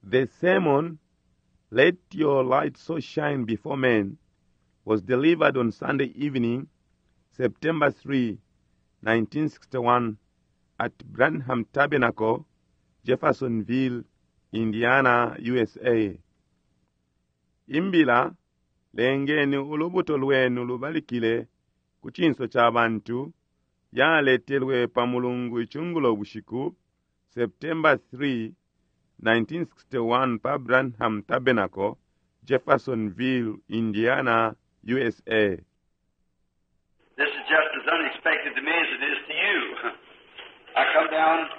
The sermon, Let Your Light So Shine Before Men, was delivered on Sunday evening, September 3, 1961, at Branham Tabernacle, Jeffersonville, Indiana, USA. Imbila, lengeni ulubuto lwenu lubalikile ku cinso ca bantu, yaletelwe pa Mulungu icungulo bushiku, September 3, 1961 pa Branham Tabernacle, Jeffersonville, Indiana, USA. This is just as unexpected to me as it is to you. I come down,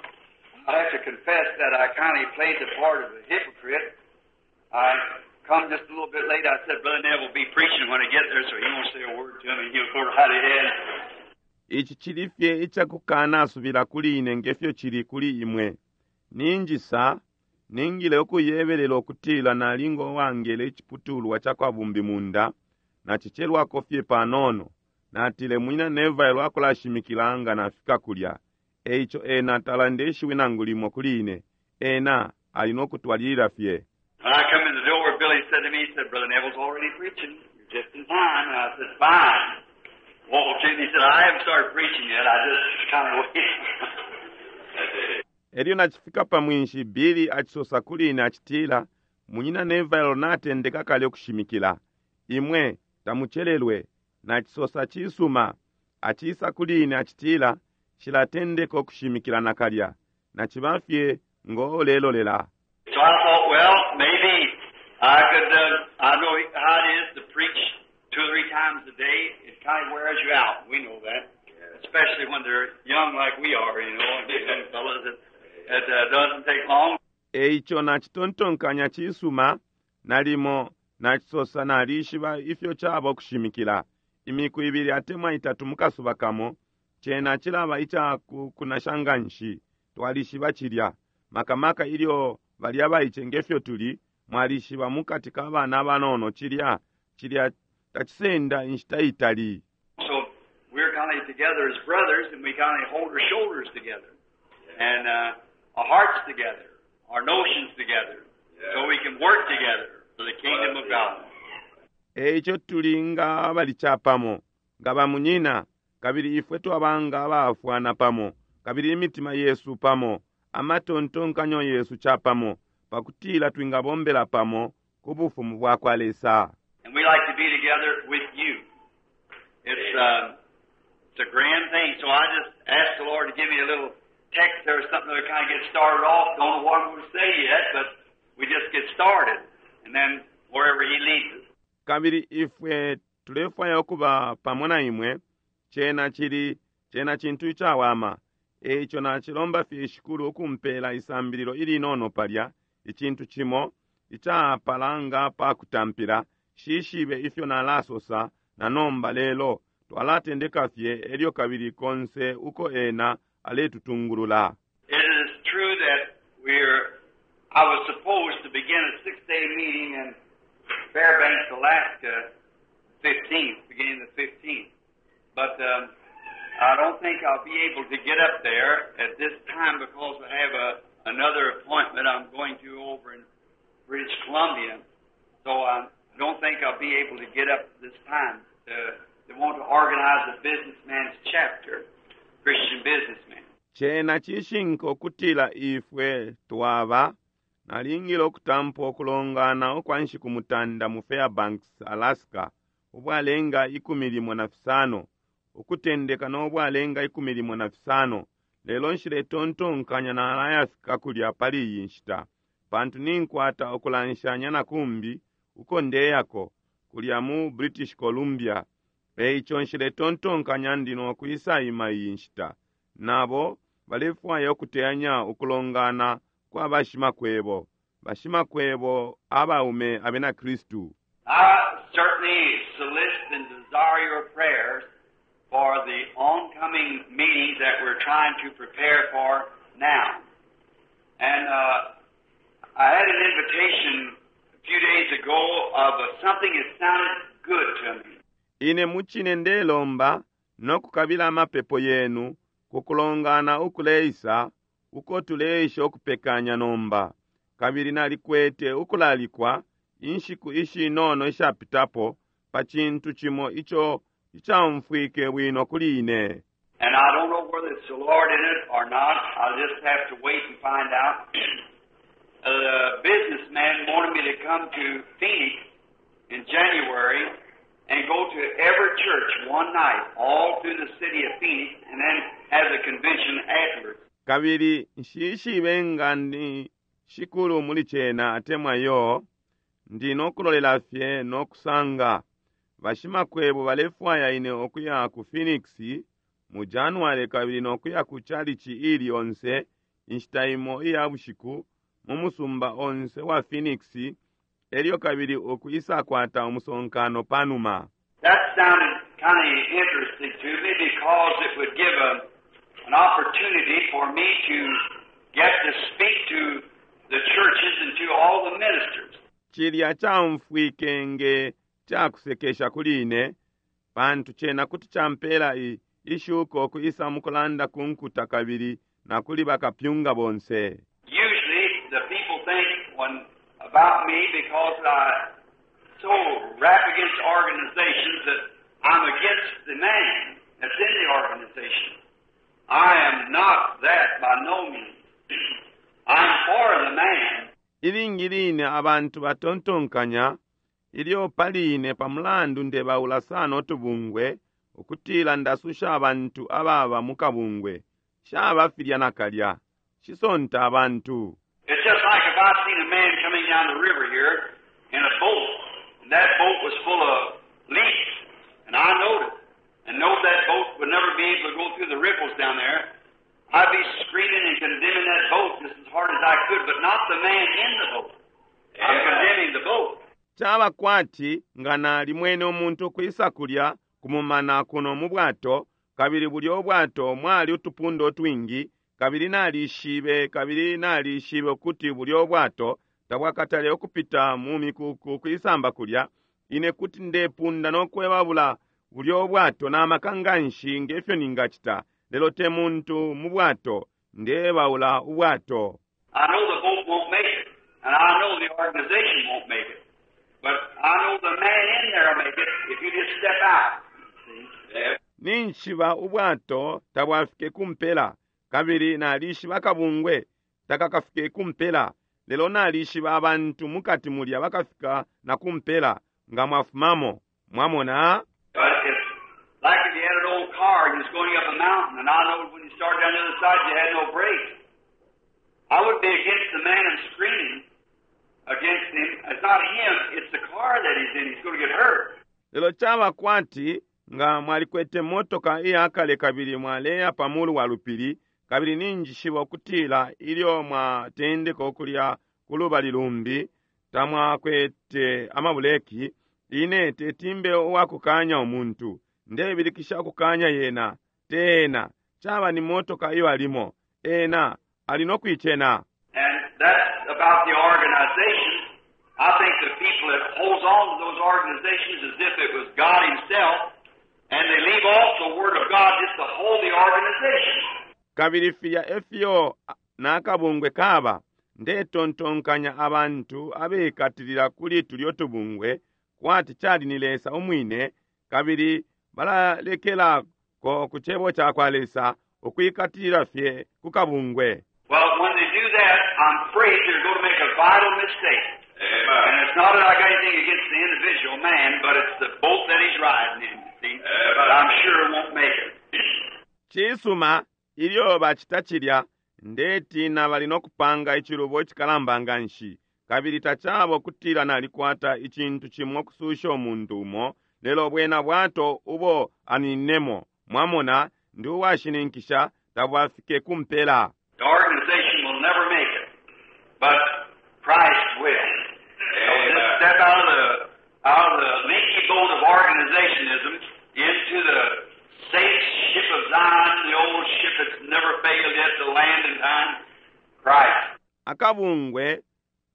I have to confess that I kind of played the part of a hypocrite. I come just a little bit late. I said, Brother Neville will be preaching when I get there, so he won't say a word to me. He'll go right ahead. Ici cili fye icakukanasubila kuli ine ngefyo cili kuli imwe. Ninjisa, ningile ukuyebelela ukutila nali ngo wangele iciputulwa ca kwa bumbimunda, nacicelwako fye panono. Natile Munyina Neville akulashimikila nga nafika kulya. Eico ena talande ishiwi nangu limo kuli ine, ena ali no kutwalilila fye. When I come in the door, Billy said to me, he said, Brother Neville's already preaching. You're just in time. And I said, fine. Walked in, he said, I haven't started preaching yet. I just kind of waited. Elyo nacifika pa mwinshi, Billy acisosa kuli ine acitila, Munyina Neville natendeka kale ukushimikila. Imwe tamucelelwe. Nacisosa cisuma. Acisa kuli ine acitila, Nshilatendeka ukushimikila nakalya. Naciba fye ngo ulelolela. So I thought, well, maybe I could, I know how it is to preach two or three times a day. It kind of wears you out. We know that. Especially when they're young like we are, and young fellas. It doesn't take long. Eico nacitontonkanya cisuma, nalimo, nacisosa nalishiba ifyo caba ukushimikila imiku ibili atemwa itatu mu kasuba kamo, cena cilaba ica kunasha nganshi. Twalishiba cilya. Maka maka ilyo bali abaice nge fyo tuli, mwalishiba mukati ka bana abanono cilya, cilya tacisenda inshita itali. So we're kind of together as brothers, and we kind of hold our shoulders together, and our hearts together, our notions together, so we can work together for the kingdom of God. Eico tuli nga abali capamo, nga bamunyina, kabili ifwe twaba nga abaafwana pamo, kabili imitima yesu pamo, amatontonkanyo yesu capamo, pakutila twingabombela pamo ku Bufumu bwakwa Lesa. And we like to be together with you. It's a grand thing. So I just asked the Lord to give me a little text there, something to kind of get started off. Don't know what I'm going to say yet, but we just get started. And then wherever He leads us. Kabili ifwe tulefwaya ukuba pamo na imwe. Cena cili, cena cintu icawama. Eico nacilomba fye Shikulu ukumpela isambililo ilinono palya, icintu cimo, icapala nga pa kutampila. Nshishibe ifyo nalasosa na nomba, lelo twalatendeka fye elyo kabili konse uko Ena aletutungulula. It is true that I was supposed to begin a 6-day meeting in Fairbanks, Alaska, 15th, beginning the 15th. But I don't think I'll be able to get up there at this time because I have another appointment I'm going to over in British Columbia. So I don't think I'll be able to get up this time. They want to organize a businessman's chapter, Christian businessman. Cena cishinka ukutila ifwe twaba nalingile ukutampa ukulongana ukwa nshiku mutanda mu Fairbanks, Alaska, ubwalenga 15, ukutendeka no bwalenga 15, lelo nshiletontonkanya nalayafika kulya pali iyi nshita, pantu ninkwata ukulanshanya na kumbi uko ndeyako, kulya mu British Columbia. Eico nshiletontonkanya ndi no kwisaima iyi nshita. Nabo balefwaya ukuteyanya ukulongana kwa bashimakwebo, bashimakwebo abaume abena Kristu. I certainly solicit and desire your prayers for the oncoming meetings that we're trying to prepare for now. And I had an invitation a few days ago of something that sounded good to me. Ine mucine ndelomba no kukabila amapepo yenu ku kulongana ukuleisa uko tuleisha ukupekanya nomba. Kabili nalikwete ukulalikwa inshiku ishinono ishapitapo pa cintu cimo ico icaumfwike bwino kuli ine. And I don't know whether it's the Lord in it or not. I'll just have to wait and find out. The businessman wanted me to come to Phoenix in January and go to every church one night, all through the city of Phoenix, and then have the convention afterwards. Kabili nshishibe nga ni Shikulu muli cena atemwa iyo, ndi no kulolela fye no kusanga. Bashimakwebo balefwaya ine ukuya ku Phoenix mu January kabili no kuya ku chalichi ili yonse inshita imo iya bushiku mu musumba onse wa Phoenix, elyo kabili ukwisakwata umusonkano panuma. That sounded kind of interesting to me because it would give an opportunity for me to get to speak to the churches and to all the ministers. Cilya caumfwike nge cakusekesha kuli ine, pantu cena kuti campela ishuko ukwisa mukulanda ku nkuta kabili na kuli bakapyunga bonse. Usually the people think when about me because I so rap against organizations that I'm against the man that's in the organization. I am not that by no means. I'm for the man. Ilingi line abantu batontonkanya ilyo pali ine pa mulandu ndebaula sana utubungwe ukutila ndasusha abantu ababa mu kabungwe. Shaba filya nakalya. Shisonta abantu. It's just like if I seen a man coming down the river here in a boat, and that boat was full of leaks, and I knowed it, and knowed that boat would never be able to go through the ripples down there. I'd be screaming and condemning that boat just as hard as I could, but not the man in the boat. I'm condemning the boat. Caba kwati nga nalimwene umuntu ukwisa kulya kumumana kuno mu bwato, kabili bulya ubwato mwali utupundo utwingi, kabili nalishibe, kabili nalishibe ukuti bulya ubwato tabwakatale ukupita mu mikuku kwisamba kulya. Ine kuti ndepunda no kwebabula bulya ubwato na maka nganshi nge fyo ningacita, lelo te muntu mu bwato, ndebaula ubwato. I know the boat won't make it, and I know the organization won't make it. But I know the man in there will make it if you just step out. See? Ninjishiba ubwato tabwafike ku mpela, kabili nalishiba akabungwe takakafike ku mpela, lelo nalishiba abantu mukati mulya bakafika na ku mpela nga mwafumamo. Mwamona? But it's like if you had an old car and you was going up a mountain, and I know when you started down the other side you had no brakes. I wouldn't be against the man and screaming against him. It's not him, it's the car that he's in. He's going to get hurt. Lelo caba kwati nga mwalikwete motoka iyakale kabili mwaleya pa mulu wa lupili, kabili ninjishiba ukutila ilyo mwatendeka ukulya ku lubali lumbi tamwakwete amabuleki, ine tetimbe uwakukanya umuntu, ndebilikisha ukukanya yena, te ena, caba ni motoka iyo alimo, ena ali no kuicena. And that's about the organization. I think the people that holds on to those organizations as if it was God himself, and they leave off the Word of God just to hold the organization. Kabili filya efyo nakabungwe kaba, ndetontonkanya abantu abekatilila kuli tulyo tubungwe kwati cali ni Lesa umwine, kabili balalekelako ku cebo cakwa Lesa ukwikatilila fye ku kabungwe. Well, when they do that, I'm afraid they're going to make a vital mistake. Amen. And it's not that I got anything against the individual man, but it's the boat that he's riding in, you see. Amen. But I'm sure it won't make it. Cisuma, ilyo bacita cilya, ndetina bali no kupanga icilubo icikalamba nganshi, kabili tacaba ukutila nalikwata icintu cimo ukususha umuntu umo, lelo bwena bwato ubo aninemo, mwamona, ndi uwashininkisha tabwafike ku mpela. The organization will never make it, but Christ will. So just step out of the leaky boat of organizationism into the safe ship of Zion, the old ship that's never failed yet to land in time, Christ. Akabungwe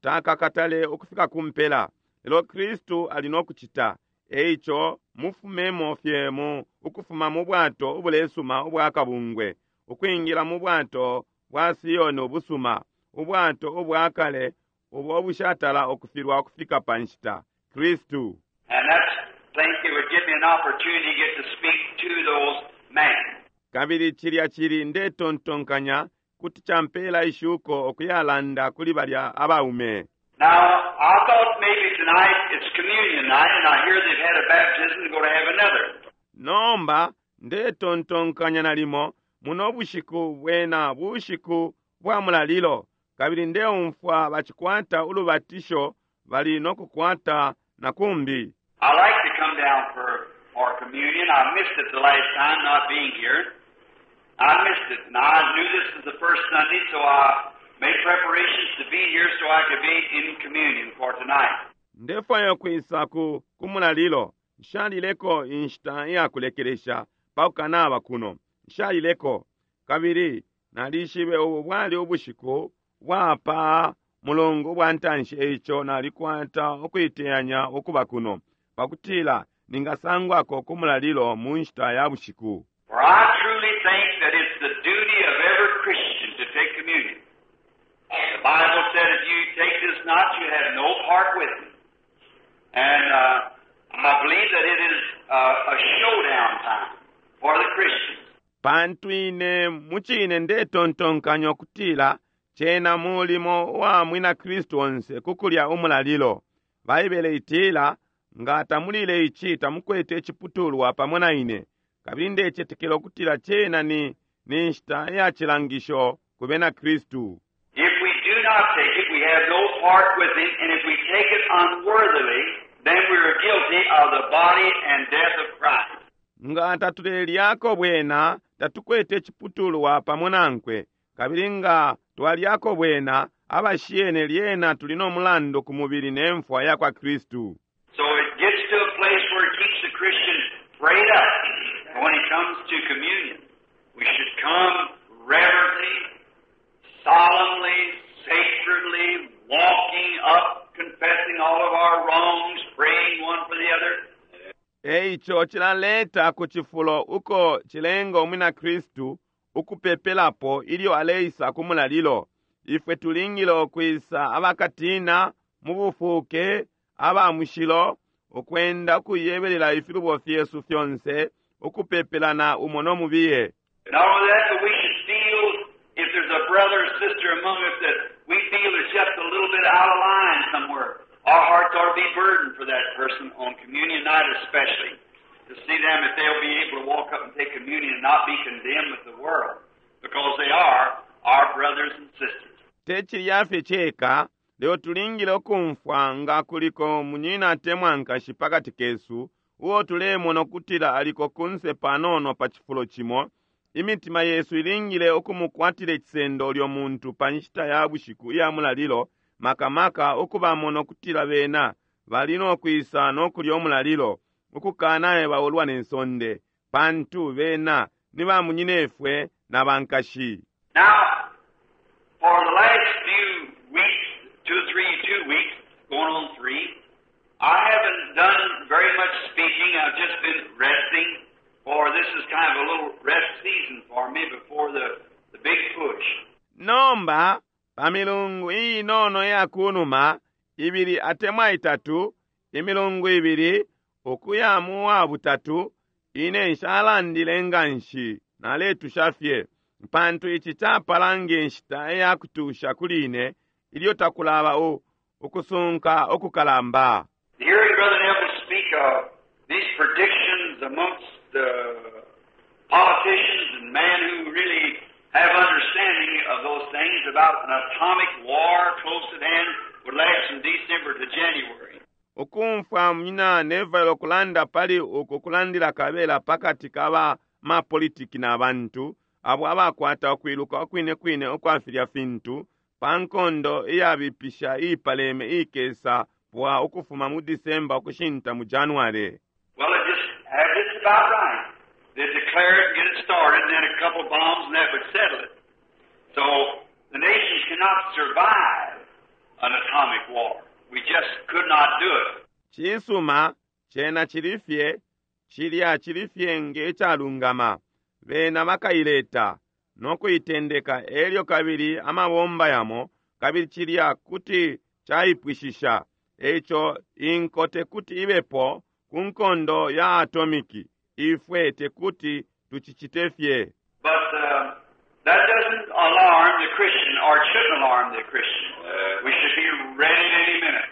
takakatale ukufika ku mpela, lelo Kristu ali no kucita. Eico mufumemo fye mu ukufuma mu bwato ubulesuma ubwa kabungwe, ukwingila mu bwato bwa Sioni ubusuma, ubwato ubwa kale ubo bushatala ukufilwa ukufika pa nshita, Kristu. And that's, think it would give me an opportunity to get to speak to those men. Kabili cilya cili, ndetontonkanya, kuti campela ishuko ukuyalanda kuli balya abaume. Now, I thought maybe tonight it's communion night, and I hear they've had a baptism and going to have another. Nomba ndetontonkanya nalimo muno bushiku bwena bushiku bwa mulalilo, kabili ndeumfwa bacikwata ulubatisho bali no kukwata na kumbi. I like to come down for communion. I missed it the last time not being here. I missed it, and I knew this was the first Sunday, so I made preparations to be here so I could be in communion for tonight. Ndefwaya kwisa ku kumulalilo. Nshalileko inshita iyakulekelesha pakukanaba kuno. Nshalileko. Kabili nalishibe ubu bwali ubushiku bwapa mulungu bwa ntanshi, eico nalikwata ukuiteyanya ukuba kuno pakutila ningasangwako ku mulalilo mu nshita ya bushiku. For I truly think that it's the duty of every Christian to take communion. The Bible said if you take this not, you have no part with me. And I believe that it is a showdown time for the Christians. Pantu ine mucine ndetontonkanya ukutila cena mulimo wa mwina Kristu onse kukulya umulalilo. Baibele itila nga tamulile ici tamukwete iciputulwa pamo na ine. Kabili ndecetekela ukutila cena ni nshita ya cilangisho ku bena Kristu. If we do not take it, we have no part with him, and if we take it unworthily, then we are guilty of the body and death of Christ. Nga tatulelyako bwena tatukwete iciputulwa pamo nankwe, kabili nga twalyako bwena abashiyene lyena tuli no mulandu ku mubili ne mfwa ya kwa Kristu. So it gets to a place where it keeps the Christian prayed up. And when it comes to communion, we should come reverently, solemnly, sacredly, walking up, confessing all of our wrongs, praying one for the other. Eico cilaleta ku cifulo uko cilenga umwina Kristu ukupepelapo ilyo aleisa ku mulalilo. Ifwe tulingile ukwisa abakatina mu bufuke aba mushilo, ukwenda ukuyebelela ifilubo fyesu fyonse, ukupepelana umo no mubiye. Not only that, but we should feel if there's a brother or sister among us that we feel is just a little bit out of line somewhere. Our hearts ought to be burdened for that person on communion night especially, to see them if they'll be able to walk up and take communion and not be condemned with the world, because they are our brothers and sisters. Te cilya fye ceka, lelo tulingile ukumfwa nga kuliko munyina atemwa nkashi pakati kesu, uo tulemona ukutila aliko kunse panono pa cifulo cimo. Imitima yesu ilingile ukumukwatila icisendo ulyo muntu pa nshita ya bushiku iya mulalilo, makamaka ukubamona ukutila bena bali no kwisa no kulya umulalilo, ukukanaye baulwa ne nsonde, pantu bena ni bamunyinefwe na bankashi. Now, for the last few weeks, 2, 3, 2 weeks, going on 3, I haven't done very much speaking. I've just been resting, for this is kind of a little rest season for me before the big push. Nomba, pa milungu inono ya kunuma, ibili atemwa itatu, imilungu ibili, ukuya mu wa butatu, ine nshalandile nganshi, naletusha fye, pantu ici capala nge nshita ya kutusha kuli ine, ilyo takulaba ukusunka ukukalamba. Hearing Brother Neville speak of these predictions amongst the politicians and men who really have understanding of those things about an atomic war close at hand would last from December to January. Ukumfwa munyina Neville okulanda pali uku kulandila kabela pakati ka mapolitiki na bantu abo abakwata ukwiluka ukwine kwine ukwa filya fintu pa nkondo iyabipisha ipaleme ikesa bwa ukufuma mu December ukushinta mu January. Well, it just had it about right. They declare it and get it started, and then a couple of bombs and that would settle it. So the nations cannot survive an atomic war. We just could not do it. Cisuma, cena cilifye, cilya cilifye nge calungama. Bena bakaileta no kuitendeka elyo kabili amabomba yamo, kabili cilya kuti Caipwishisha. Eico inko tekuti ibepo ku nkondo ya atomiki. Ifwe tekuti tucicite fye. But that doesn't alarm the Christian, or it shouldn't alarm the Christian. We should be ready at any minute,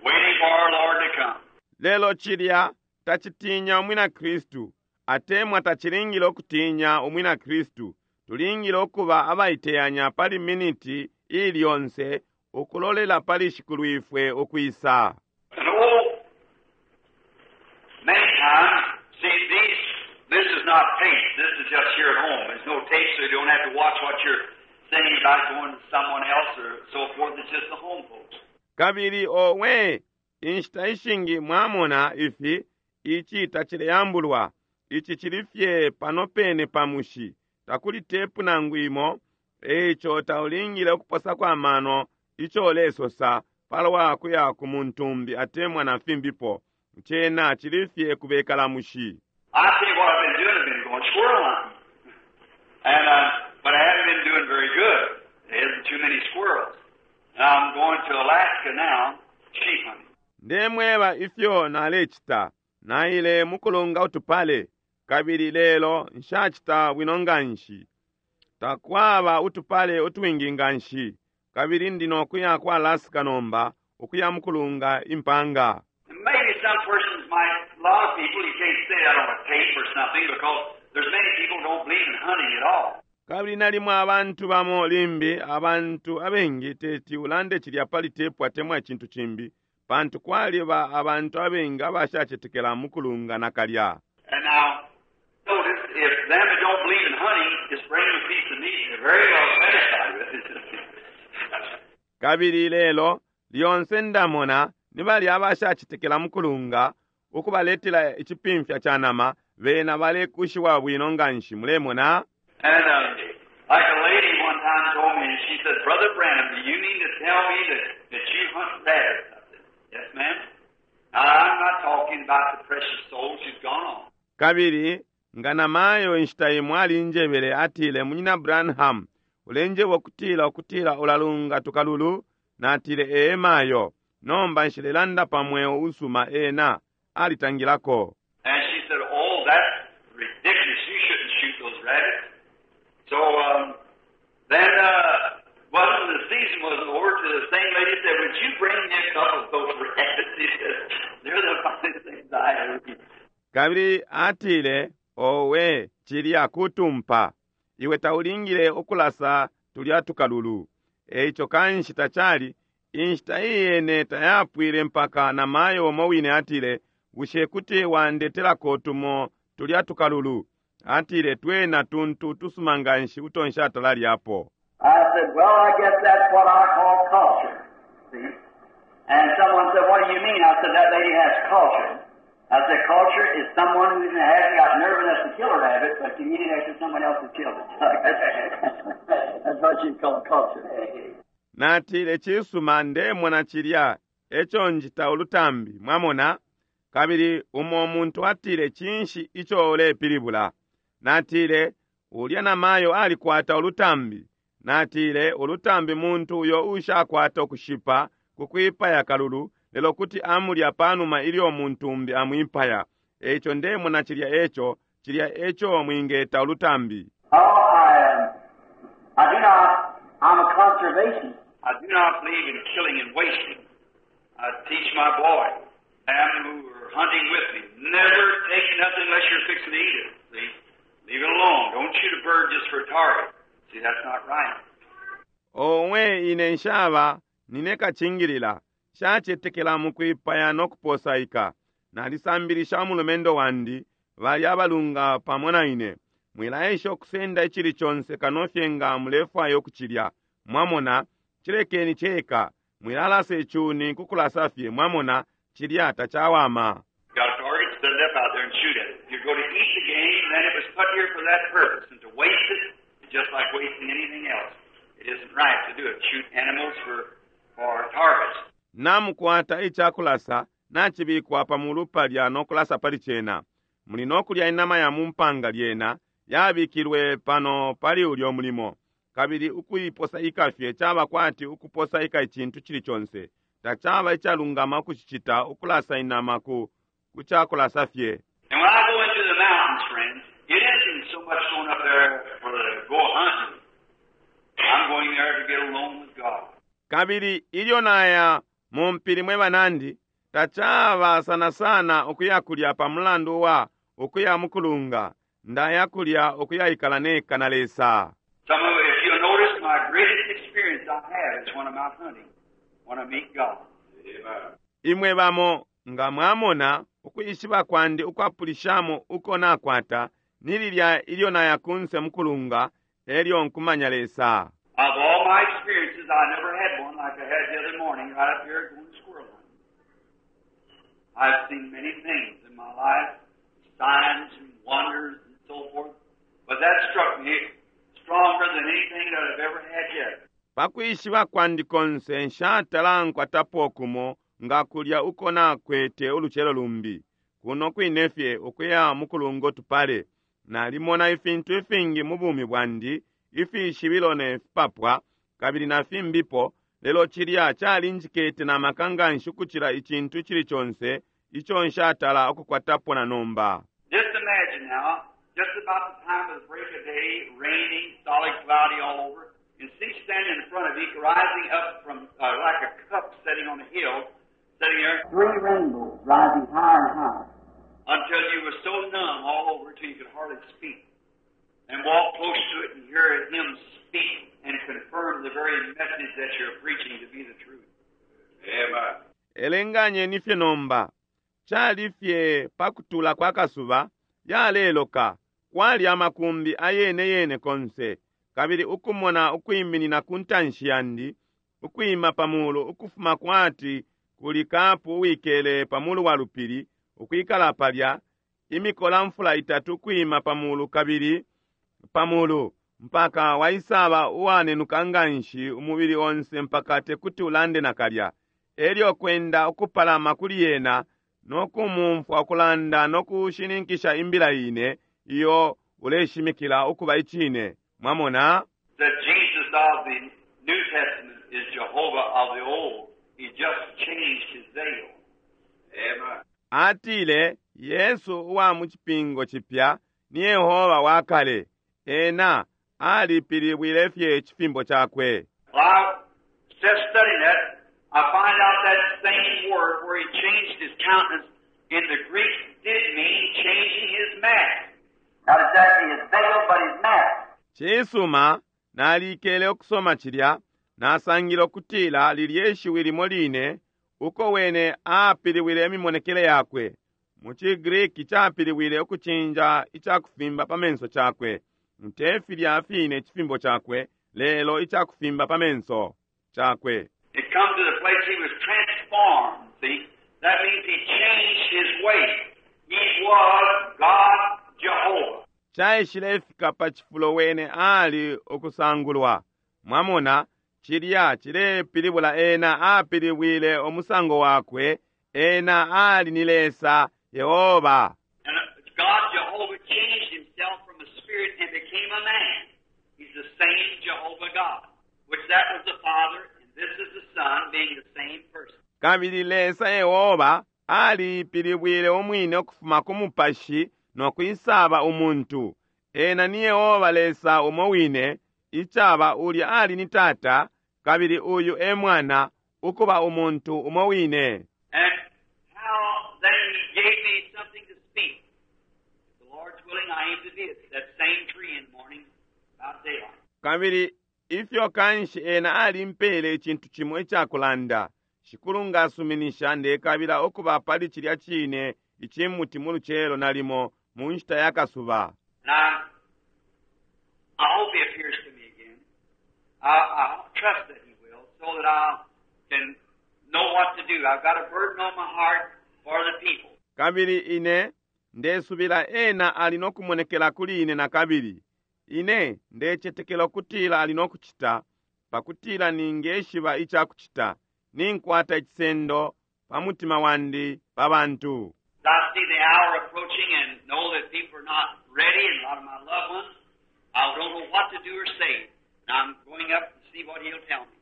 waiting for our Lord to come. Lelo cilya tacitinya umwina Kristu, atemwa tacilingile ukutinya umwina Kristu. Tulingile ukuba abaiteyanya pali miniti ili yonse ukulolela pali Shikulwifwe ukwisa. And oh, many times, see, this is not tape. This is just here at home. There's no tape, so you don't have to watch what you're saying about going to someone else or so forth. It's just the home folks. Kabili owe, inshita ishingi mwamona ifi, ici tacileyambulwa. Ici cili fye pano pene pa mushi. Takuli tepu nangu imo, eico taulingile ukuposako amano ico ulesosa palwa kuya ku muntu umbi atemwa na fimbipo. Cena cili fye kubekala mushi. I see what I've been doing. I've been going squirrel hunting. But I haven't been doing very good. There isn't too many squirrels. And I'm going to Alaska now, sheep hunting. Ndemweba ifyo nalecita. Naile mukulunga utupale. Kabili lelo nshacita bwino nganshi. Takwaba utupale utwingi nganshi. Kabili ndi nokuya ku Alaska nomba, ukuya mukulunga impanga. Maybe some persons might, a lot of people, you can't say that on a tape or something because there's many people don't believe in hunting at all. Kabili nalimo abantu bamo limbi, abantu abengi teti ulande cilya pali tepu atemwa icintu cimbi, pantu kwaliba abantu abengi abashacetekela mukulunga nakalya. And now, notice, if them that don't believe in hunting just bring them a piece of meat, they're very well satisfied with it. Kabili lelo, lyonse ndamona, ni balya abashacetekela mukulunga, ukubaletela icipimfya ca nama, bena balekushiwa bwino nganshi, mulemona? And like a lady one time told me, and she said, Brother Branham, do you mean to tell me that you hunt rabbits? I said, yes, ma'am. Now, I'm not talking about the precious soul. She's gone on. Kabili, nga namayo inshita imo alinjebele, atile, Munyina Branham, ulenjeba ukutila ulalunga tukalulu? Natile, ee mayo. Nomba nshilelanda pa mweo usuma ena alitangilako. And she said, oh, that's ridiculous. You shouldn't shoot those rabbits. So then wasn't the season wasn't over to the same lady said, would you bring me a couple of those rabbits? She said, they're the finest things I ever eat. Kabili atile, owe, cilya kutumpa. Iwe taulingile ukulasa tulya tukalulu. Eico kanshi tacali, inshita iyene tayapwile mpaka na mayo umo wine atile, bushe kuti wandetelako tumo tulya tukalulu? Atile, twena tuntu tusuma nganshi uto nshatalalyapo. I said, well, I guess that's what I call culture. See? And someone said, what do you mean? I said, that lady has culture. I said, culture is someone who hasn't got nerve enough to kill a rabbit, but can eat it after someone else has killed it. That's what you call culture. Natile, cisuma, ndemona cilya eco njita ulutambi, mwamona? Kabili umo muntu atile, cinshi ico ulepilibula? Natile, ulya namayo alikwata ulutambi. Natile, ulutambi muntu uyo ushakwata ukushipa kukwipaya kalulu, lelo kuti amulya panuma ilyo muntu umbi amwipaya. Eico ndemona cilya eco, cilya eco mwingeta ulutambi. Oh, I do not, I'm a conservationist. I do not believe in killing and wasting. I teach my boy, them who are hunting with me, never take nothing unless you're fixing to eat it. See? Leave it alone. Don't shoot a bird just for a target. See, that's not right. Owe, ine nshaba, nine kacingilila. Nshacetekela mukwipaya no kuposaika. Nalisambilisha umulumendo wandi, bali abalunga pamo na ine. Mwilaesha ukusenda icili conse kano fye nga mulefwaya ukucilya. Mwamona, cilekeni ceka. Mwilalasa icuni kukulasa fye, mwamona, cilya tacawama. Got a target, set it up out there and shoot at it. If you're going to eat the game, then it was put here for that purpose. And to waste it is just like wasting anything else. It isn't right to do it. Shoot animals for targets. Namukwata icakulasa, nacibikwa pa mulu palya no kulasa pali cena. Muli no kulya inama ya mumpanga lyena, yabikilwe pano pali ulyo mulimo. Kabili ukuiposa ikafye caba kwati ukuposa ika icintu cili conse. Tacaba icalungama ukucicita, ukulasa inama ku, ku cakulasa fye. And when I go into the mountains, friends, it isn't so much going up there for to go hunting. I'm going there to get alone with God. Kabili ilyo naya mu mpili mwe banandi, tacaba sana sana ukuya kulya pa mulandu wa ukuya mukulunga. Ndaya kulya ukuyaikala neka na Lesa. Some of if you'll notice, my greatest experience I have is when I'm out hunting, when I meet God. Imwe bamo nga mwamona ukwishiba kwandi ukwapulishamo uko nakwata ni lilya ilyo naya kunse mukulunga elyo nkumanya Lesa. Of all my experiences, I never had one like I had the other morning right up here going squirrel hunting. I've seen many things in my life, signs and wonders and so forth, but that struck me stronger than anything that I've ever had yet. Pakwishiba kwandi konse nshatala nkwatapo kumo nga kulya uko nakwete ulucelo lumbi. Kuno kwine fye ukuya mukulungo tupale. Nalimona ifintu ifingi mu bumi bwandi, ifishibilo ne fipapwa, kabili na fimbipo, lelo cilya calinjikete na maka nganshi ukucila icintu icili conse ico nshatala ukukwatapo na nomba. Just imagine now, just about the time of the break of day, raining, solid cloudy all over, and see standing in front of you, rising up from like a cup sitting on a hill, sitting there, three rainbows rising higher and higher, until you were so numb all over till you could hardly speak. And walk close to it and hear him speak and confirm the very message that you're preaching to be the truth. Amen. Elenganyeni fye nomba. Cali fye pa kutula kwa kasuba, yaleloka, kwali amakumbi ayene yene konse, kabili ukumona ukwiminina ku ntanshi yandi, ukwima pa mulu ukufuma kwati kuli kapu uwikele pa mulu wa lupili, ukwikala palya, imikola mfula itatu ukwima pa mulu kabili pa mulu, mpaka waisaba uwanenuka nganshi umubili onse mpaka tekuti ulande nakalya. Elyo kwenda ukupalama kuli yena no kumumfwa ukulanda no kushininkisha imbila ine iyo uleshimikila ukuba icine. Mwamona? The Jesus of the New Testament is Jehovah of the Old. He just changed his veil. Amen. Atile Yesu uwa mu Cipingo Cipya ni Yehoba wa kale. Ena alipilibwile fye icifimbo cakwe. Well, I just studying that, I find out that same word where he changed his countenance in the Greek did mean changing his mask. Not exactly his veil, but his mask. Cisuma, nalikele ukusoma cilya, nasangile ukutila lilye shiwi limo line uko wene apiliwile imimonekele yakwe. Mu ciGreek capiliwile ukucinja icakufimba pa menso cakwe. Te filya fine icifimbo cakwe, lelo icakufimba pa menso cakwe. It come to the place he was transformed, see? That means he changed his way. He was God Jehovah. Caishilefika pa cifulo wene ali ukusangulwa. Mwamona, cilya cilepilibula ena apilibwile umusango wakwe, ena ali ni Lesa Yehoba. And God Jehovah changed himself from a spirit and became a man. He's the same Jehovah God, which that was the Father, and this is the Son, being the same person. Kabili Lesa Yehoba alipilibwile umwine ukufuma ku mupashi no kwisaba umuntu. Ena ni Yehoba Lesa umo wine, icaba ulya ali ni Tata, kabili uyu e Mwana, ukuba umuntu umo wine. And how then he gave me something to speak. If the Lord's willing, I aim to be at that same tree in the morning, about daylight. Kabili ifyo kanshi ena alimpele icintu cimo icakulanda. Shikulu ngasuminisha ndekabila ukuba pali cilya cine icimuti mu lucelo nalimo mu nshita ya kasuba. And I hope he appears to me again. I trust that he will, so that I can know what to do. I've got a burden on my heart for the people. Kabili ine ndesubila ena ali no kumonekela kuli ine nakabili. Ine ndecetekela ukutila ali no kucita, pakutila ningeshiba icakucita. Ninkwata icisendo pa mutima wandi pa bantu. I see the hour approaching and know that people are not ready, and a lot of my loved ones, I don't know what to do or say. And I'm going up to see what he'll tell me.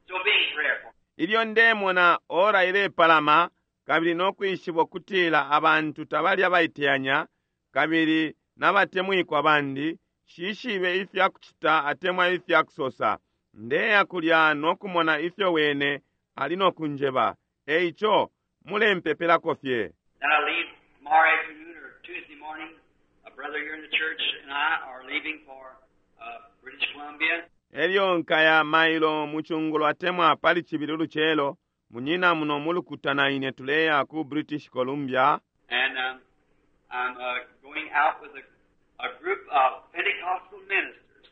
So be in prayer for me. Ilyo ndemona ora ilepalama kabili no kwishiba ukutila abantu tabali abaiteyanya kabili nabatemwikwa bandi, shishibe ifya kucita atemwa ifya kusosa. Ndeya kulya no kumona ifyo wene ali no kunjeba. Eico mulempepelako fye. Then I leave tomorrow afternoon or Tuesday morning. A brother here in the church and I are leaving for British Columbia. Elyo nkaya mailo mucungulo atemwa pali cibili ulucelo, munyina muno mulukuta na ine tuleya ku British Columbia. And I'm going out with a group of Pentecostal ministers.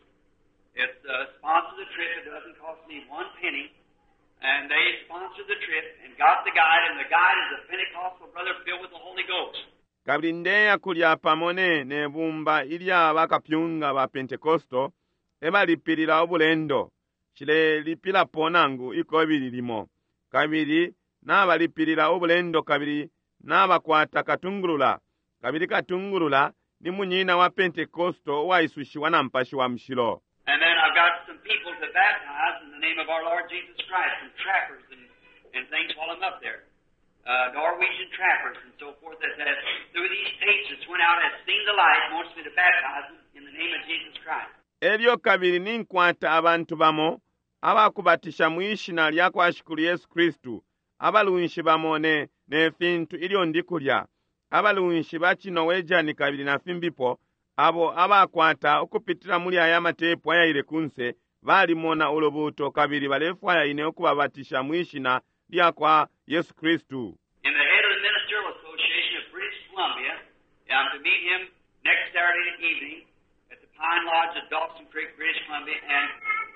It's sponsored the trip. It doesn't cost me one penny. And they sponsored the trip and got the guide, and the guide is a Pentecostal brother filled with the Holy Ghost. Kabili ndeya kulya pamo ne bumba ilya bakapyunga ba Pentecosto ebalipilila ubulendo, nshilelipilapo nangu ikobili limo. Kabili nabalipilila ubulendo kabili nabakwata katungulula, kabili katungulula ni munyina wa Pentecosto uwaisushiwa na Mupashi wa Mushilo. And then I've got some people to baptize in the name of our Lord Jesus Christ, some trappers and things while I'm up there. Norwegian trappers and so forth that through these tapes that went out has seen the light and wants me to baptize them in the name of Jesus Christ. Elyo kabili ninkwata abantu bamo abakubatisha mwi shina lya kwa Shikulu Yesu Kristu, abalunshi bamo ne fintu ilyo ndi kulya, abalunshi ba ciNorwegian kabili na fimbipo, abo abakwata ukupitila muli aya matepu ayaile kunse, balimona ulubuuto kabili balefwaya ine ukubabatisha mwi shina lya kwa Yesu Kristu. And the head of the Ministerial Association of British Columbia, I'm to meet him next Saturday evening at the Pine Lodge of Dawson Creek, British Columbia, and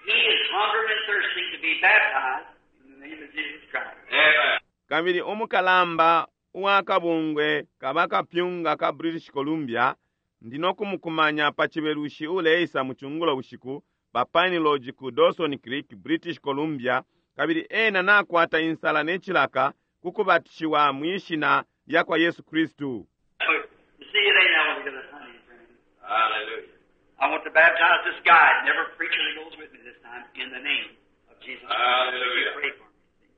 he is hungering and thirsting to be baptized in the name of Jesus Christ. Amen. Kabili umukalamba uwa kabungwe kabakapyunga ka British Columbia, ndi no kumukumanya pa Cibelushi uleisa mu cungulo bushiku pa Pine Lodge ku Dawson Creek, British Columbia, kabili ena nakwata insala ne cilaka ku kubatishiwa mwi shina lya kwa Yesu Kristu. You see, it ain't altogether honey, friend. Hallelujah. I want to baptize this guide and every preacher that goes with me this time in the name of Jesus Christ. Hallelujah. You pray for me,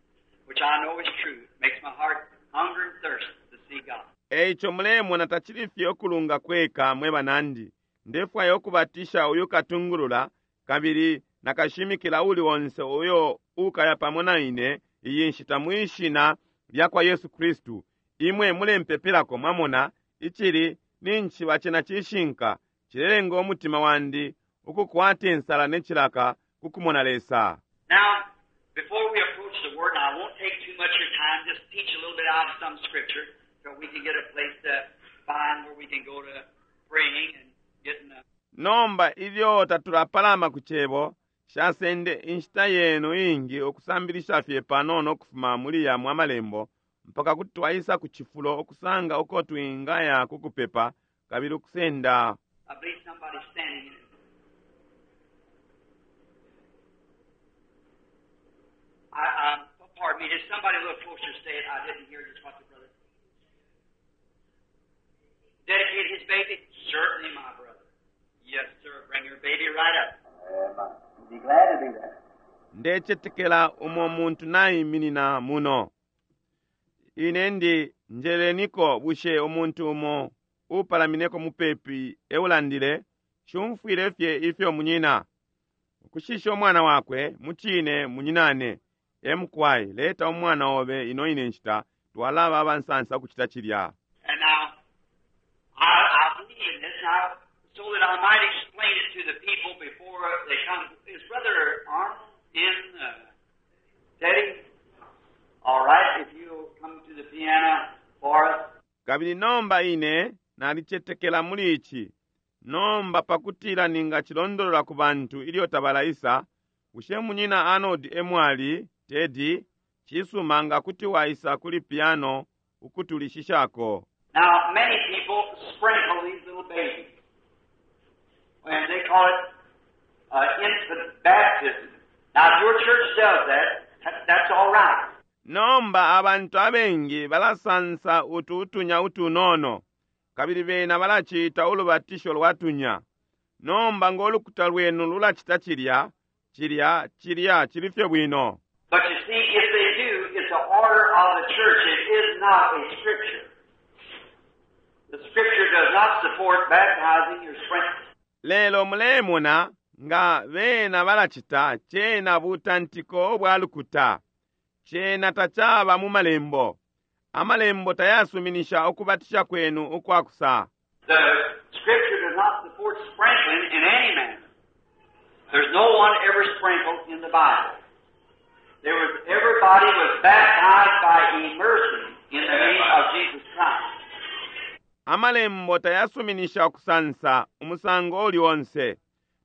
which I know is true. It makes my heart hunger and thirst to see God. Eico mulemona tacili fye ukulunga kweka mwe banandi. Ndefwaya ukubatisha uyu katungulula kabili nakashimikila uli onse uyo ukaya pamo na ine iyi nshita mwi shina lya kwa Yesu Kristu. Imwe mulempepelako, mwamona, icili ninshi cena cishinka, cilelenga umutima wandi ukukwata insala ne cilaka ku kumona Lesa. Now, before we approach the Word, and I won't take too much of your time, just teach a little bit out of some Scripture so we can get a place to find where we can go to praying and getting the... Nomba ilyo tatulapalama ku cebo, nshasende inshita yenu iingi ukusambilisha fye panono ukufuma muli yamo amalembo, mpaka kuti twaisa ku cifulo ukusanga uko twingaya ku kupepa kabili ukusenda. I believe somebody's standing in it. Pardon me, did somebody a little closer say it? I didn't hear just what the brother dedicate his baby? Certainly, my brother. Yes, sir. Bring your baby right up. Amen. Be glad to do that. Ndecetekela umo muntu naiminina muno. Ine ndi njeleniko bushe umuntu umo upalamineko mupepi eulandile, shumfwile fye ifyo munyina. Ukushisha umwana wakwe, mucine munyinane. Emukwai, leta umwana obe ino ine nshita, twalaba abansansa ukucita cilya. And now, I believe in this now, so that I might explain it to the people before they come. Is Brother Arnold in Teddy? All right, if you'll come to the piano for us. Kabili nomba ine nalicetekela muli ici. Nomba pakutila ningacilondolola ku bantu ilyo tabalaisa, bushe munyina Arnold emwali, Teddy, cisuma nga kuti waisa kuli piano ukutulishishako. Now, many people sprinkle these little babies. And they call it infant baptism. Now, if your church does that, that's all right. Nomba abantu abengi balasansa utu utunya utunono, kabili bena balacita ulubatisho lwa tunya. Nomba ng'olukuta lwenu lulacita cilya, cilya, cilya, cili fye bwino. But you see, if they church. It is not a scripture. The scripture does not support baptizing or sprinkling. Lelo mulemona nga bena balacita cena butantiko ubwa lukuta. Cena tacaba mu malembo. Amalembo tayasuminisha ukubatisha kwenu ukwakusa. The scripture does not support sprinkling in any manner. There's no one ever sprinkled in the Bible. There was everybody was baptized by immersion in the name of Jesus Christ. Amalembo tayasuminisha ukusansa umusango uli onse.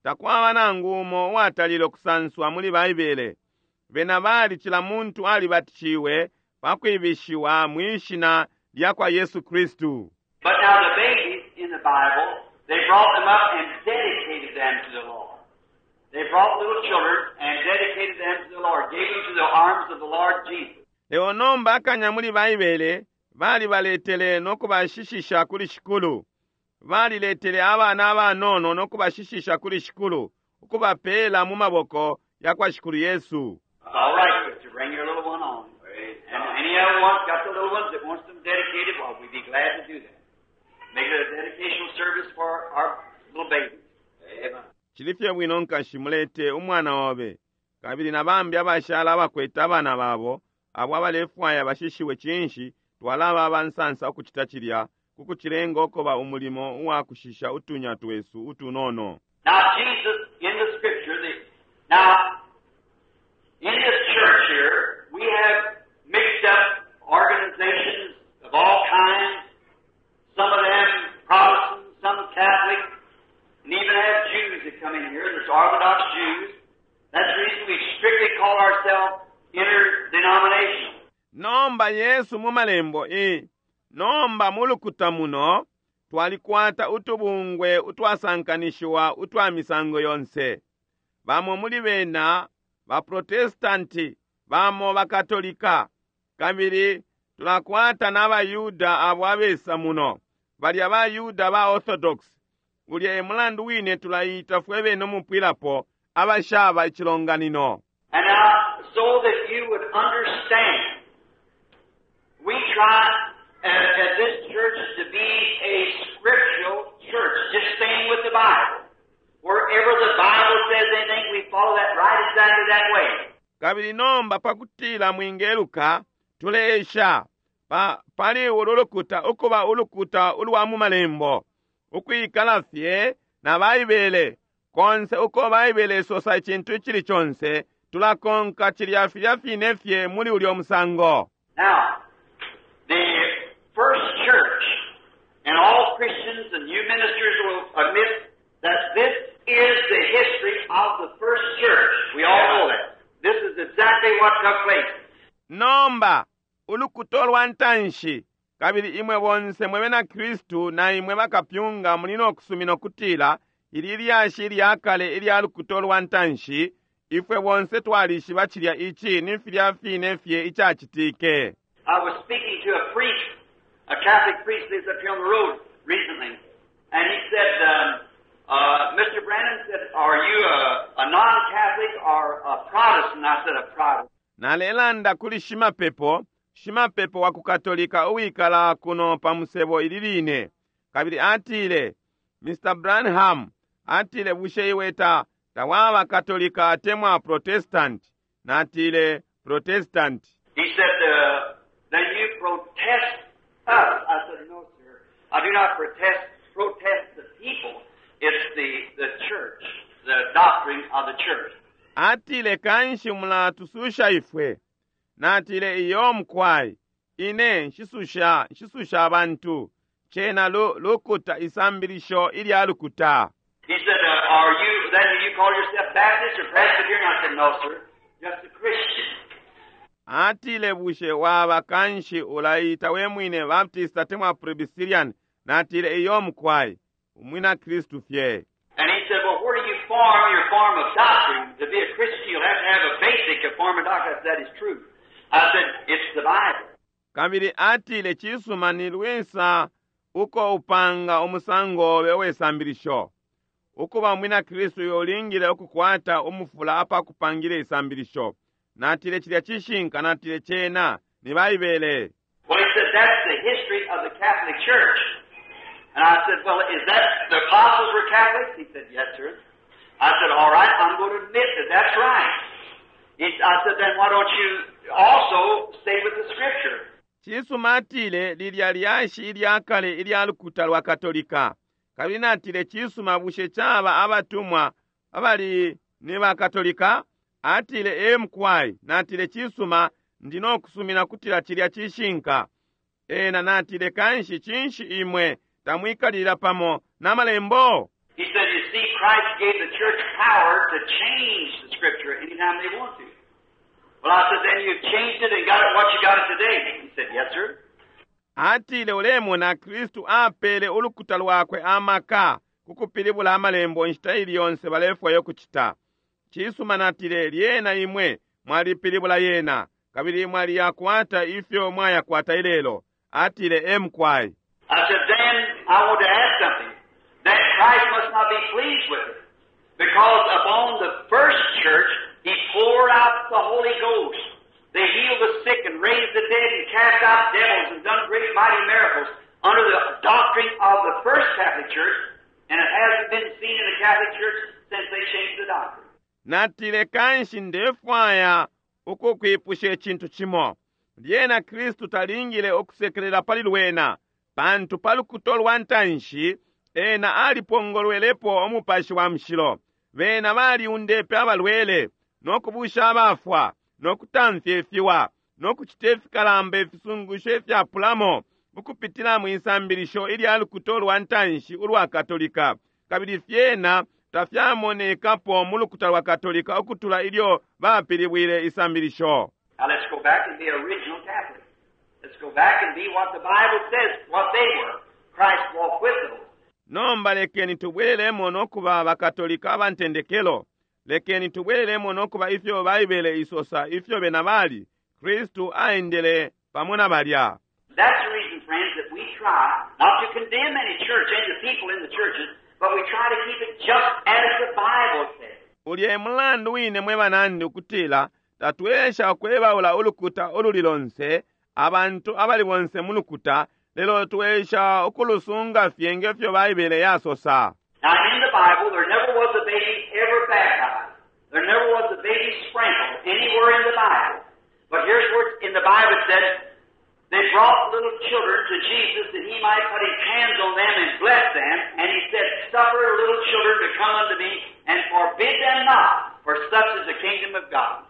Takwaba nangu umo uwatalile ukusanswa muli Baibele. Bena bali cila muntu alibatishiwe pakwibishiwa mwishina lya kwa Yesu Kristu. But now the babies in the Bible, they brought them up and dedicated them to the Lord. They brought little children and dedicated them to the Lord, gave them to the arms of the Lord Jesus. Lelo nomba akanya muli Baibele balibaletele no kubashishisha kuli Shikulu. Baliletele abana abanono no kubashishisha kuli Shikulu, ukubapeela mu maboko ya kwa Shikulu Yesu. It's all right, sister. Bring your little one on. And any other one's got the little ones that wants them dedicated, well, we'd be glad to do that. Make it a dedicational service for our little babies. Amen. Cili fye bwino nkashi mulete umwana obe kabili na bambi abashala abakwete abana babo abo abalefwaya bashishiwe cinshi twalaba abansansa ukucita cilya ku kucilenga ukuba umulimo uwa kushisha utunya twesu utunono. Now, Jesus, in the scripture, the, now, in this church here, we have mixed up organizations of all kinds, some of them Protestant, some Catholic, and even have Jews that come in here, there's Orthodox Jews. That's the reason we strictly call ourselves interdenominational. Nomba Yesu mu malembo i nomba mu lukuta muno twalikwata utubungwe utwasankanishiwa utwa misango yonse. Bamo muli bena baprotestanti, bamo bakatolika, kabili tulakwata n'abayuda abo abesa muno, balya bayuda ba Orthodox. Ulya e mulandu wine tulayita fwe bene umupwilapo abashaba icilonganino. And now, so that you would understand, we try at this church to be a scriptural church, just staying with the Bible. Wherever the Bible says anything, we follow that right exactly that way. Kabili nomba pakutila mwingeluka tuleesha pa, pali ulu lukuta ukuba ulukuta ulwa mu malembo ukwikala fye na Baibele konse uko Baibele isosa icintu icili conse tulakonka cilya filya fine fye muli ulyo musango. Now, the first church, and all Christians and you ministers will admit that this is the history of the first church. We all know that. This is exactly what took place. Nomba ulukuta lwa ntanshi kabili imwe bonse mwe bena Kristu na imwe bakapyunga muli no kusumina ukutila ili lyashi ilya kale ilya lukuta lwa ntanshi ifwe bonse twalishiba cilya ici ni filya fine fye icacitike. I was speaking to a priest, a Catholic priest lives up here on the road recently, and he said, Mr. Branham said, are you a non-Catholic or a Protestant? I said, a Protestant. Nalelanda kuli shimapepo, shimapepo wa ku Katolika uwikala kuno pa musebo ili line. Kabili atile, Mr. Branham, atile bushe iwe ta tawaba Katolika atemwa Protestant? Natile, Protestant. He said, then you protest us. I said, no, sir. I do not protest the people. It's the church, the doctrine of the church. Atile kanshi mulatususha ifwe. Natile iyo mukwai. Ine nshisusha abantu. Cena lukuta isambilisho ilya lukuta. He said, are you, then do you call yourself Baptist or Presbyterian? I said, no, sir. Just a Christian. Atile bushe waba kanshi ulaita we mwine Baptist atemwa Presbyterian. Natile iyo mukwai. Umwina Kristu fye. And he said, well, where do you form your form of doctrine? To be a Christian, you'll have to have a basic form of doctrine. I said, that is true. I said, it's the Bible. Kabili atile cisuma ni lwisa uko upanga umusango obe wesambilisho. Ukuba umwina Kristu yolingile ukukwata umufula apa kupangile isambilisho. Natile cilya cishinka, natile cena Ni Baibele. Well, he said, that's the history of the Catholic Church. And I said, well, is that the apostles were Catholics? He said, yes, sir. I said, all right, I'm going to admit that that's right. I said, then why don't you also stay with the Scripture? Cisuma atile lilya lyashi ilya kale ilya lukuta lwa Katolika. Kabili natile cisuma bushe caba abatumwa abali ni ba Katolika? Atile ee mukwai. Natile cisuma ndi no kusumina kutila cilya cishinka. Ena natile kanshi cinshi imwe tamwikalila pamo na malembo? He said, you see, Christ gave the church power to change the Scripture anytime they want to. Well, I said, then you've changed it and got it what you got it today. He said, yes, sir. Atile ulemona Kristu apele ulukuta lwakwe amaka kukupilibula amalembo inshita ili yonse balefwayo kucita. Cisuma natile lyena imwe mwalipilibula yena kabili mwaliyakwata ifyo mwayakwata ilelo. Atile ee mukwai. I said, then I want to ask something. That Christ must not be pleased with it. Because upon the first church, He poured out the Holy Ghost. They healed the sick and raised the dead and cast out devils and done great mighty miracles under the doctrine of the first Catholic Church, and it hasn't been seen in the Catholic Church since they changed the doctrine. Natile kanshi ndefwaya ukukwipusha icintu cimo. Lyena Kristu talingile ukusekelela pali lwena, pantu pa lukuto lwa ntanshi ena alipongolwelepo umupashi wa mushilo. Bena baliundepe abalwele, no kubusha abafwa, no kutamfya ifiwa, no kucita ifikalamba ifisungusho ifyapulamo, ukupitila mwisambilisho ilya lukuto lwa ntanshi ulwa Katolika. Kabili fyena tafyamonekapo mu lukuta lwa Katolika ukutula ilyo bapilibwile isambilisho. Now let's go back and be original Catholic. Let's go back and be what the Bible says, what they were. Christ walked with them. Nomba lekeni tubwelelemo no kuba bakatolika abantendekelo. Lekeni tubwelelemo no kuba ifyo Baibele isosa ifyo bena bali. Kristu aendele pamo na balya. That's the reason, friends, that we try not to condemn any church and the people in the churches, but we try to keep it just as the Bible says. Ulya e mulandu wine mwe banandi ukutila tatwesha ukwebaula ulukuta ululi lonse, abantu abali bonse mu lukuta, lelo twesha ukulusunga fye nge fyo Baibele yasosa. Now, in the Bible, there never was a baby ever baptized. There never was a baby sprinkled anywhere in the Bible. But here's where in the Bible it said, they brought little children to Jesus that he might put his hands on them and bless them. And he said, suffer little children to come unto me and forbid them not, for such is the kingdom of God.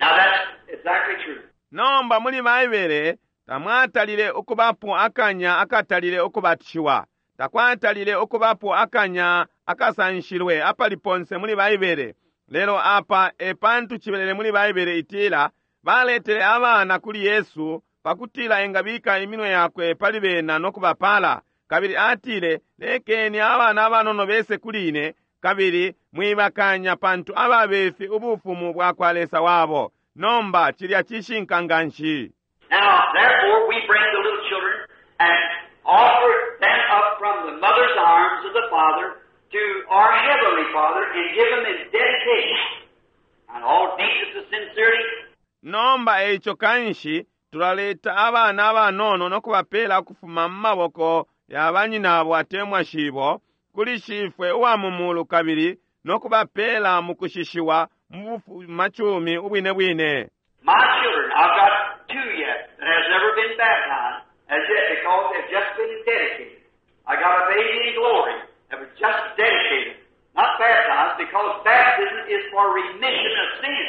Now that's exactly true. Nomba muli Baibele tamwatalile ukubapo akanya akatalile ukubatishiwa. Takwatalile ukubapo akanya akasanshilwe apali ponse muli Baibele. Lelo apa e pantu cibelele muli Baibele itila baletele abana kuli Yesu pakutila engabika iminwe yakwe pali bena no kubapala. Kabili atile lekeni abana abanono bese kuli ine, kabili mwibakanya pantu ababefi ubufumu bwa kwa Lesa wabo. Nomba cilya cishinka nganshi. Now, therefore, we bring the little children and offer them up from the mother's arms of the Father to our Heavenly Father and give them in dedication. And all deepness of sincerity, Nomba eico kanshi tulaleta abana abanono no kubapela ukufuma mu maboko ya banyinabo atemwa shibo kuli shifwe uwa mu mulu kabili no kubapela mu kushishiwa mu bufumacumi ubwine bwine. My children, I've got two yet that has never been baptized as yet because they've just been dedicated. I got a baby in glory that was just dedicated, not baptized, because baptism is for remission of sin.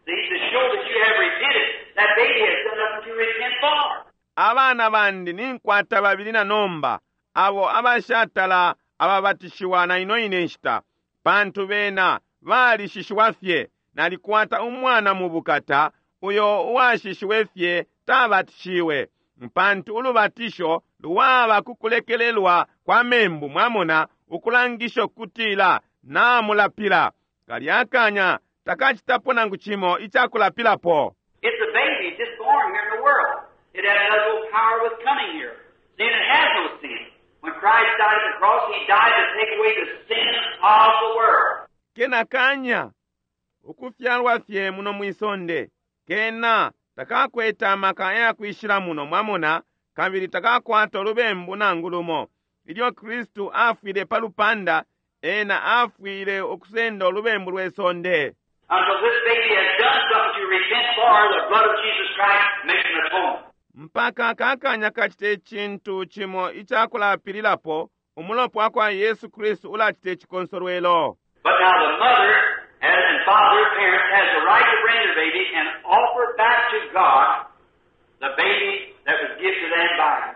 See, to show that you have repented, that baby has done nothing to repent for. Abana bandi ninkwata babili na nomba abo abashatala ababatishiwa na ino ine nshita pantu bena balishishiwa fye. Nalikwata umwana mu bukata uyo uwashishiwe fye tabatishiwe pantu ulubatisho lwaba kukulekelelwa kwa membu, mwamona, ukulangisho kutila namulapila. Kalya kanya takacitapo nangu cimo icakulapilapo. It's a baby just born here in the world. It has no power with coming here. Sin, it has no sin. When Christ died at the cross, He died to take away the sin of the world. Kena kanya ukufyalwa fye muno mwisonde kena Takakwete amaka ayakwishila muno, mwamona, kabili takakwata ulubembu nangu lumo. Ilyo Kristu afwile pa lupanda, Ena afwile ukusenda ulubembu lwe sonde. Until this baby has done something to repent for, the blood of Jesus Christ makes an atonement. Mpaka aka kanya kacite icintu cimo icakulapililapo, Umulopa wakwa Yesu Kristu ulacita icikonsolwelo. But now the mother has, and father, parents, has the right to bring their baby and offer back to God the baby that was given to them by God.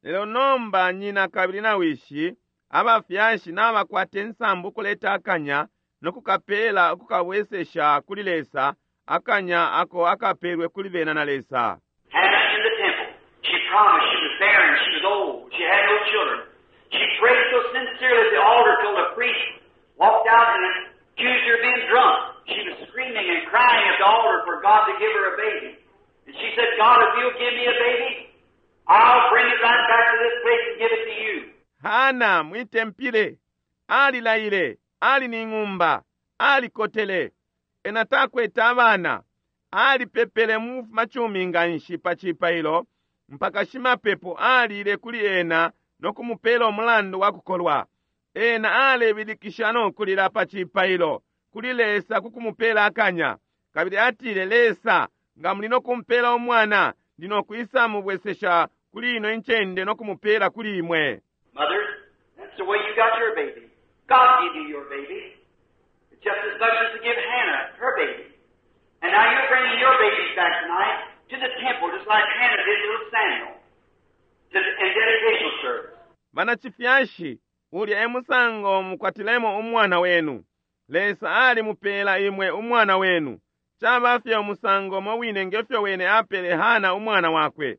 Lelo nomba nyina kabili na wishi, abafyashi nabakwata insambu ukuleta akanya no kukapela ukukabwesesha kuli Lesa, akanya ako akapelwe kuli bena na Lesa. Hannah in the temple, she promised she was barren, she was old, she had no children. She prayed so sincerely at the altar till the priest walked out and accused her of being drunk. She was screaming and crying at the altar for God to give her a baby. And she said, God, if you'll give me a baby, I'll bring it right back to this place and give it to you. Hana mwitempile alilaile, ali ni ng'umba, alikotele, ena takwete abana, alipepele mu bufumacumi nganshi pa cipailo mpaka shimapepo alile kuli ena no kumupela umulandu wa kukolwa. Ena alebilikisha no kulila pa cipailo kuli Lesa ku kumupela akanya. Kabili atile, Lesa, nga muli no kumpela umwana, ndi no kwisa mubwesesha kuli ino incende no kumupela kuli imwe. Mother, that's the way you got your baby. God gave you your baby. It's just as much as to give Hannah her baby. And now you're bringing your babies back tonight to the temple, just like Hannah did little Samuel, to the, in dedication service. Banacifyashi, ulya e musango mukwatilemo umwana wenu. Lesa alimupela imwe umwana wenu. Caba fye umusango umo wine nge fyo Wene apele Hana umwana wakwe.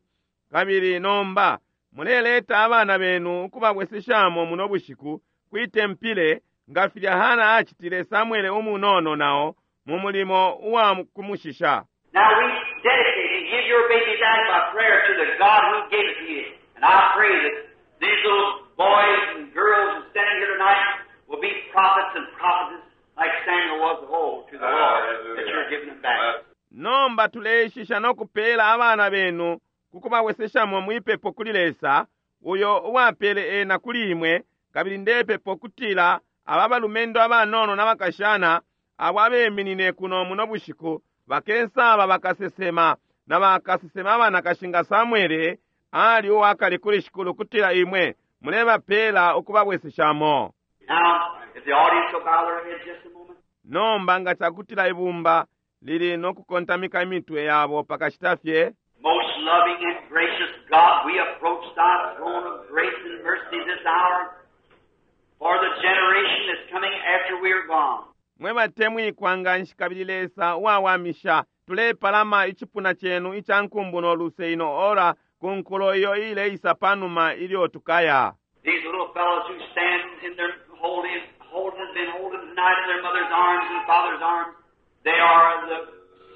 Kabili nomba muleleta abana benu ukubabweseshamo muno bushiku kwi tempile, nga filya Hana acitile Samwele umunono nao mu mulimo uwa kumushisha. Now we dedicate and give your baby back by prayer to the God who gave it to you. And I pray that these little boys and girls who are standing here tonight will be prophets and prophetesses like Samuel was of old to the Lord that you're giving them back. Nomba tuleishisha no kupela abana benu ku kubabweseshamo mwi pepo kuli Lesa, uyo uwapele ena kuli imwe, kabili ndepepa ukutila aba balumendo abanono na bakashana abo abeminine kuno muno bushiku bakesaba bakasesema na bakasesema abanakashi nga Samwele ali uwakale kuli Shikulu ukutila imwe mulebapela ukubabweseshamo. Now, if the audience will bow their heads just a moment. Nomba nga cakutila ibumba lili no kukontamika imitwe yabo pakashita fye. Most loving and gracious God, we approach thy throne of grace and mercy this hour for the generation that's coming after we are gone. Mwe batemwikwa nganshi kabili Lesa uwawamisha, tulepalama icipuna cenu ica nkumbu no luse ino ora ku nkulo iyo iileisa panuma ilyo tukaya. These little fellows who stand in their holding, holding, have been holding tonight in their mother's arms and father's arms, they are the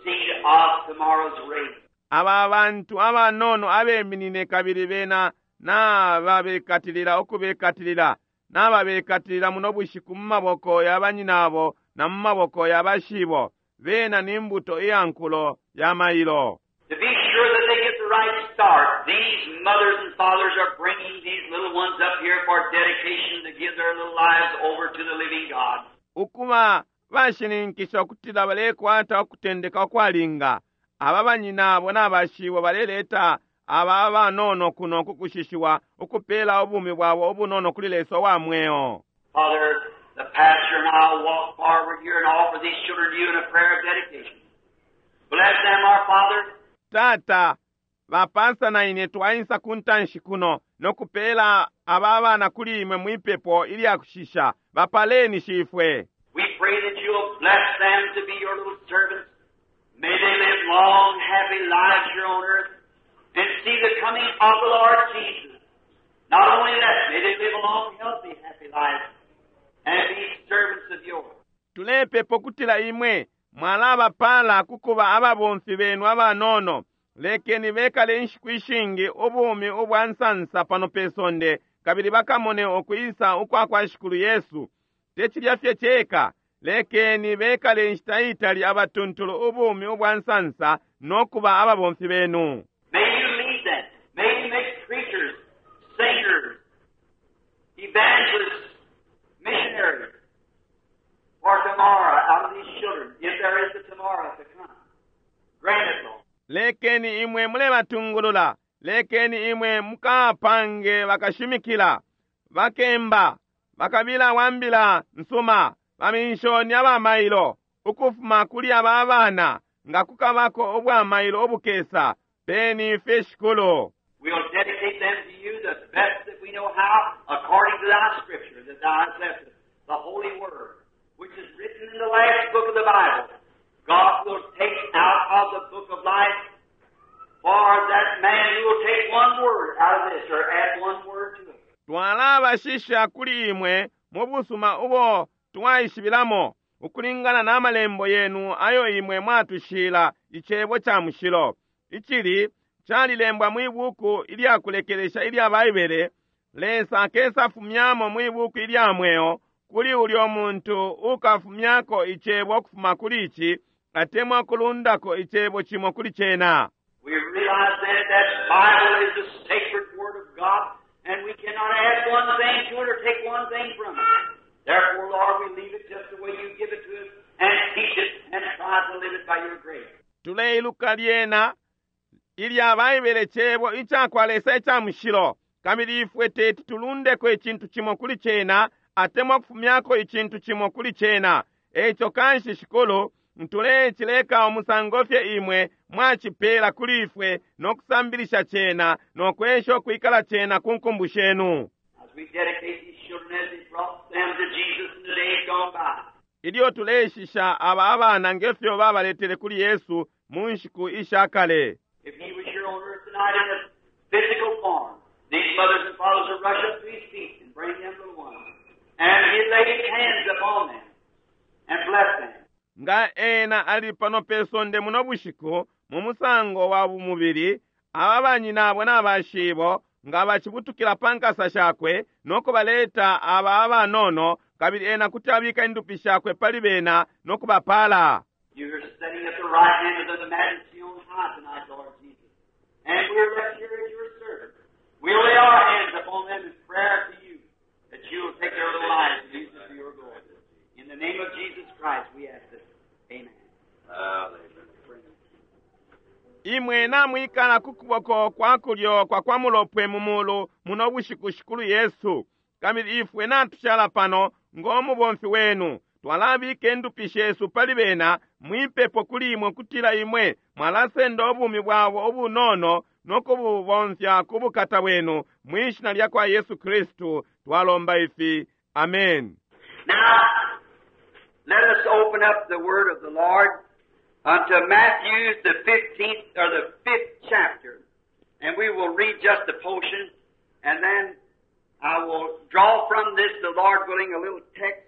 seed of tomorrow's race. Aba bantu abanono abeminine kabili bena nababekatilila ukubekatilila, nababekatilila muno bushiku mu maboko ya banyinabo na mu maboko ya bashibo, bena ni mbuto iya nkulo ya mailo. To be sure that they get the right start, these mothers and fathers are bringing these little ones up here for dedication to give their little lives over to the living God. Ukuba bashininkisha ukutila balekwata ukutendeka ukwalinga, aba banyinabo na bashibo baleleta aba abanono kuno ku kushishiwa, ukupela ubumi bwabo ubunono kuli Lesa uwa mweo. Father, the pastor and I will walk forward here and offer these children to you in a prayer of dedication. Bless them, our Father. Tata, ba pastor na ine twaisa ku ntanshi kuno no kupela aba abana kuli imwe mwipepo ilya kushisha. Bapaleni, Shifwe. We pray that you'll bless them to be your little servants. May they live long, happy lives here on earth and see the coming of the Lord Jesus. Not only that, may they live a long, healthy, happy life and be servants of yours. Tulepepa ukutila Imwe mwalabapala ku kuba ababomfi Benu abanono. Lekeni bekale inshiku ishingi ubumi ubwa nsansa pano pe sonde, kabili bakamone ukwisa ukwa kwa Shikulu Yesu. Te cilya fye ceka, Lekeni bekale inshita itali abatuntulu ubumi ubwa nsansa no kuba ababomfi benu. May you lead them. May you make preachers, singers, evangelists, missionaries for tomorrow out of these children, if there is a tomorrow to come. Grant it, Lord. Lekeni imwe mulebatungulula. Lekeni imwe mukapange bakashimikila, bakemba, bakabila wa mbila nsuma, baminshoni abamailo, ukufuma kuli aba abana, nga kukabako ubwamailo ubukesa, peni fye Shikulu. We'll dedicate them to you the best that we know how, according to thy scripture that thou hast left us, the Holy Word, which is written in the last book of the Bible. God will take out of the book of life for that man who will take one word out of this or add one word to it. Twalabashisha kuli imwe mu busuma ubo twaishibilamo, ukulingana na malembo yenu ayo imwe mwatushila icebo ca mushilo. Icili calilembwa mwi buku ilyakulekelesha ilya Baibele, Lesa akesa fumyamo mwi buku ilya mweo kuli ulyo muntu ukafumyako icebo ukufuma kuli ici, atemwa kulundako icebo cimo kuli cena. We realize then that Bible is the sacred Word of God, and we cannot add one thing to it or take one thing from it. Therefore, Lord, we leave it just the way you give it to us and teach it and try to live it by your grace. Tuleiluka lyena ilya Baibele cebo icakwa Lesa ica mushilo, kabili ifwe teti tulundeko icintu cimo kuli cena atemwa kufumyako icintu cimo kuli cena. Eico kanshi Shikulu, tulecileka umusango fye imwe mwacipela kuli ifwe no kusambilisha cena no kwesha ukwikala cena ku nkumbu shenu. As we dedicate these children as they brought them to Jesus in the days gone by. Ilyo tuleishisha aba abana ngefyo babaletele kuli Yesu mu nshiku isha kale. If he was here on earth tonight in a physical form, these mothers and fathers would rush up to his feet and bring them little ones. And he'd lay his hands upon them and bless them. Nga ena ali pano pe sonde muno bushiku mu musango wa bumubili, aba banyinabo na bashibo nga bacibutukila pa nkasa shakwe no kubaleta aba abanono, kabili ena kuti abika indupi shakwe pali bena no kubapala. You're sitting at the right hand of the majesty on high tonight, Lord Jesus. And we're left here as your servants. We lay our hands upon them in prayer to you, that you will take their little lives and use it for your glory. In the name of Jesus Christ, we ask this. Amen. Imwe namwikala ku kuboko kwa kulyo kwa kwa mulopwe mu mulu muno bushiku Shikulu Yesu, kabili ifwe natushala pano ng'omubomfi wenu. Twalabika indupi shesu pali bena mwipepo kuli imwe kutila imwe mwalasenda ubumi bwabo ubunono no kububomfya ku bukata bwenu mwishina lya kwa Yesu Kristu twalomba ifi. Amen. Now, let us open up the word of the Lord unto Matthew, the 15th, or the 5th chapter. And we will read just a portion, and then I will draw from this, the Lord willing, a little text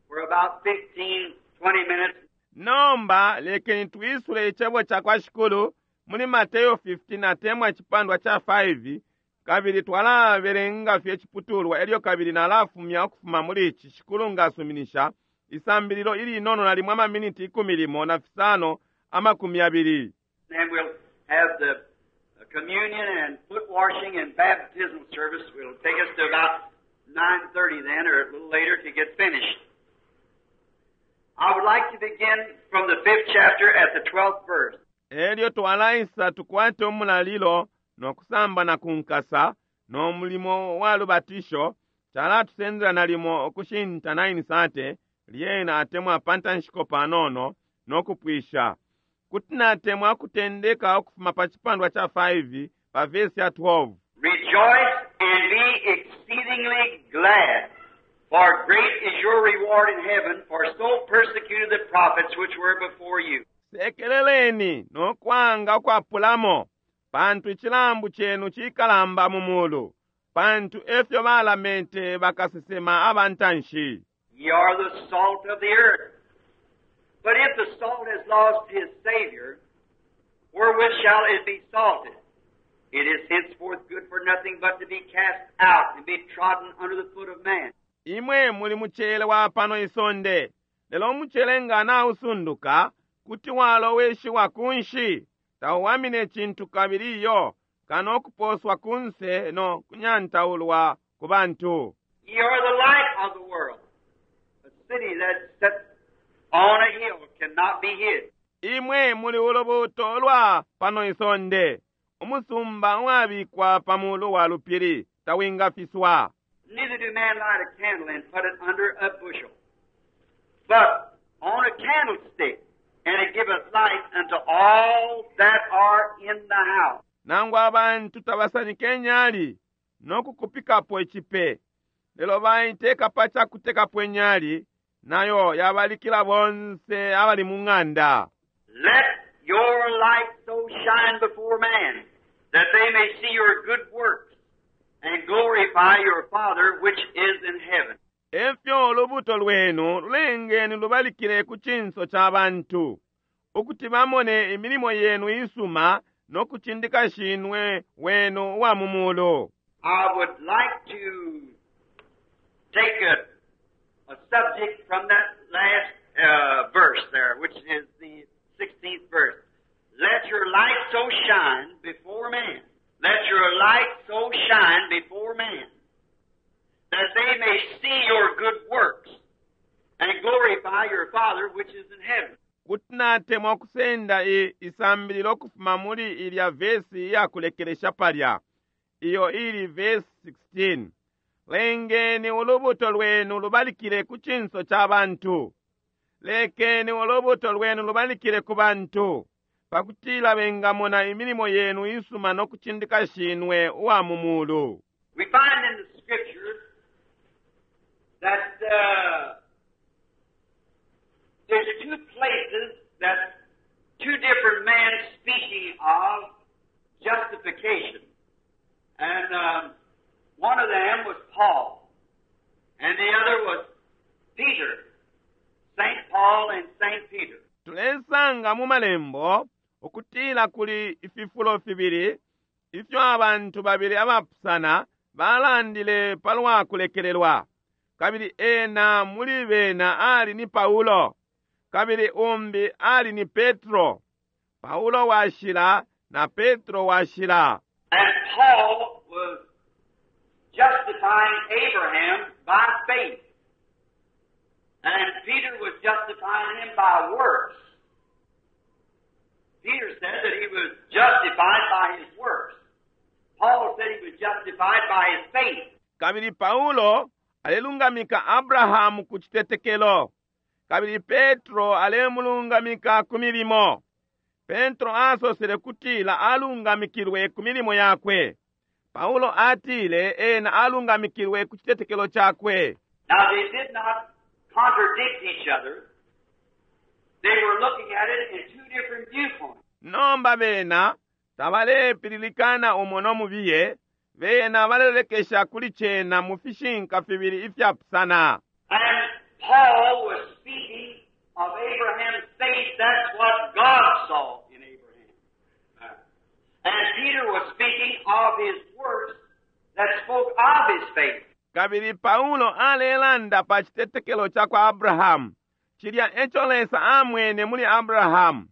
for about 15, 20 minutes. Nomba lekeni twisule icebo ca kwa Shikulu muli Mateo 15 atemwa icipandwa ca 5, kabili twalabelenga fye iciputulwa elyo kabili nalafumya ukufuma muli ici Shikulu ngasuminisha isambililo ilinono nalimwe amaminiti ikumi limo na fisano amakumi abili. Then we'll have the communion and foot washing and baptismal service. It'll take us to about 9:30 then, or a little later, to get finished. I would like to begin from the 5th chapter at the 12th verse. Elyo twalaisa tukwate umulalilo no kusamba na kunkasa no mulimo wa lubatisho chalatusendela nalimo ukushinta 9:30 lyena atemwa pantanshiko panono no kupwisha. Kuti natemwa kutendeka ukufuma pa chipandwa cha 5 pa verse ya 12. Rejoice and be exceedingly glad, for great is your reward in heaven, for so persecuted the prophets which were before you. Sekeleleni no kwanga ukwapulamo, pantu icilambu chenu cikalamba mu mulu, pantu efyo balamente bakasesema abantanshi. Ye are the salt of the earth. But if the salt has lost his savor, wherewith shall it be salted? It is henceforth good for nothing but to be cast out and be trodden under the foot of man. Imwe muli mucele wa pano isonde, Lelo umucele nga nausunduka, kuti waloweshiwa kunshi, tauwamine cintu kabili iyo, kano ukuposwa kunse no kunyantaulwa ku bantu. Ye are the light of the world. A city that's set on a hill cannot be hid. Imwe muli ulubuuto lwa pano isonde. Umusumba uwabikwa pa mulu wa lupili tawingafiswa. Neither do man light a candle and put it under a bushel, but on a candlestick, and it giveth light unto all that are in the house. Nangu abantu tabasanike inyali no kukupikapo icipe, lelo baiteka pa ca kutekapo inyali, nayo yabalikila bonse abali mu ng'anda. Let your light so shine before man, that they may see your good works and glorify your Father which is in heaven. Efyo ulubuto lwenu lulengeni lubalikile ku cinso ca bantu, ukuti bamone imilimo yenu isuma no kucindika Shinwe wenu uwa mu mulu. I would like to take a subject from that last verse there, which is the 16th verse. Let your light so shine before men. Let your light so shine before men, that they may see your good works and glorify your Father which is in heaven. Kuti natemwa ukusenda i, isambililo ukufuma muli ilya vesi iyakulekelesha palya, iyo ili vesi 16. Lengeni ulubuto lwenu lubalikile ku cinso ca bantu. Lekeni ulubuto lwenu lubalikile ku bantu, pakutila bengamona imilimo yenu isuma no kucindika Shinwe uwa mu mulu. We find in the Scripture that there's two places that two different men speaking of justification. And one of them was Paul, and the other was Peter, St. Paul and St. Peter. Tulesanga mu Malembo ukutila kuli ififulo fibili ifyo abantu babili abapusana balandile palwa kulekelelwa, kabili ena muli bena ali ni Paulo, kabili umbi ali ni Petro, Paulo Washila na Petro Washila. And Paul was justifying Abraham by faith. And Peter was justifying him by works. Peter said that he was justified by his works. Paul said he was justified by his faith. Kabili Paulo alelungamika Abrahamu ku citetekelo, kabili Petro alemulungamika ku milimo. Petro asosele kutila alungamikilwe ku milimo yakwe. Paulo atile ena alungamikilwe ku citetekelo cakwe. Now they did not contradict each other. They were looking at it in two different viewpoints. Nomba bena tabalepililikana umo no mubiye, bena balelolekesha kuli cena mu fishinka fibili ifyapusana. And Paul was speaking of Abraham's faith. That's what God saw in Abraham. And Peter was speaking of his works that spoke of his faith. Kabili Paulo alelanda pa citetekelo ca kwa Abrahamu, cilya eco Lesa amwene muli Abrahamu.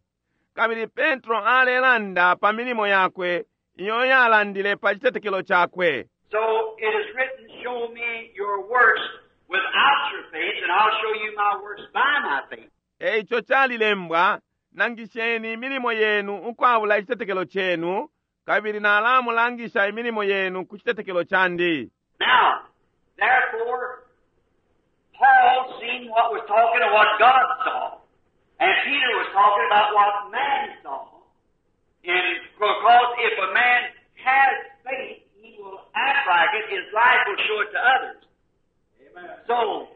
Kabili Petro alelanda pa milimo yakwe iyo yalandile pa citetekelo cakwe. So it is written, show me your works without your faith, and I'll show you my works by my faith. Eico calilembwa, nangisheni imilimo yenu ukwabula icitetekelo cenu, kabili nalamulangisha imilimo yenu ku citetekelo candi. Now, therefore, Paul seen what was talking of what God saw. And Peter was talking about what man saw. And because if a man has faith, he will act like it. His life will show it to others. Amen. So,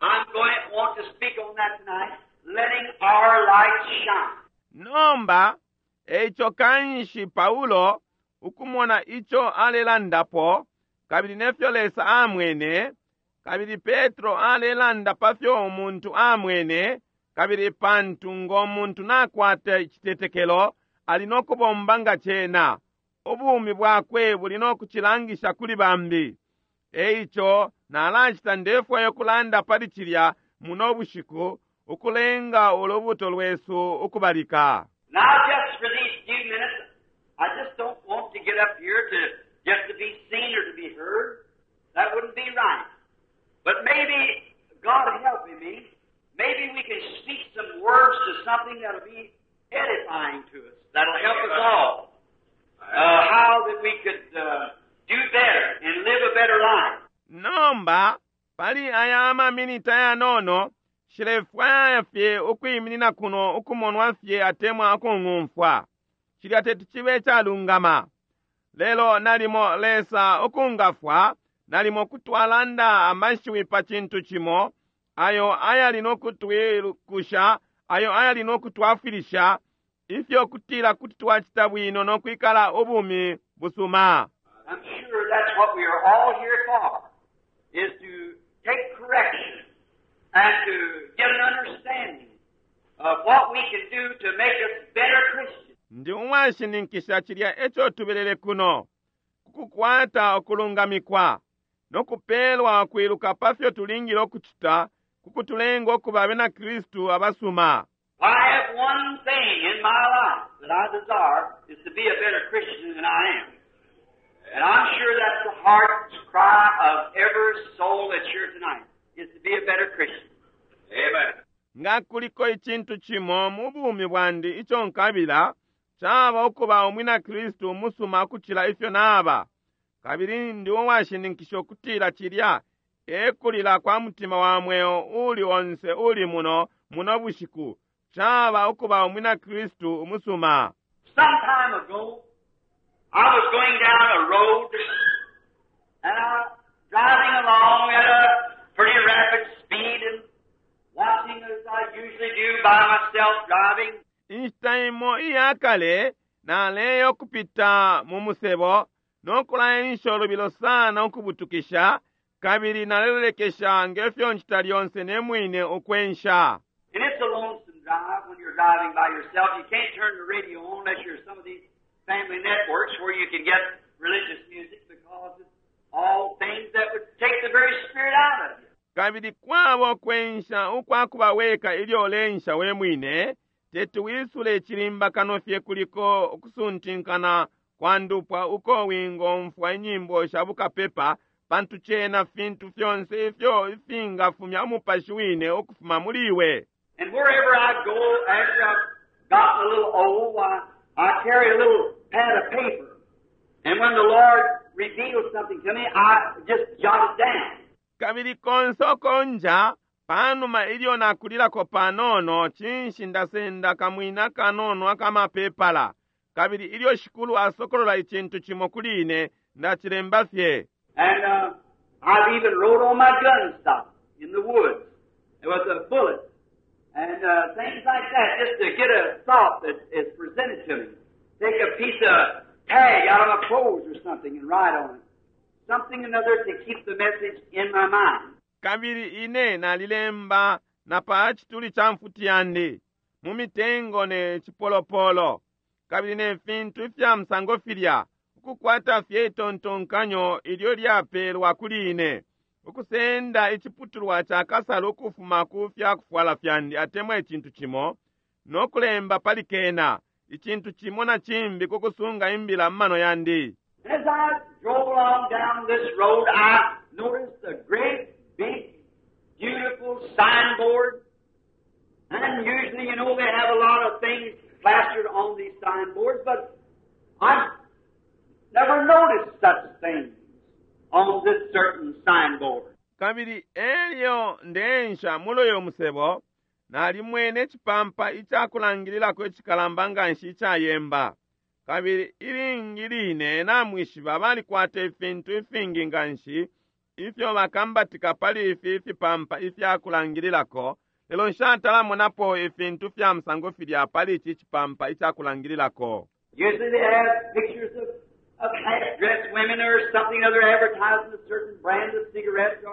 I'm going to want to speak on that tonight, letting our light shine. Nomba, eico kanshi Paulo ukumona ico alelandapo, kabili nefyo Lesa amwene, kabili Petro alelanda pa fyo umuntu amwene, kabili pantu ngo muntu nakwata icitetekelo, ali no kubomba nga cena, ubumi bwakwe buli no kucilangisha kuli bambi. Eico nalacita ndefwayo kulanda pali cilya muno bushiku ukulenga ulubuto lwesu ukubalika. Now, just for these few minutes, I just don't want to get up here to just to be seen or to be heard. That wouldn't be right. But maybe, God helping me, maybe we can speak some words to something that'll be edifying to us, that'll help us all. How that we could do better and live a better life. Nomba pali aya amaminiti ayanono nshilefwaya fye ukwiminina kuno ukumonwa fye atemwa ukung'umfwa. Cilya teti cibe icalungama. Lelo nalimo Lesa ukungafwa, nalimo kuti twalanda amashiwi pa cintu cimo ayo ayali no kutwilukusha, ayo ayali no kutwafwilisha, ifyo kutila kuti twacita bwino no kwikala ubumi busuma. I'm sure that's what we are all here for, is to take correction and to get an understanding of what we can do to make us better Christians. Ndi uwashininkisha cilya eco tubelele kuno, kukukwata ukulungamikwa no kupelwa ukwiluka pa fyo tulingile ukucita ku kutulenga ukuba abena Kristu abasuma. I have one thing in my life that I desire is to be a better Christian than I am. And I'm sure that's the heart's cry of every soul that's here tonight, is to be a better Christian. Amen. Nga kuliko icintu cimo mu bumi bwandi ico nkabila, caba ukuba umwina Kristu umusuma ukucila ifyo naba. Kabili ndi uwashininkisha ukutila cilya e kulila kwa mutima wa mweo uuli onse uli muno muno bushiku, caba ukuba umwina Kristu umusuma. Some time ago, I was going down a road, and I was driving along at a pretty rapid speed and watching as I usually do by myself driving. Inshita imo iya kale naleya ukupita mu musebo no kulaensha ulubilo sana ukubutukisha, kabili nalelolekesha nge fyo ncita lyonse ne mwine ukwensha. And it's a lonesome drive when you're driving by yourself. You can't turn the radio on unless you're some of these family networks where you can get religious music because it's all things that would take the very spirit out of you. Kabili kwaba ukwensha ukwa kuba weka ilyo uleensha we mwine, teti wisule icilimba kano fye kuliko ukusuntinkana kwa ndupwa uko wingomfwa inyimbo sha bukapepa, pantu cena fintu fyonse ifyo ifingafumya umupashi wine ukufuma muli iwe. And wherever I go, after I've gotten a little old, I carry a little pad of paper. And when the Lord reveals something to me, I just jot it down. Kabili konse uko nja, panuma ilyo nakulilako panono, cinshi ndasenda kamwina kanono akamapepala. Kabili ilyo Shikulu asokolola icintu cimo kuli ine, ndacilemba fye. And I've even wrote on my gun stock in the woods with a bullet and things like that, just to get a thought that is presented to me. Take a piece of tag out of my clothes or something and write on it. Something or another to keep the message in my mind. Kabili ine nalilemba na pa cituli ca mfuti yandi, mu mitengo ne cipolopolo, kabili ne fintu ifya musango filya, ukukwata fye itontonkanyo ilyo lyapelwa kuli ine, ukusenda iciputulwa ca kasalu ukufuma ku fya kufwala fyandi atemwa icintu cimo, no kulemba pali kena, icintu cimo na cimbi ku kusunga imbila mu mano yandi. As I drove along down this road, I noticed a great, big, beautiful signboard. And usually, you know, they have a lot of things plastered on these signboards, but I've never noticed such things on this certain signboard. Kabili elyo ndeensha muli uyo musebo, nalimwene icipampa ica kulangililako icikalamba nganshi icayemba. Kabili ilingi line namwishiba balikwata ifintu ifingi nganshi ifyo bakambatika pali ifi ifipampa ifya kulangililako, lelo nshatalamonapo ifintu fya musango filya pali ici cipampa ica kulangililako. Usually they have pictures of half-dressed women or something other advertising a certain brand of cigarettes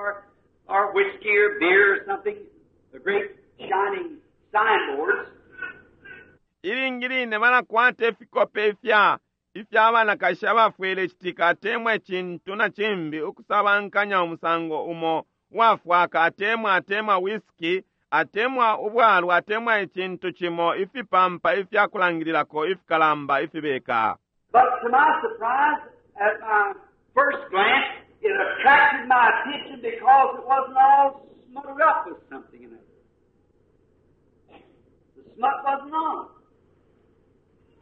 or whiskey or beer or something. The great shining signboards. Ilingi line balakwata ifikope ifya ifya banakashi abafwele citika atemwa icintu na cimbi ukusabankanya umusango umo uwafwaka atemwa atemwa whiskey atemwa ubwalwa atemwa icintu cimo ifipampa ifyakulangililako ifikalamba ifibeka. But to my surprise, at my first glance, it attracted my attention because it wasn't all smutted up with something in it. The smut wasn't on it.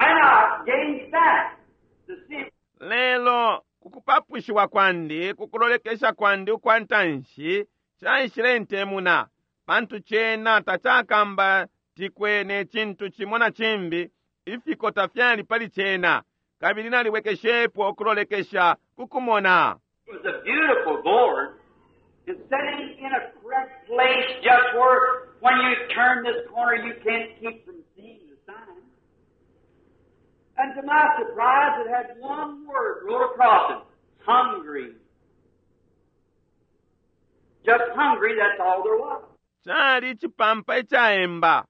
And I gazed back to see Lelo kukupapushiwa kwandi kukulolekesha kwandi ukwa ntanshi caishile ntemuna pantu cena tacakambatikwe ne cintu cimo na cimbi ifikota fyali pali cena kabili nalibwekeshepo ukulolekesha kukumona. It was a beautiful board and sitting in a correct place just where when you turn this corner you can't keep from seeing the sign. And to my surprise it had one word wrote across it, hungry. Just hungry, that's all there was. Cali icipampa icaemba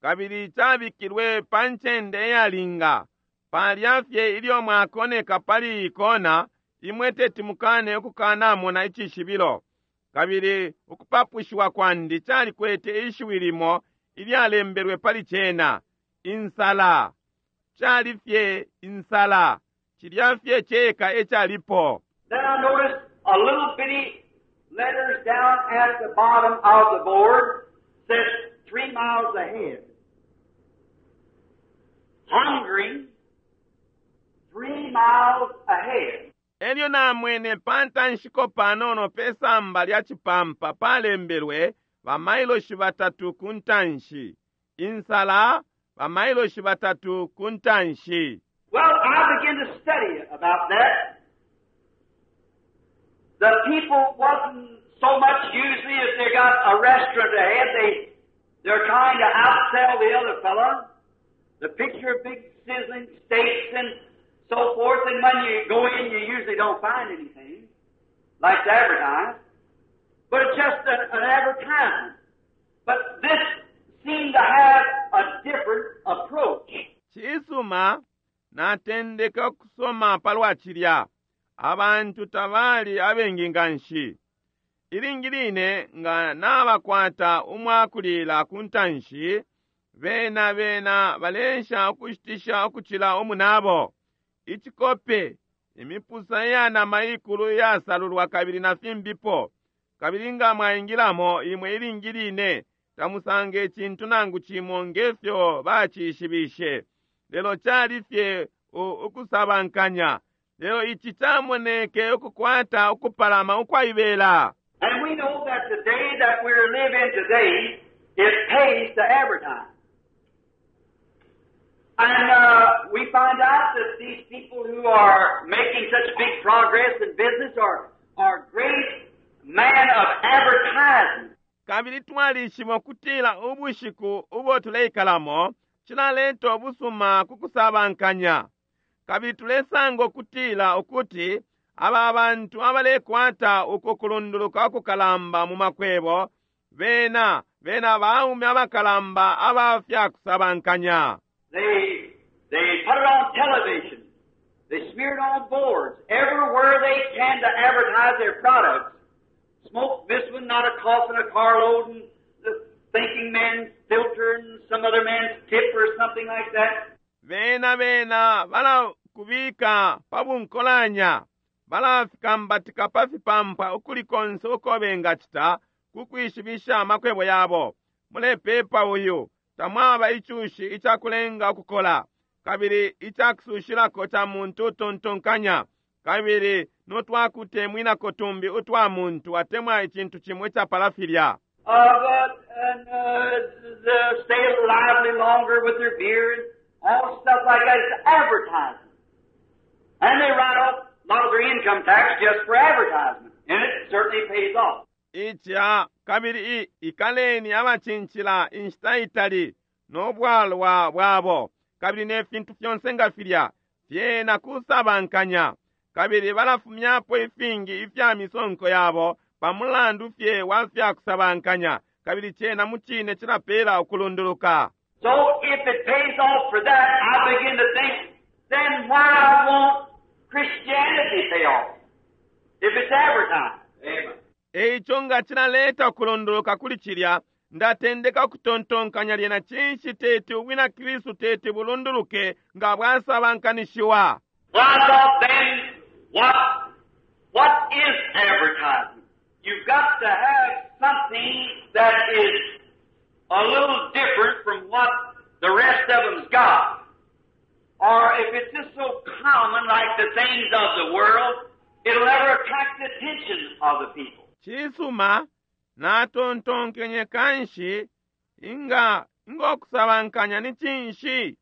kabili cabikilwe pa ncende iyalinga palya fye ilyo mwakoneka pali iyi kona imwe teti mukane ukukanamona icishibilo kabili ukupapushiwa kwandi calikwete ishiwi limo ilyalembelwe pali cena insala cali fye insala cilya fye ceka ecalipo. Then I noticed a little bitty letters down at the bottom of the board said 3 miles ahead. Hungry, 3 miles ahead. Elyo namwene pa ntanshiko panono pe samba lya cipampa palembelwe bamailoshi batatu ku ntanshi. Insala bamailoshi batatu ku ntanshi. Well, I began to study about that. The people wasn't so much usually if they got a restaurant ahead, they're trying to outsell the other fella. The picture of big sizzling steaks and so forth, and when you go in, you usually don't find anything like to advertise. But it's just an advertisement. But this seemed to have a different approach. Cisuma, natendeka ukusoma palwa cilya. Abantu tabali abengi nganshi. Ilingi line nga nabakwata umwakulila ku ntanshi, bena bena balensha ukushitisha ukucila umunabo. Icikope, imipusa iya nama ikulu iyasalulwa kabili na fimbipo. Kabili nga mwaingilamo imwe ilingi line tamusanga icintu nangu cimo ngefyo bacishibishe. Lelo cali fye ukusabankanya. Lelo ici camoneke ukukwata ukupalama ukwaibela. And we know that the day that we're living today, it pays to advertise. And we find out that these people who are making such big progress in business are great men of advertising. Kabili twalishiba ukutila ubushiku ubo tuleikalamo cilaleta ubusuma ku kusabankanya. Kabili tulesanga ukutila ukuti aba bantu abalekwata uku kulunduluka kukalamba mu makwebo bena bena baume abakalamba aba fya kusabankanya. They put it on television. They smear it on boards. Everywhere they can to advertise their products. Smoke this one, not a cough in a carload, and the thinking man's filter and some other man's tip or something like that. Bena bena balakubika pa bunkolanya, balafikambatika pa fipampa ukuli konse uko bengacita ku kwishibisha amakwebo yabo. Mulepepa uyu, tamwaba icushi icakulenga ukukola, kabili icakusushilako ca muntu utontonkanya, kabili notwakutemwinako tumbi utwa muntu atemwa icintu cimo icapala filya. And the stay lively longer with their beer and all stuff like that. It's advertising. And they write off a lot of their income tax just for advertisement. And it certainly pays off. Ica kabili ikaleni abacincila inshita itali no bwalwa bwabo kabili ne fintu fyonse nga filya fyena kusabankanya kabili balafumyapo ifingi ifya misonko yabo pamulandu fye wa fya kusabankanya kabili cena mu cine cilapela ukulunduluka. So if it pays off for that, I begin to think, then why won't Christianity pay off? If it's advertised. Amen. Eico nga cilaleta ukulondoloka kuli cilya, ndatendeka ukutontonkanya lyena cinshi teti ubwina Kristu teti bulunduluke nga bwasabankanishiwa. Well, I thought then, what is advertising? You've got to have something that is a little different from what the rest of them's got. Or if it's just so common like the things of the world, it'll never attract the attention of the people. Cisuma, natontonkenye kanshi inga ngokusabankanya ni cinshi?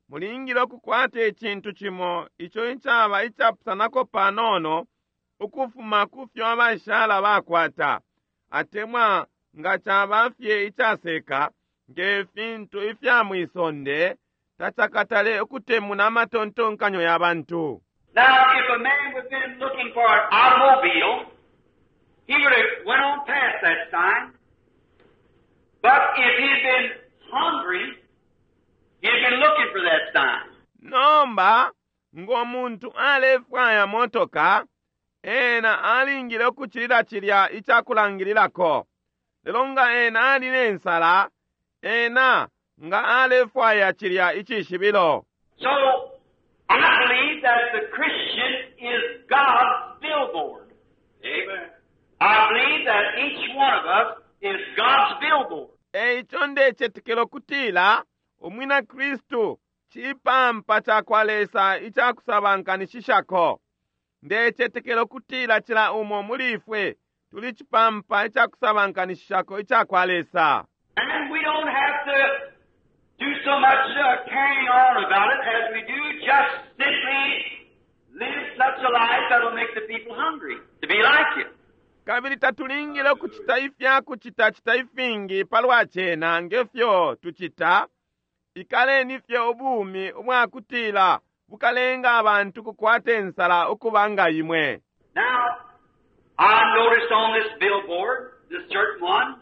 Mulingile ukukwata icintu cimo ico icaba icapusanako panono ukufuma ku fyo abashala bakwata, atemwa nga caba fye icaseka nge fintu ifya mwisonde, tacakatale ukutemuna amatontonkanyo ya bantu. Now, if a man would have been looking for an automobile, he would have went on past that sign. But if he'd been hungry, he'd been looking for that sign. Nomba ng'omuntu alefwaya motoka, ena alingile ukucilila cilya icakulangililako. Lelo nga ena ali nensala, ena nga alefwaya cilya icishibilo. So, I believe that the Christian is God's billboard. Amen. I believe that each one of us is God's billboard. Eico ndecetekela ukutila umwina Kristu cipampa cakwa Lesa icakusabankanishishako. Ndecetekela ukutila cila umo muli ifwe tuli cipampa icakusabankanishishako icakwa Lesa. And we don't have to do so much carrying on about it as we do just simply live such a life that'll make the people hungry to be like you. Kabili tatulingile ukucita ifyakucitacita ifingi palwa cena ngefyo tucita. Ikaleni fye ubumi ubwakutila bukalenga abantu kukwata insala ukuba nga imwe. Now, I noticed on this billboard, this certain one,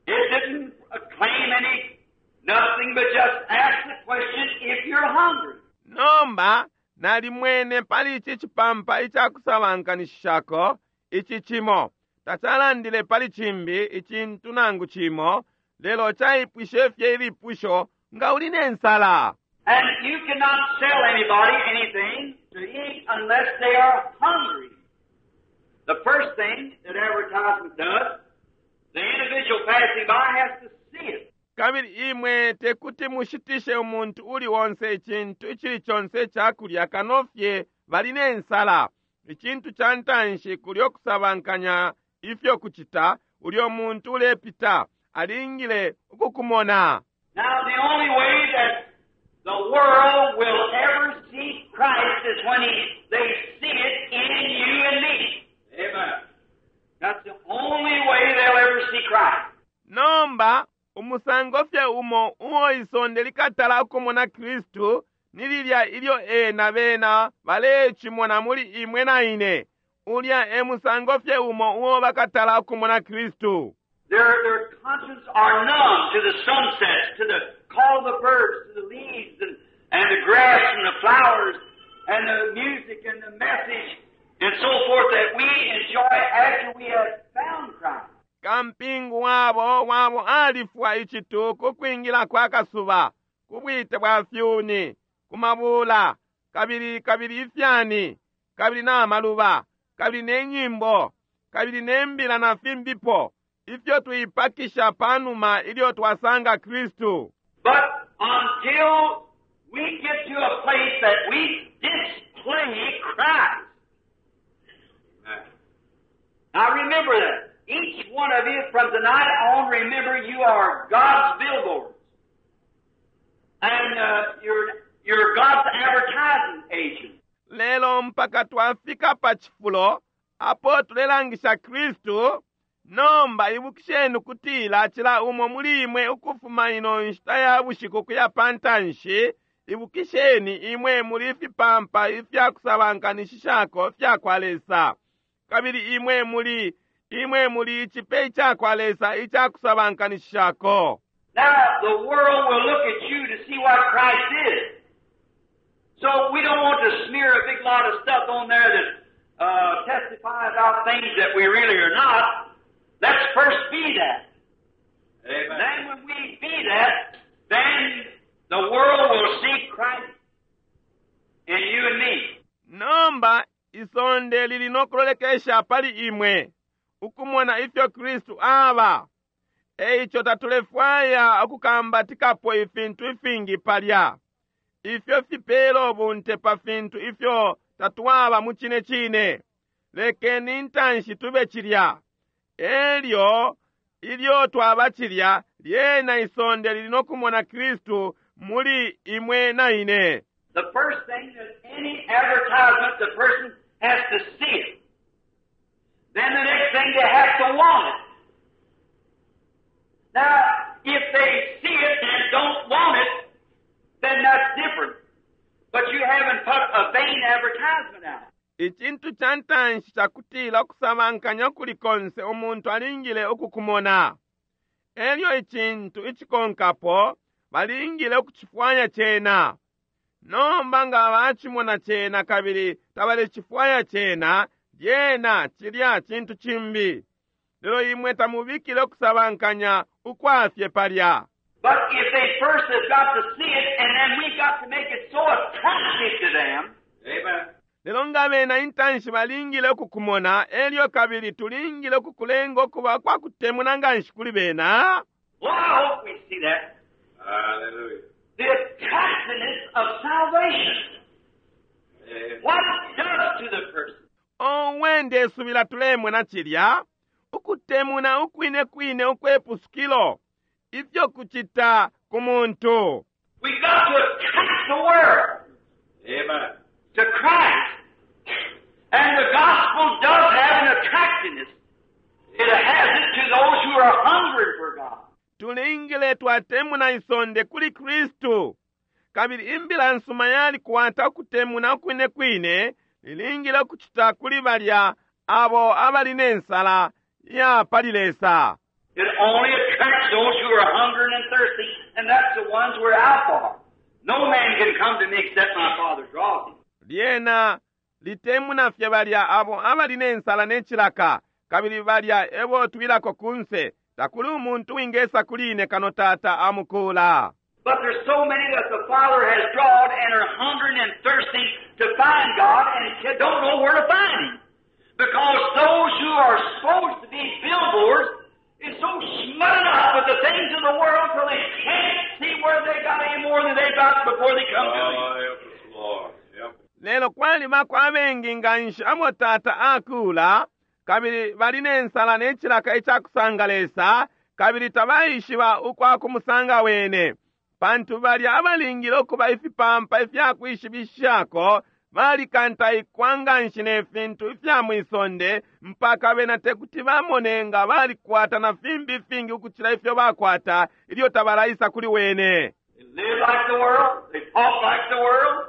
it didn't claim any, nothing but just ask the question if you're hungry. Nomba nalimwene pali ici cipampa icakusabankanishishako ici cimo, tacalandile pali cimbi icintu nangu cimo, lelo caipwishe fye ilipusho nga uli nensala. And you cannot sell anybody anything to eat unless they are hungry. The first thing that advertisement does, the individual passing by has to see it. Kabili imwe tekuti mushitishe umuntu uli onse icintu icili conse icakulya kano fye bali nensala. Icintu ca ntanshi kulyo kusabankanya ifyo kucita, ulyo muntu ulepita alingile ukukumona. Now, the only way that the world will ever see Christ is when they see it in you and me. Amen. That's the only way they'll ever see Christ. Nomba umusango fye umo uo isonde likatala ukumona Kristu ni lilya ilyo ena bena balecimona muli imwe na ine. Ulya e musango fye umo uo bakatala ukumona Kristu. Their conscience are numb to the sunsets, to the call of the birds, to the leaves and the grass and the flowers and the music and the message and so forth that we enjoy after we have found Christ. Kampingu wabo alifwa icitu ku kwingila kwa kasuba, ku bwite bwa fyuni, ku mabula, kabili kabili ifyani, kabili na maluba, kabili ne nyimbo, kabili ne mbila na fimbipo, ifyo tuipakisha panuma ilyo twasanga Kristu. But until we get to a place that we display Christ. Now remember that. Each one of you from tonight on, remember you are God's billboards. And you're God's advertising agent. Lelo mpaka twafika pa cifulo apo tulelangisha Kristu. Nomba ibukisheni kutila cila umo muli imwe ukufuma ino nshita ya bushiku kuya pantanshi, ibukisheni imwe muli fipampa ifyakusabankanishishako fya kwa Lesa. Kabili imwe muli icipe icakwa Lesa icakusabankanishishako. Now the world will look at you to see what Christ is. So we don't want to smear a big lot of stuff on there that testify about about things that we really are not. Let's first be that. Amen. Then when we be that, then the world will see Christ in you and me. Nomba isonde lili nokulolekesha pali imwe ukumona ifyo Kristu aba. Eico tatulefwaya ukukambatikapo ifintu ifingi palya ifyo fipela ubunte pa fintu ifyo tatwaba mu cine cine. Lekeni intanshi tube cilya, elyo ilyo twaba cilya, lyena isonde lili nokumona Kristu muli imwe na ine. The first thing that any advertisement, the person has to see it. Then the next thing, they have to want it. Now, if they see it and don't want it, then that's different. But you haven't put a vain advertisement out. Icintu ca ntanshi cakutila ukusabankanya ukuli konse umuntu alingile ukukumona. Elyo icintu icikonkapo balingile ukucifwaya cena. Nomba nga bacimona cena kabili tabalecifwaya cena, lyena cilya cintu cimbi. Lelo imwe tamubikile ukusabankanya ukwafye palya. But if they first have got to see it, and then we've got to make it so attractive to them, Amen. Lelo nga bena intanshi balingile ukukumona, elyo kabili tulingile ukukulenga ukuba kwa kutemuna nganshi kuli bena. Well, I hope we see that. Hallelujah. The attractiveness of salvation. Amen. What it does to the person. Owe ndesubila tulemona cilya ukutemuna ukwine kwine ukwepusukilo ifyo kucita ku muntu. We've got to attract the world Amen. to Christ. And the gospel does have an attractiveness. It has it to those who are hungry for God. Tulingile twatemuna isonde kuli Kristu, kabili imbila nsuma yalikwata ukutemuna ukwine kwine lilingile ukucita kuli balya abo abali ne nsala ya pali Lesa. It only attracts those who are hungering and thirsty, and that's the ones we're out for. No man can come to me except my Father draws him. Lyena litemuna fye balya abo abali ne nsala ne cilaka, kabili balya ebo twilako kunse. Takuli umuntu wingesa kuli ine kano Tata amukula. But there's so many that the Father has drawn and are hungering and thirsting to find God and don't know where to find Him. Because those who are supposed to be billboards is so smutted up with the things of the world till they can't see where they got any more than they got before they come to Him. Oh, help us, Lord. Help us. Lelo kwalibako abengi nganshi abo Tata akula, kabili bali ne nsala ne cilaka icakusanga Lesa, kabili tabaishiba ukwa kumusanga wene. Pantu balya abalingile ukuba ifipampa ifyakwishibishako balikantaikwa nganshi ne fintu ifya mwisonde, mpaka bena tekuti bamone nga balikwata na fimbi ifingi ukucila ifyo bakwata ilyo tabalaisa kuli wene. They live like the world. They talk like the world.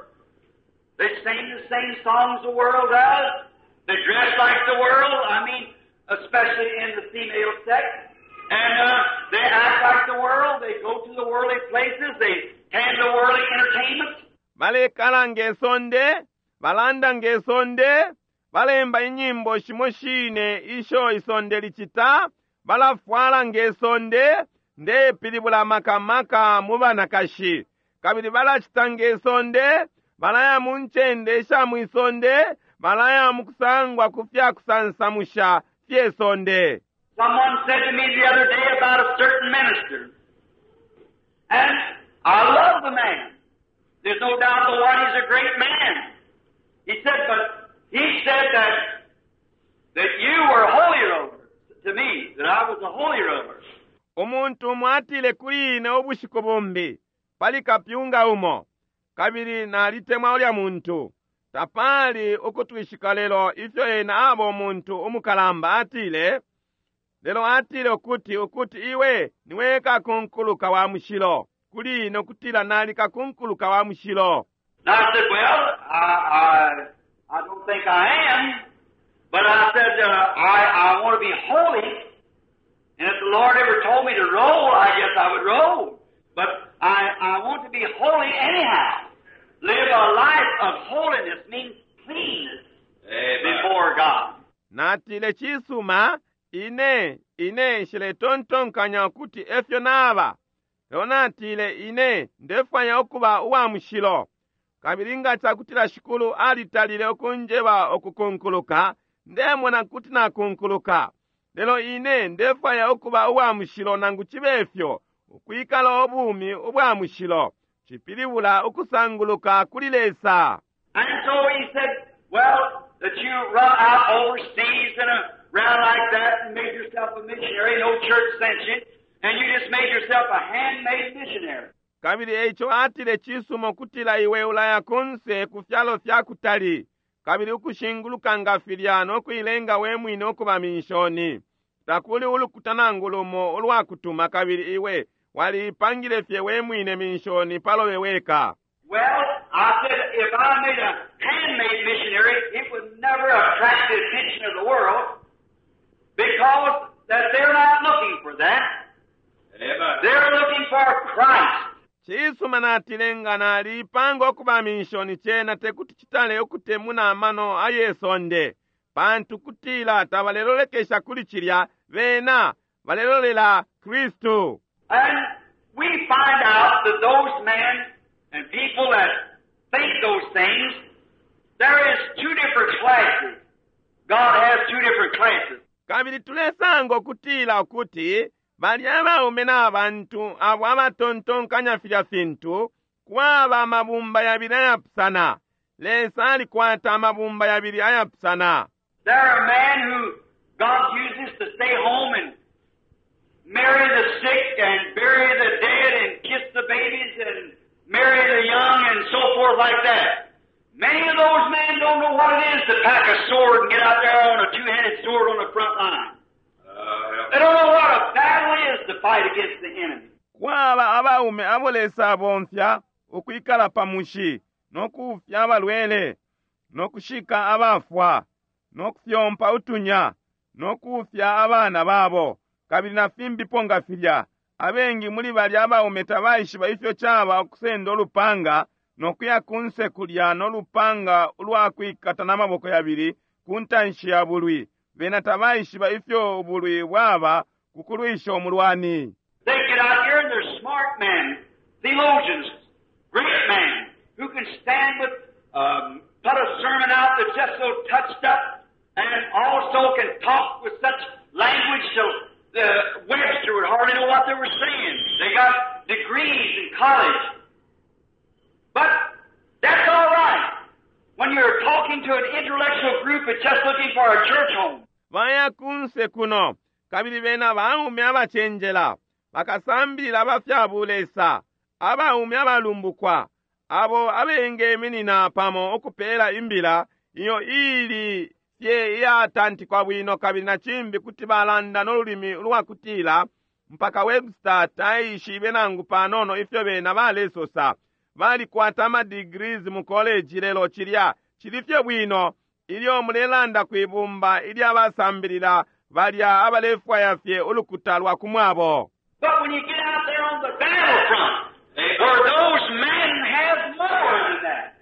They sing the same songs the world does. They dress like the world. I mean, especially in the female sex. And they act like the world. They go to the worldly places. They attend the worldly entertainments. Balekala nge sonde, balanda nge sonde, balemba inyimbo shimo shine isho isonde licita, balafwala nge sonde, ndepilibula makamaka mu banakashi. Kabili balacita nge sonde, balaya mu ncende isha mwisonde, balaya mu kusangwa ku fya kusansamusha fye sonde. Someone said to me the other day about a certain minister. And I love the man. There's no doubt but what he's a great man. He said, but he said that you were holy roller to me, that I was a holy roller. Umuntu umo atile kuli ine ubushiku bumbi pali kapyunga umo, kabili nalitemwa ulya muntu. Tapali ukutwishika lelo ifyo ena aba umuntu umukalamba atile, lelo atile ukuti iwe niwe kakunkuluka wa mushilo, kuli ine ukutila nali kakunkuluka wa mushilo. And I said, well, I don't think I am, but I said, I want to be holy, and if the Lord ever told me to roll, I guess I would roll. But I want to be holy anyhow. Live a life of holiness means cleanness Amen. before God. Natile, Cisuma, ine, ine nshiletontonkanya ukuti efyo naba. Lelo natile, Ine ndefwaya ukuba uwa mushilo. Kabili nga cakutila Shikulu alitalile ukunjeba ukukunkuluka, ndemona kuti nakunkuluka. Lelo ine ndefwaya ukuba uwa mushilo nangu cibe fyo, ukwikala ubumi ubwa mushilo. Cipilibula ukusanguluka kuli Lesa. And so he said, Well, that you run out overseas and around like that and made yourself a missionary, no church sent you, and you just made yourself a handmade missionary. Kabili eico atile, Cisuma ukutila iwe ulaya kunse ku fyalo fya kutali, kabili ukushinguluka nga filya no kuilenga we mwine ukuba minshoni. Takuli ulukuta nangu lumo ulwakutuma, kabili iwe waliipangile fye we mwine minshoni palobe weka. Well, I said, if I made a handmade missionary, it would never attract the attention of the world because that they're not looking for that. Amen. They're looking for Christ. Cisuma, natile, nga naliipanga ukuba minshoni, cena tekuti citale ukutemuna amano aye sonde, pantu kutila tabalelolekesha kuli cilya, bena balelolela Kristu. And we find out that those men and people that think those things, there is two different classes. God has two different classes. Kabili tulesanga ukutila ukuti balya abaume na bantu abo abatontonkanya filya fintu, kwaba amabumba yabili ayapusana. Lesa alikwata amabumba yabili ayapusana. There are men who God uses to stay home and marry the sick and bury the dead and kiss the babies and marry the young and so forth like that. Many of those men don't know what it is to pack a sword and get out there on a two-handed sword on the front line. They don't know what a battle is to fight against the enemy. Kwaba abaume abo Lesa abomfya ukwikala pa mushi no kuufya abalwele no kushika abafwa no kufyompa utunya no kuufya abana babo kabili na fimbipo nga filya. Abengi muli balya abaume tabaishiba ifyo caba ukusenda ulupanga no kuya kunse kulya no lupanga ulwakwikata na maboko yabili ku ntanshi ya bulwi. Bena tabaishiba ifyo ubulwi bwaba ku kulwisha umulwani. They get out here and they're smart men, theologians, great men, who can stand with, put a sermon out that's just so touched up, and also can talk with such language so the Webster would hardly know what they were saying. They got degrees in college. But that's all right when you're talking to an intellectual group that's just looking for a church home. Baya kunse kuno, kabili bena baume abacenjela, bakasambilila ba fya bulesa, abaume abalumbukwa, abo abengeminina pamo ukupela imbila iyo ili fye iyatantikwa bwino, kabili na cimbi kuti balanda no lulimi ulwakutila mpaka Webster taishibe nangu panono ifyo bena balesosa. Balikwata ama degrees mu college, lelo cilya cili fye bwino ilyo mulelanda kwibumba ilya basambilila balya abalefwaya fye ulukuta lwa kumwabo. But when you get out there on the battlefront, where those men have more than that,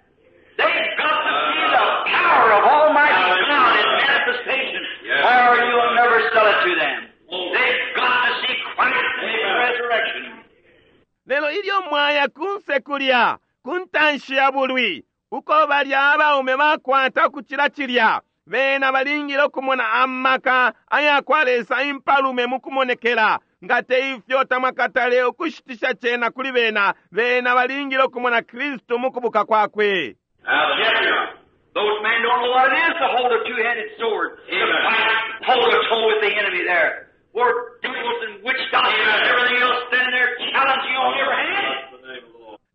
they've got to see the power of Almighty God in manifestation, or you'll never sell it to them. They've got to see Christ in His resurrection. Lelo ilyo mwaya kunse kulya ku ntanshi ya bulwi, uko balya abaume bakwata ukucila cilya, bena balingile ukumona amaka aya kwa Lesa impalume mu kumonekela. Nga te ifyo tamwakatale ukushitisha cena kuli bena. Bena balingile ukumona Kristu mu kubuka kwakwe. Yes, those men don't know what it is to hold a two-headed sword, to fight toe to toe with the enemy there. Where devils and witch doctors and everything else standing there challenging on every hand.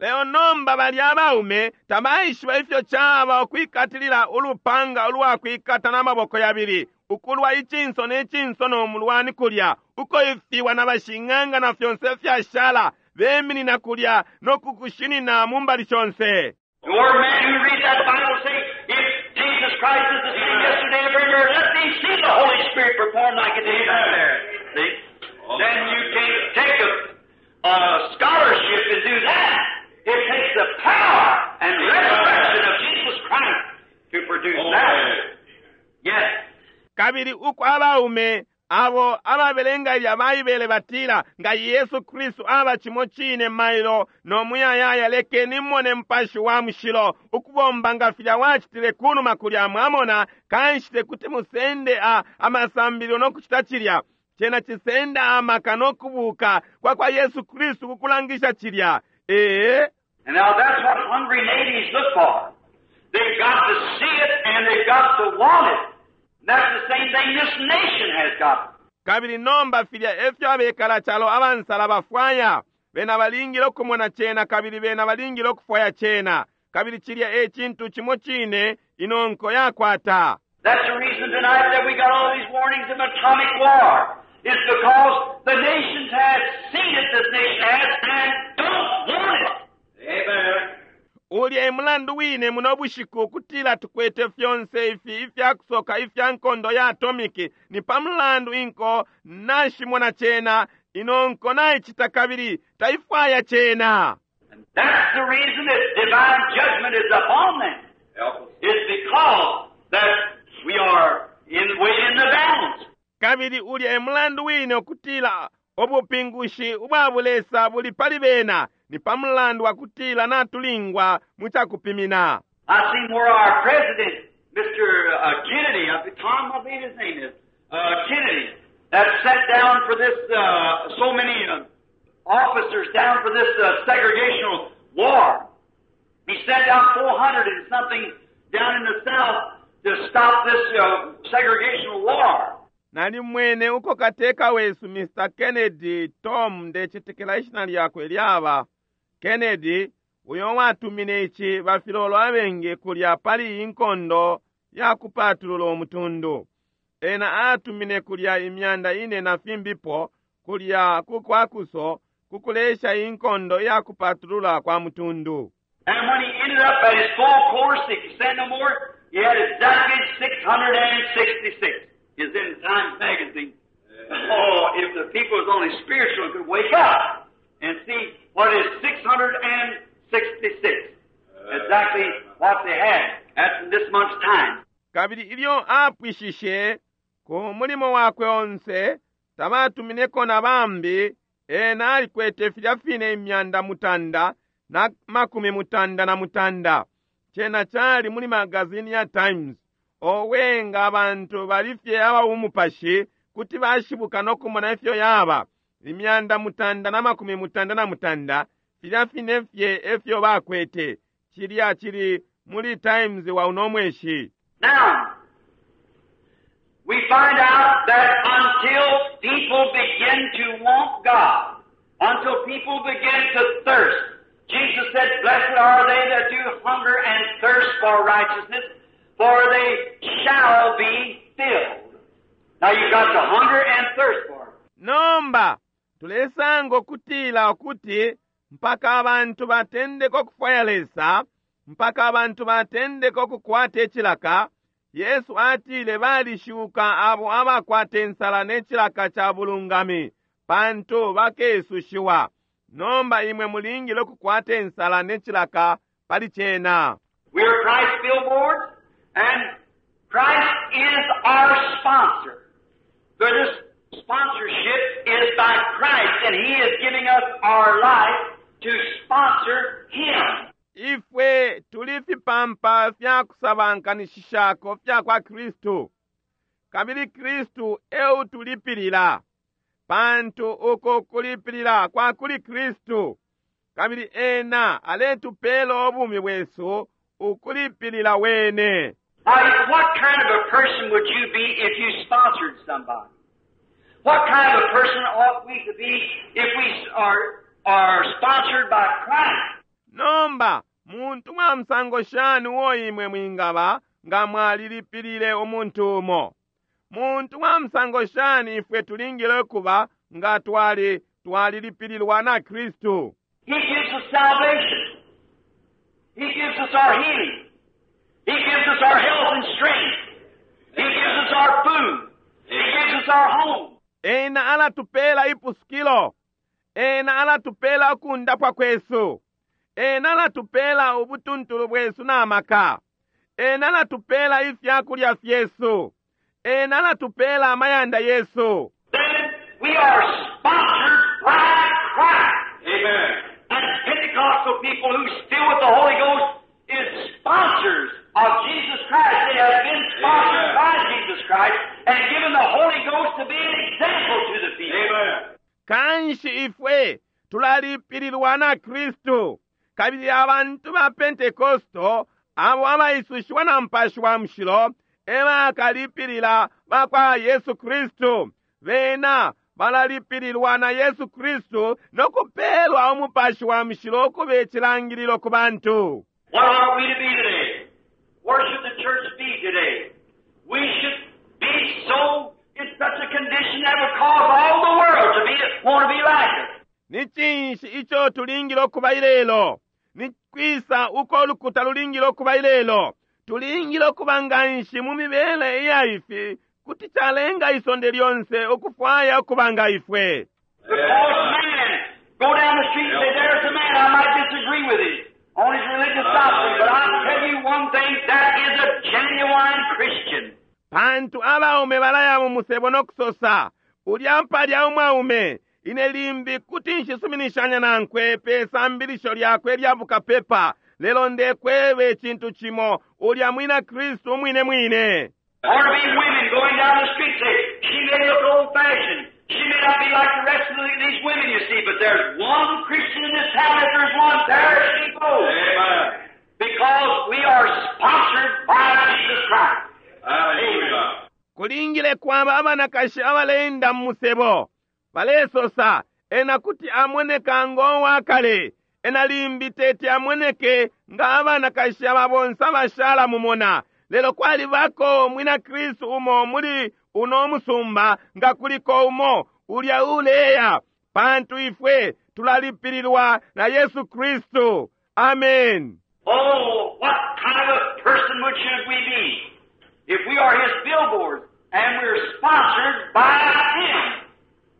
Lelo nomba balya abaume tabaishiba ifyo caba ukwikatilila ulupanga ulwakwikata n'amaboko yabili, ukulwa icinso ne cinso no mulwani kulya, uko ifiwa na bashing'anga na fyonse fyashala beminina kulya no kukushinina mu mbali shonse. Or men who read that Bible say, if Jesus Christ is the same yesterday and forever, let me see the Holy Spirit perform like it did out there. See? Then you can't take a scholarship and do that. It takes the power and resurrection of Jesus Christ to produce that. Yes. Kabili uko abaume abo ababelenga ilya Baibele batila, Nga Yesu Kristu aba cimo cine mailo no muyayaya, lekeni mone Mupashi wa Mushilo ukubomba nga filya wacitile kunuma kulya. Mwamona? Kanshi tekuti musende a, amasambililo no kucita cilya. Cena cisenda amaka no kubuka kwa kwa Yesu Kristu ku kulangisha cilya. Ee. And now that's what hungry natives look for. They've got to see it and they've got to want it. And that's the same thing this nation has got. Kabili nomba filya efyo abekala calo abansala bafwaya. Bena balingile ukumona cena kabili bena balingile ukufwaya cena. Kabili cilya e cintu cimo cine ino nko yakwata. That's the reason tonight that we got all these warnings of atomic war. It's because the nations have seen it, this nation has, and don't want it. Amen. Ulya e mulandu wine muno bushiku ukutila tukwete fyonse ifi ifya kusoka ifya nkondo ya atomiki, ni pa mulandu inko nashimona cena, ino nko naicita kabili taifwaya cena. And that's the reason that divine judgment is upon them. Help us. It's because that we are in weight in the balance. Kabili ulya e mulandu wine ukutila ubupingushi ubwa bulesa buli pali bena, ni pa mulandu wa kutila natulingwa mu cakupimina. I seen where our president, Mr. Kennedy, Tom, I believe his name is, Kennedy, that sat down for this, so many officers down for this segregational war. He sent down 400 and something down in the South to stop this segregational war. Nalimwene uko kateka wesu Mr. Kennedy, Tom, ndecetekela ishina lyakwe lyaba Kennedy, uyo watumine ici bafilolo abengi kulya pali iyi nkondo ya kupatulula umutundu. Ena atumine kulya imyanda ine na fimbipo kulya ku kwakuso ku kulesha iyi nkondo ya kupatulula kwa mutundu. And when he ended up at his full course, he could send no more, he had exactly 666. It's in the Times Magazine. Oh, if the people was only spiritual could wake up and see what is 666. Exactly what they had. That's in this month's time. Kabili ilyo apwishishe ku mulimo wakwe onse, tabatumineko na bambi, ena alikwete filya fine imyanda mutanda na makumi mutanda na mutanda. Cena cali muli magazini ya Times. Owe, nga abantu bali fye aba bumupashi, kuti bashibuka no kumona ifyo yaba. Imyanda mutanda na makumi mutanda na mutanda, filya fine fye efyo bakwete. Cilya cili muli Times wa uno mweshi. Now, we find out that until people begin to want God, until people begin to thirst, Jesus said, Blessed are they that do hunger and thirst for righteousness, for they shall be filled. Now you've got to hunger and thirst for it. Nomba, tulesanga ukutila ukuti mpaka abantu batendeka ukufwaya Lesa, mpaka abantu batendeka ukukwata icilaka, Yesu atile balishuka abo abakwata insala ne cilaka ca bulungami, pantu bakesushiwa. Nomba imwe mulingile ukukwata insala ne cilaka pali cena. We are Christ's billboards, and Christ is our sponsor. For this sponsorship is by Christ, and He is giving us our life to sponsor Him. Ifwe tuli fipampa fya kusabankanishishako fya kwa Kristu, kabili Kristu e utulipilila, pantu uko kulipilila kwa kuli Kristu, kabili ena aletupeela ubumi bwesu ukulipilila wene. Now, what kind of a person would you be if you sponsored somebody? What kind of a person ought we to be if we are sponsored by Christ? Nomba, muntu wa musango shani uo imwe mwingaba nga mwalilipilile umuntu umo? Muntu wa musango shani ifwe tulingile ukuba nga twali twalilipililwa na Kristu? He gives us salvation. He gives us our healing. He gives us our health and strength. He gives us our food. He gives us our home. Ena alatupela ipusukilo. Ena alatupela ukundapwa kwesu. Ena alatupela ubutuntulu bwesu na maka. Ena alatupela ifya kulya fyesu. Ena alatupela amayanda yesu. Then we are sponsored by Christ. Amen. And Pentecostal people who still with the Holy Ghost is sponsors of Jesus Christ. They have been sponsored Amen. by Jesus Christ and given the Holy Ghost to be an example to the people. Amen. Kanshi ifwe tulalipililwa na Kristu, kabili abantu ba Pentekosto abo abaisushiwa na Mupashi wa Mushilo ebakalipilila bakwa Yesu Kristu. Bena balalipililwa na Yesu Kristu no kupelwa Umupashi wa Mushilo ukuba icilangililo ku bantu. What ought we to be today? Where should the church be today? We should be so in such a condition that would cause all the world to be want to be like us. Ni cinshi ico tulingile ukuba ilelo? Ni kwisa uko ulukuta lulingile ukuba ilelo? Tulingile ukuba nganshi mu mibele iya ifi kuti calenga isonde lyonse ukufwaya ukuba nga ifwe. Because man go down the street and say, "There's a man, I might disagree with him on his religious doctrine, but I'll tell you one thing, that is a genuine Christian." Pantu abaume balaya mu musebo no kusosa, ulya mpalya umwaume, ine limbi kuti nshisuminishanya nankwe pe sambilisho lyakwe lya bukapepa, lelo ndekweba icintu cimo, ulya mwina Kristu umwine mwine. Or to be women going down the street say, "She may look old-fashioned. She may not be like the rest of these women you see, but there's one Christian in this town. If there's one, there she goes." Amen. Because we are sponsored by Jesus Christ. Hallelujah. Kulingile kwaba abanakashi abaleenda mu musebo balesosa, ena kuti amoneka ngo wakale, ena limbi teti amoneke nga abanakashi aba bonse abashala mumona, lelo kwalibako mwina Kristu umo muli uno musumba, nga kuliko umo ulya uleya, pantu ifwe tulalipililwa na Yesu Kristu. Amen. Oh, what kind of a person would should we be if we are His billboards and we're sponsored by Him?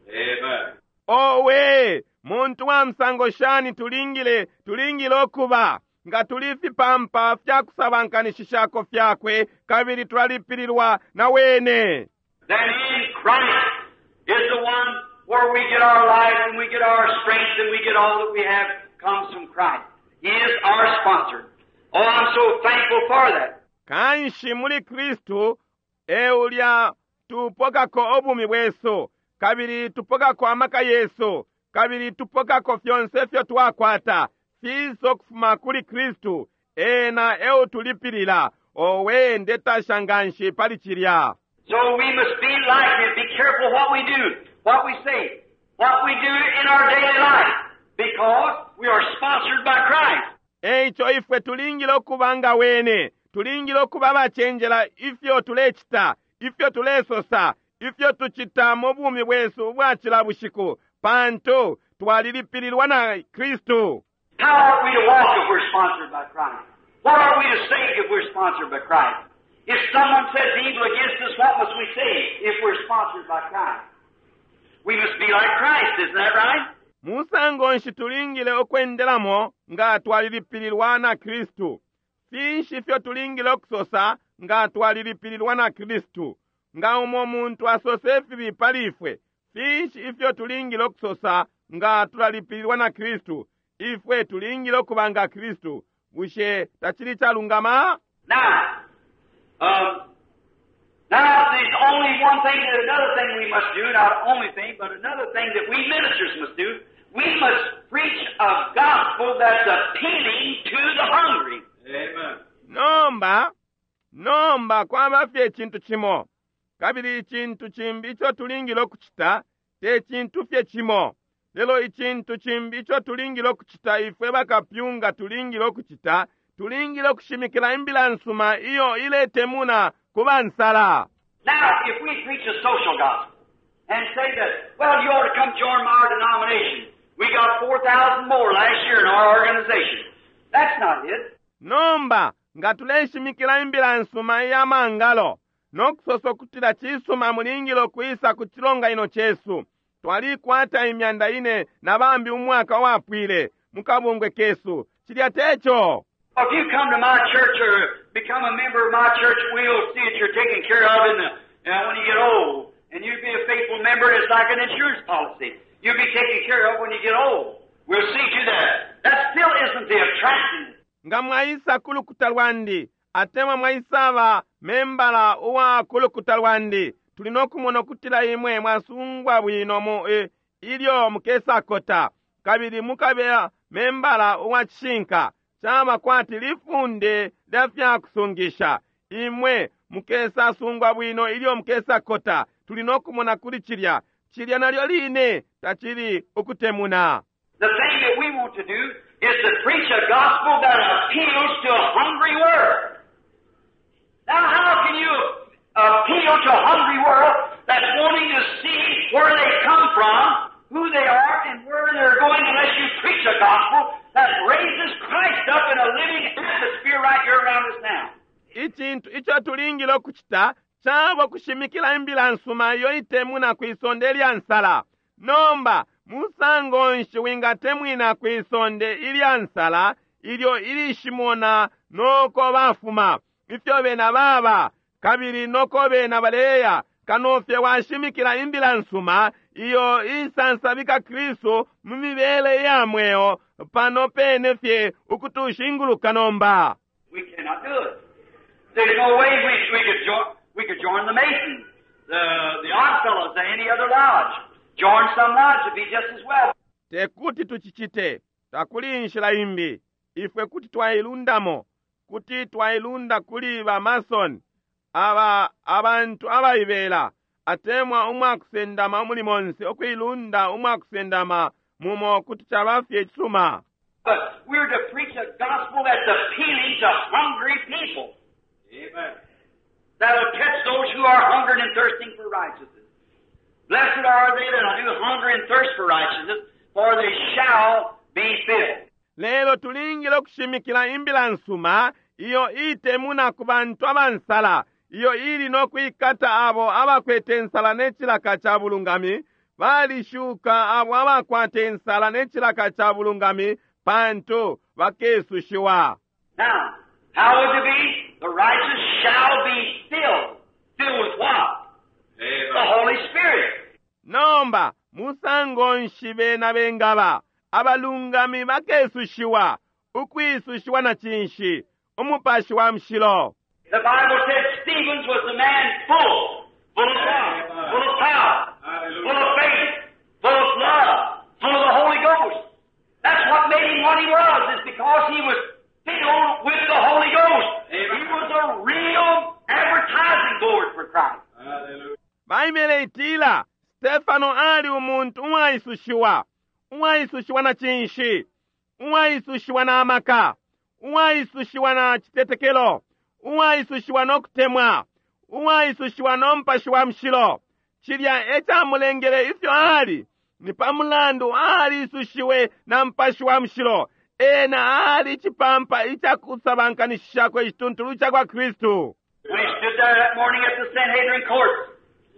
Amen. Owe, muntu wa musango shani tulingile, tulingile ukuba nga tuli fipampa fya kusabankanishishako fyakwe, kabili tulalipililwa na wene. Then in Christ is the one where we get our life and we get our strength and we get all that we have comes from Christ. He is our sponsor. Oh, I'm so thankful for that. Kanshi muli Kristu e ulya tupokako obumi bwesu, kabili tupokako amaka yesu, kabili tupokako fyonse ifyo twakwata fiisa ukufuma kuli Kristu, ena e utulipilila. Owe, ndetasha nganshi pali cilya. So we must be like Him. Be careful what we do, what we say, what we do in our daily life, because we are sponsored by Christ. Eico ifwe tulingile ukuba nga wene, tulingile ukuba abacenjela ifyo tulecita, ifyo tulesosa, ifyo tucita mu bumi bwesu ubwa cila bushiku, pantu twalilipililwa na Kristu. How ought we to walk if we're sponsored by Christ? What ought we to say if we're sponsored by Christ? If someone says evil against us, what must we say if we're sponsored by Christ? We must be like Christ, isn't that right? Musango nshi tulingile ukwendelamo nga twalilipililwa na Kristu? Finshi ifyo tulingile ukusosa nga twalilipililwa na Kristu? Nga umo muntu asose ifibi pali ifwe, finshi ifyo tulingile ukusosa nga tulalipililwa na Kristu? Ifwe tulingile ukuba nga Kristu. Bushe tacili calungama? Now, now there's only one thing, another thing we must do, not only thing, but another thing that we ministers must do. We must preach a gospel that's appealing to the hungry. Amen. Nomba, nomba kwaba fye icintu cimo, kabili icintu cimbi ico tulingile ukucita te cintu fye cimo, lelo icintu cimbi ico tulingile ukucita ifwe bakapyunga tulingile ukucita, tulingile ukushimikila imbila nsuma iyo iletemuna ku bansala. Now, if we preach a social gospel and say that, "Well, you ought to come join our denomination. We got 4,000 more last year in our organization." That's not it. Nomba nga tuleshimikila imbila nsuma iya mangalo no kusosa ukutila cisuma mulingile ukwisa ku cilonganino cesu, twalikwata 4,000 na bambi umwaka wapwile mu kabungwe kesu, cilya teco. If you come to my church or become a member of my church, we'll see that you're taken care of in the And when you get old, and you be a faithful member, it's like an insurance policy. You'll be taken care of when you get old. We'll see to that. That still isn't the attractiveness. Nga mwaisa ku lukuta lwandi atemwa mwaisaba membala uwa ku lukuta lwandi, tuli no kumona ukutila imwe mwasungwa bwino mu e, ilyo mukesakota kabili mukabe membala uwa cishinka. Caba kwati lifunde lya fya kusungisha. Imwe mukesasungwa bwino ilyo mukesakota. Tuli no kumona kuli cilya. Cilya nalyo line tacili ukutemuna. The thing that we want to do is to preach a gospel that appeals to a hungry world. Now, how can you appeal to a hungry world that's wanting to see where they come from, who they are, and where they're going unless you preach a gospel that raises Christ up in a living atmosphere right here around us now? Icintu ico tulingile ukucita caba kushimikila imbila nsuma iyo itemuna kwi sonde ilya nsala. Nomba, musango nshi wingatemwina kwi sonde ilya nsala ilyo ilishimona noko bafuma, ifyo bena baba, kabili noko bena baleya, kano fye washimikila imbila nsuma iyo isansabika Kristu mu mibele ya mweo pano pene fye ukutushinguluka nomba? We cannot do it. There's no way we could join the Masons, the Odd Fellows, any other lodge. Join some lodge would be just as well. Tekuti tucicite. Takuli inshila imbi. Ifwe kuti twailundamo, kuti twailunda kuli ba Mason, aba abantu abaibela, atemwa umwakusendama umuli monse, ukuilunda umwakusendama mumo kuti caba fye icisuma. But we're to preach a gospel that's appealing to hungry people. Amen. That'll catch those who are hungering and thirsting for righteousness. Blessed are they that do hunger and thirst for righteousness, for they shall be filled. Lelo tulingile ukushimikila imbila nsuma iyo itemuna ku bantu abansala, iyo ili no kwikata abo abakwete nsala ne cilaka ca bulungami. Balishuka abo abakwate nsala ne cilaka ca bulungami, pantu bakesushiwa. Now, how would it be? The righteous shall be filled. Filled with what? Amen. The Holy Spirit. Nomba, musango nshi bena bengaba? Abalungami bakesushiwa. Ukwisushiwa na cinshi? Umupashi wa Mushilo. The Bible said Stevens was the man full. Full of love, full of power, full of faith, full of love, full of the Holy Ghost. That's what made him what he was, is because he was filled with the Holy Ghost. Amen. He was a real advertising board for Christ. Hallelujah. Baibele itila Stefano ali umuntu uwaisushiwa. Uwaisushiwa na cinshi? Uwaisushiwa na amaka, uwaisushiwa na citetekelo, uwaisushiwa no kutemwa, uwaisushiwa no Mupashi wa Mushilo. Cilya e camulengele ifyo ali ni pa mulandu aliisushiwe na Mupashi wa Mushilo. Ena ali icipampa icakusabankanishishako icituntulu ca kwa Kristu. When he stood there that morning at the Sanhedrin court,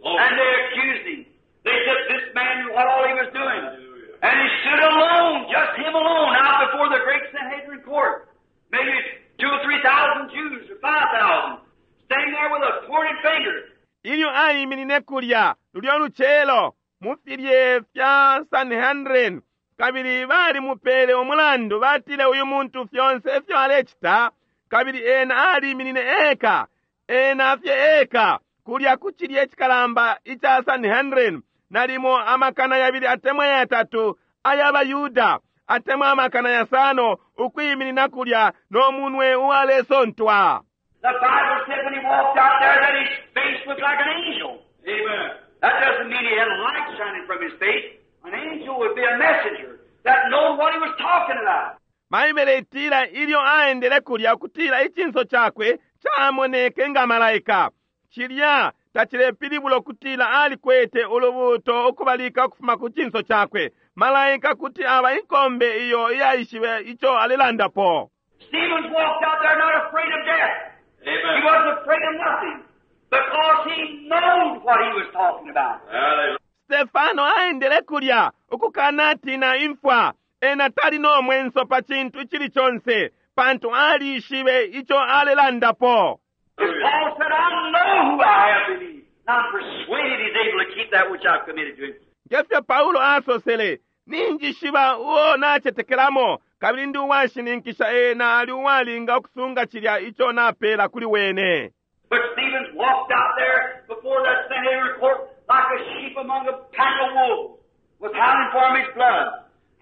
and they accused him. They said this man, what all he was doing. Hallelujah. And he stood alone, just him alone, out before the great Sanhedrin court. Maybe 2 or 3,000 Jews, or 5,000, standing there with a pointed finger. Ilyo aiminine kulya lulyo lucelo mu filye fya Sanhedrin, kabili balimupele umulandu, batile uyu muntu fyonse ifyo alecita, kabili ena aliminine eka, ena fye eka, kulya ku cilye cikalamba ica Sanhedrin, nalimo 2,000 atemwa 3 ay'abaYuda, atemwa 5,000 ukwiminina kulya no munwe uwalesontwa. The Bible said when he walked out there that his face looked like an angel. Amen. That doesn't mean he had light shining from his face. An angel would be a messenger that knowed what he was talking about. Baibele itila ilyo aendele kulya kutila icinso cakwe camoneke nga malaika. Cilya tacilepilibula ukutila alikwete ulubuuto ukubalika ukufuma ku cinso cakwe. Malaika kuti aba inkombe iyo iyaishibe ico alelandapo. Stevens walked out there not afraid of death. Amen. He wasn't afraid of nothing because he knowed what he was talking about. Hallelujah. Stefano aendele kulya ukukanatina imfwa. Ena tali no mwenso pa cintu icili conse, pantu alishibe ico alelandapo. As Paul said, I know who I have believed. And I'm persuaded he's able to keep that which I've committed to him. Ngefyo Paulo asosele, ninjishiba uo nacetekelamo, kabili ndi uwashininkisha ena ali uwalinga ukusunga cilya ico napela kuli wene. But Stevens walked out there before that Sanhedrin court like a sheep among a pack of wolves, was howling for his blood.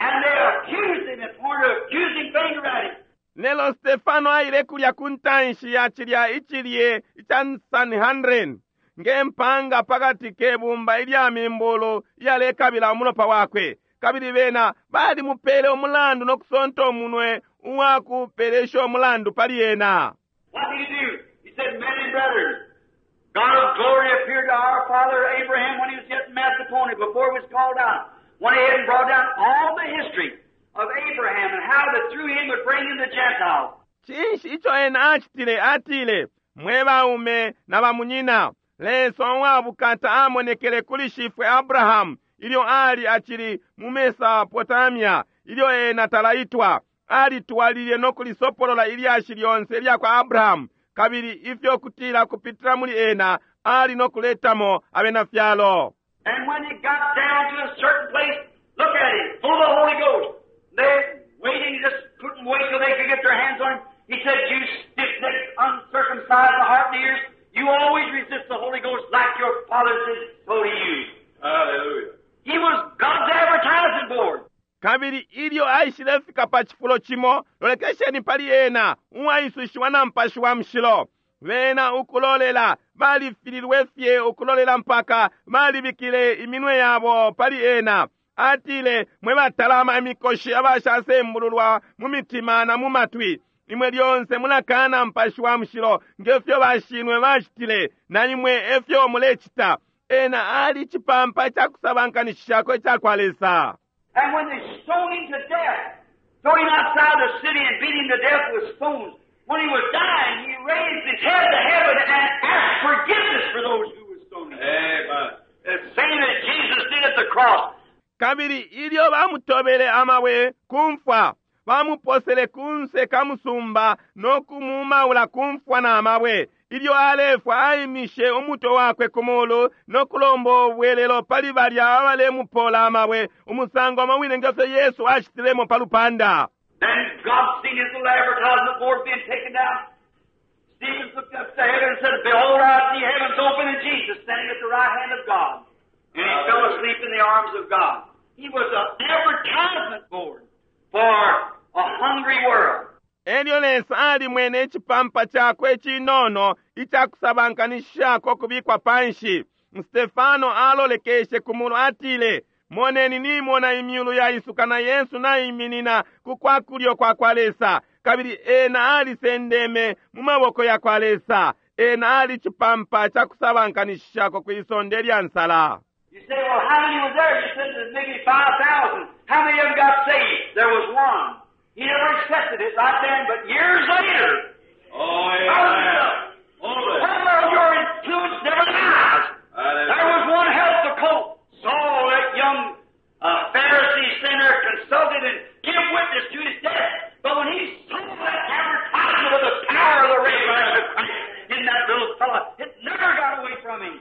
And they accused him and pointed an accusing finger at him. Lelo Stefano aile kulya ku ntanshi ya cilya icilye ica Sanhedrin nge mpanga pakati ke bumba ilya mimbulu iyalekabila umulopa wakwe, kabili bena balimupele umulandu no kusonta umunwe uwakupelesha umulandu pali ena. What did he do? He said, Men and brethren, God of glory appeared to our father Abraham when he was yet in Macedonia, before he was called out. Went ahead and brought down all the history of Abraham and how that through him would bring in the Gentiles. Cinshi ico ena acitile? Atile, Mwe baume na bamunyina, Lesa uwa bukata amonekele kuli shifwe Abrahamu ilyo ali acili mu Mesopotamia, ilyo ena talaitwa. Alitwalilile no kulisopolola ilyashi lyonse ilya kwa Abrahamu, kabili ifyo kutila kupitila muli ena ali no kuletamo abena fyalo. And when he got down to a certain place, look at him, full of the Holy Ghost. They waiting, just couldn't wait till they could get their hands on him. He said, You stiff-necked, uncircumcised in heart and ears, you always resist the Holy Ghost like your fathers did, so do you. Hallelujah. He was God's advertising board. Kabili ilyo aishilefika pa cifulo cimo, lolekesheni pali ena, uwaisushiwa na Mupashi wa Mushilo. Bena ukulolela, balifililwe fye ukulolela mpaka balibikile iminwe yabo pali ena. Atile, Mwe batalama imikoshi abashasembululwa mu mitima na mu matwi, imwe lyonse mulakaana Mupashi wa Mushilo nge fyo bashinwe bacitile, na imwe e fyo mulecita. Ena ali cipampa ca kusabankanishishako ica kwa Lesa. And when they stoned him to death, threw him outside the city and beat him to death with stones, when he was dying, he raised his head to heaven and asked forgiveness for those who were stoning him. Amen. The same as Jesus did at the cross. Kabili ilyo bamutobele amabwe ku mfwa, bamuposele kunse ka musumba no kumuumaula ku mfwa na mabwe. Ilyo alefwa aimishe umutwe wakwe ku mulu no kulomba ubwelelo pali balya abalemupola amabwe, umusango umo wine nge fyo Yesu acitilemo pa lupanda. Then God seen his little advertisement board being taken down. Stephen looked up to heaven and said, Behold, I see heavens open and Jesus standing at the right hand of God. And he fell asleep in the arms of God. He was an advertisement board for a hungry world. Elyo Lesa alimwene icipampa cakwe icinono ica kusabankanishishako ukubikwa panshi. Stefano alolekeshe ku mulu atile, Moneni nimona imyulu yaisuka na Yesu naiminina ku kwa kulyo kwa kwa Lesa, kabili ena alisendeme mu maboko ya kwa Lesa. Ena ali cipampa ca kusabankanishishako kwi sonde lya nsala. You say, well, how many was there? You said there's maybe 5,000. How many of them got saved? There was one. He never accepted it right then, but years later. Oh, amen. Well, your influence never dies. There was one helped the colt. Saul, that young Pharisee sinner, consulted and gave witness to his death. But when he saw that advertisement of the power of the resurrection of Christ in that little fellow, it never got away from him.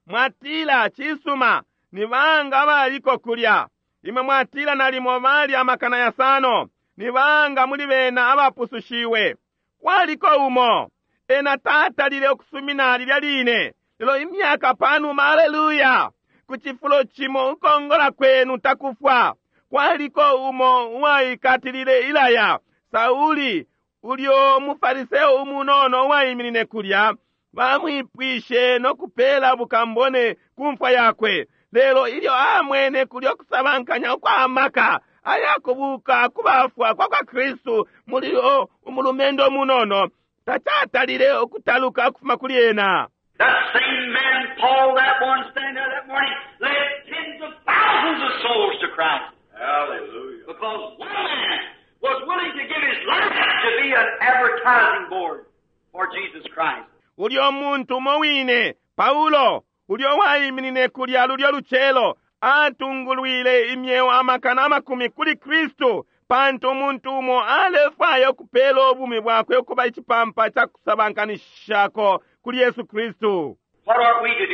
Mwatila, Cisuma, ni banga abaliko kulya? Imwe mwatila nalimo bali 500,000. Ni banga muli bena abapusushiwe? Kwaliko umo. Ena tatalile ukusumina lilya line, lelo imyaka panuma, aleluya, ku cifulo cimo ukongola kwenu takufwa. Kwaliko umo uwaikatilile ilaya, Sauli, ulyo mufariseo umunono uwaiminine kulya, bamwipwishe no kupela bukambone ku mfwa yakwe. Lelo ilyo amwene kulyo kusabankanya ukwa maka ayakubuka kubafwa kwa kwa Kristu muli o umulumendo munono, tacatalile ukutaluka ukufuma kuli ena. That same man, Paul, that one standing there that morning, led tens of thousands of souls to Christ. Hallelujah. Because one man was willing to give his life to be an advertising board for Jesus Christ. Ulyo muntu umo wine, Paulo, ulyo waiminine kulya lulyo lucelo, atungulwile imyeo 100,000 kuli Kristu, pantu umuntu umo alefwaya ukupela ubumi bwakwe ukuba icipampa ca kusabankanishako kuli Yesu Kristu. What ought we to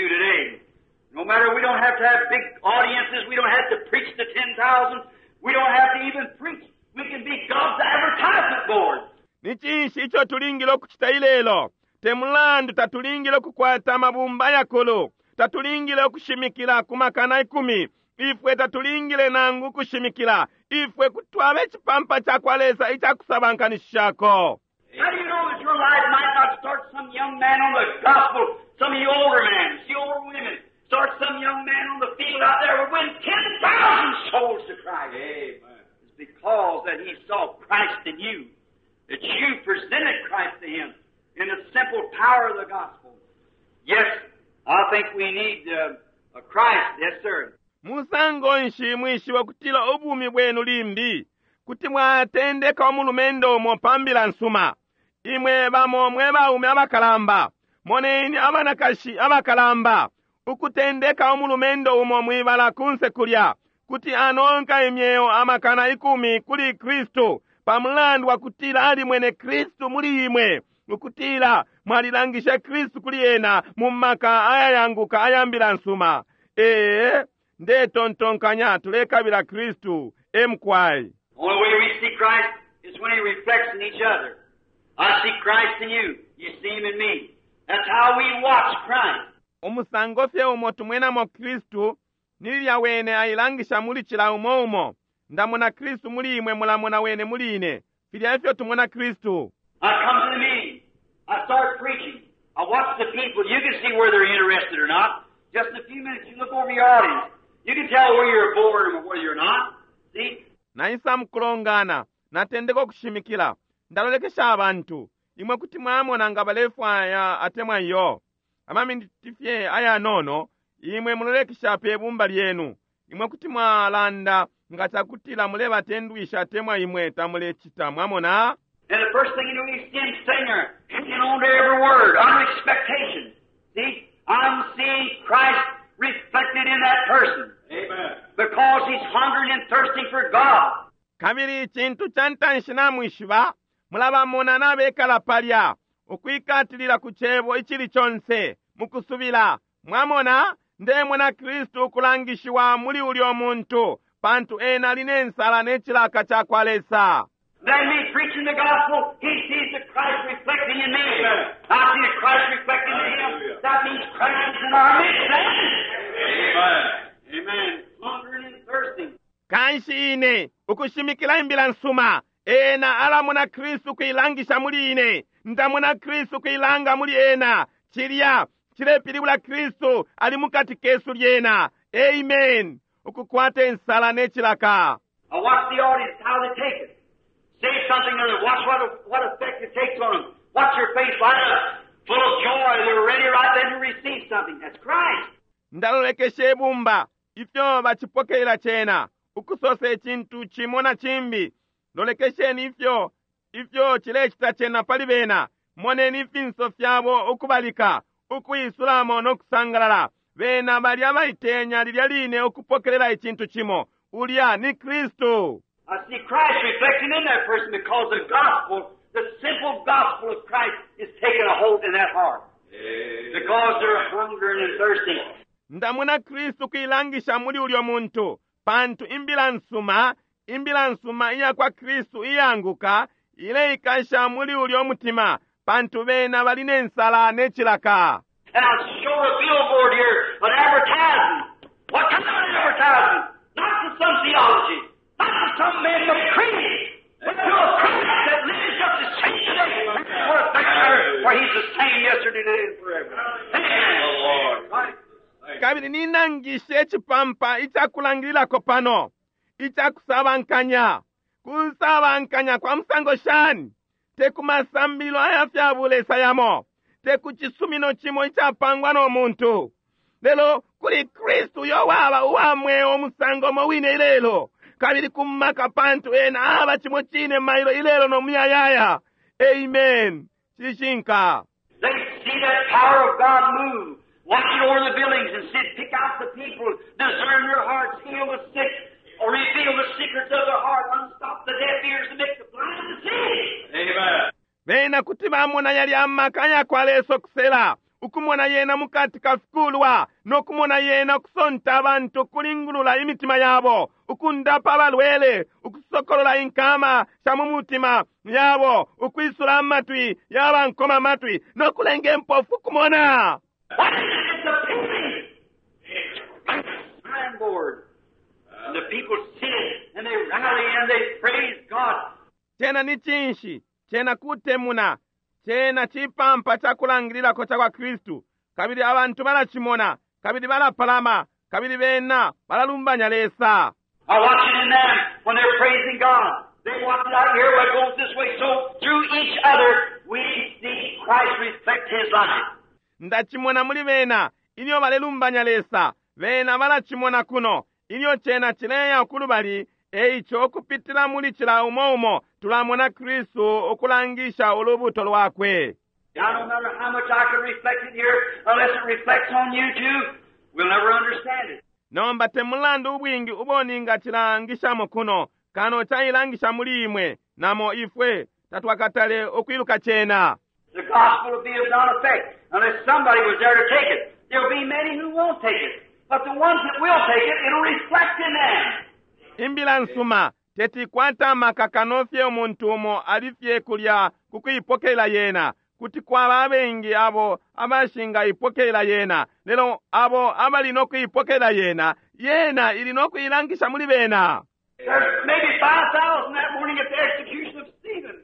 10,000. We don't have to even preach. We can be God's advertisement board. Ni cinshi ico tulingile ukucita ilelo? Te mulandu tatulingile ukukwata amabumba ayakulu, tatulingile ukushimikila ku 10,000, ifwe tatulingile nangu ukushimikila, ifwe kuti twaba icipampa cakwa Lesa icakusabankanishishako. How do you know that your life might not start some young man on the gospel, some of you older men, see older women, start some young man on the field out there would win 10,000 souls to Christ? Amen. It's because that he saw Christ in you, that you presented Christ to him in the simple power of the gospel. Yes, I think we need a Christ. Yes, sir. Musango nshi mwishiba kutila ubumi bwenu limbi kuti mwatendeka umulumendo umo pa mbila nsuma? Imwe bamo mwe baume abakalamba, moneni abanakashi abakalamba ukutendeka umulumendo umo mwibala kunse kulya kuti anonka imyeo 10,000 kuli Kristu pamulandu wa kutila alimwene Kristu muli imwe, ukutila mwalilangisha Kristu kuli ena mu maka ayayanguka aya mbila nsuma. Ee, ndetontonkanya tulekabila Kristu emkwai. The only way we see Christ is when He reflects in each other. I see Christ in you. You see Him in me. That's how we watch Christ. Umusango fye umo tumwenamo Kristu ni lilya wene ailangisha muli cila umo umo. Ndamona Kristu muli imwe, mulamona wene muli ine. Filya efyo tumona Kristu. I come to the meeting. I start preaching. I watch the people. You can see whether they're interested or not. Just in a few minutes, you look over your audience. You can tell whether you're bored or whether you're not. See? Naisa mukulongana, natendeka ukushimikila. Ndalolekesha abantu. Imwe kuti mwamona nga balefwaya atemwa iyo. Amaminiti fye ayanono, imwe mulolekesha pe bumba lyenu. Imwe kuti mwalanda nga cakutila mulebatendwisha atemwa imwe tamulecita, mwamona? And the first thing you know, you see him sitting there, hanging on to every word, under expectation. See? I'm seeing Christ reflected in that person. Amen. Because he's hungering and thirsting for God. Kabili icintu ca ntanshi namwishiba, mulabamona nabekala palya, ukwikatilila ku cebo icili conse, mukusubila. Mwamona, ndemona Kristu ukulangishiwa muli ulyo muntu, pantu ena ali ne nsala ne cilaka cakwa Lesa. Then me preaching the gospel, he sees the Christ reflecting in me. I see the Christ reflecting in him. Hallelujah. That means Christ is in our midst. Amen. Amen. Hungering and thirsting. Kanshi ine ukushimikila imbila nsuma, ena alamona Kristu kuilangisha muli ine, ndamona Kristu kuilanga muli ena. Cilya cilepilibula Kristu ali mukati kesu lyena. Amen. Ukukwata insala ne cilaka. I watch the audience, how they take it. Say something to them. Watch what effect it takes on them. Watch your face light up, full of joy. They're ready right then to receive something. That's Christ. Ndalolekesha ibumba ifyo bacipokelela cena, ukusosa icintu cimo na cimbi. Lolekesheni ifyo cilecita cena pali bena. Moneni ifinso fyabo ukubalika, ukuisulamo no kusangalala. Bena bali abaitenya lilya line ukupokelela icintu cimo. Ulya ni Kristu. I see Christ reflecting in that person because the gospel, the simple gospel of Christ, is taking a hold in that heart. Because they're hungering and thirsting. Ndamona Kristu kuilangisha muli ulyo muntu, pantu imbila nsuma, imbila nsuma iya kwa Kristu iyanguka, ileikasha muli ulyo mutima, pantu bena bali ne nsala ne cilaka. And I'll show a billboard here, an advertisement. What kind of advertisement? Not to some theology, not to some man of creed, but to a Christ that lives up the same today. For a picture, for he's the same yesterday, today, and forever. Amen. The Lord. Right. Kabili ninangishe icipampa icakulangililako pano, icakusabankanya. Kusabankanya kwa musango shani? Te ku masambililo aya fya bulesa yamo, te ku cisumino cimo icapangwa no muntu. Lelo kuli Kristu uyo waba uwa mweo musango mo wine ilelo, kabili ku maka pantu ena aba cimo cine mailo ilelo no muyayaya. Amen. Cishinka. They see that power of God move. Watch it over the buildings and sit, pick out the people, discern their hearts, heal the sick, or reveal the secrets of their heart, unstop the deaf ears and make the blind to see. Amen. Bena kuti bamona yali amaka ya kwa Lesa kusela, Ukumona yena mukati ka fikulwa, no kumona yena ukusonta abantu ukulingulula imitima yabo, ukundapa abalwele, ukusokolola inkama sha mu mutima yabo, ukwisula amatwi yaba nkoma matwi, no kulenga impofu kumona. What is it? It's a painting. Signboard. And the people see it, and they rally, and they praise God. Cena ni cinshi? Cena kutemuna. Cena cipampa ca kulangililako ca kwa Kristu. Kabili abantu balacimona, kabili balapalama, kabili bena balalumbanya Lesa. I watch it in them when they're praising God. They watch it out here where it goes this way. So through each other, we see Christ reflect His life. Ndacimona muli bena ilyo balelumbanya Lesa. Bena balacimona kuno ilyo cena cileya kulubali. Eico ukupitila muli cila umo umo tulamona Kristu ukulangisha ulubuto lwakwe. Now, no matter how much I can reflect it here, unless it reflects on you too, we'll never understand it. Nomba te mulandu ubwingi ubo ningacilangishamo kuno, kano cailangisha muli imwe, namo ifwe tatwakatale ukwiluka cena. The gospel will be of none effect unless somebody was there to take it. There'll be many who won't take it, but the ones that will take it, it'll reflect in them. Imbila nsuma teti ikwata amaka kano fye umuntu umo ali fye kulya ku kuipokelela yena. Kuti kwaba abengi abo abashingaipokelela yena, lelo abo abali no kuipokelela yena, yena ili no kuilangisha muli bena. There's maybe 5,000 that morning at the execution of Stephen.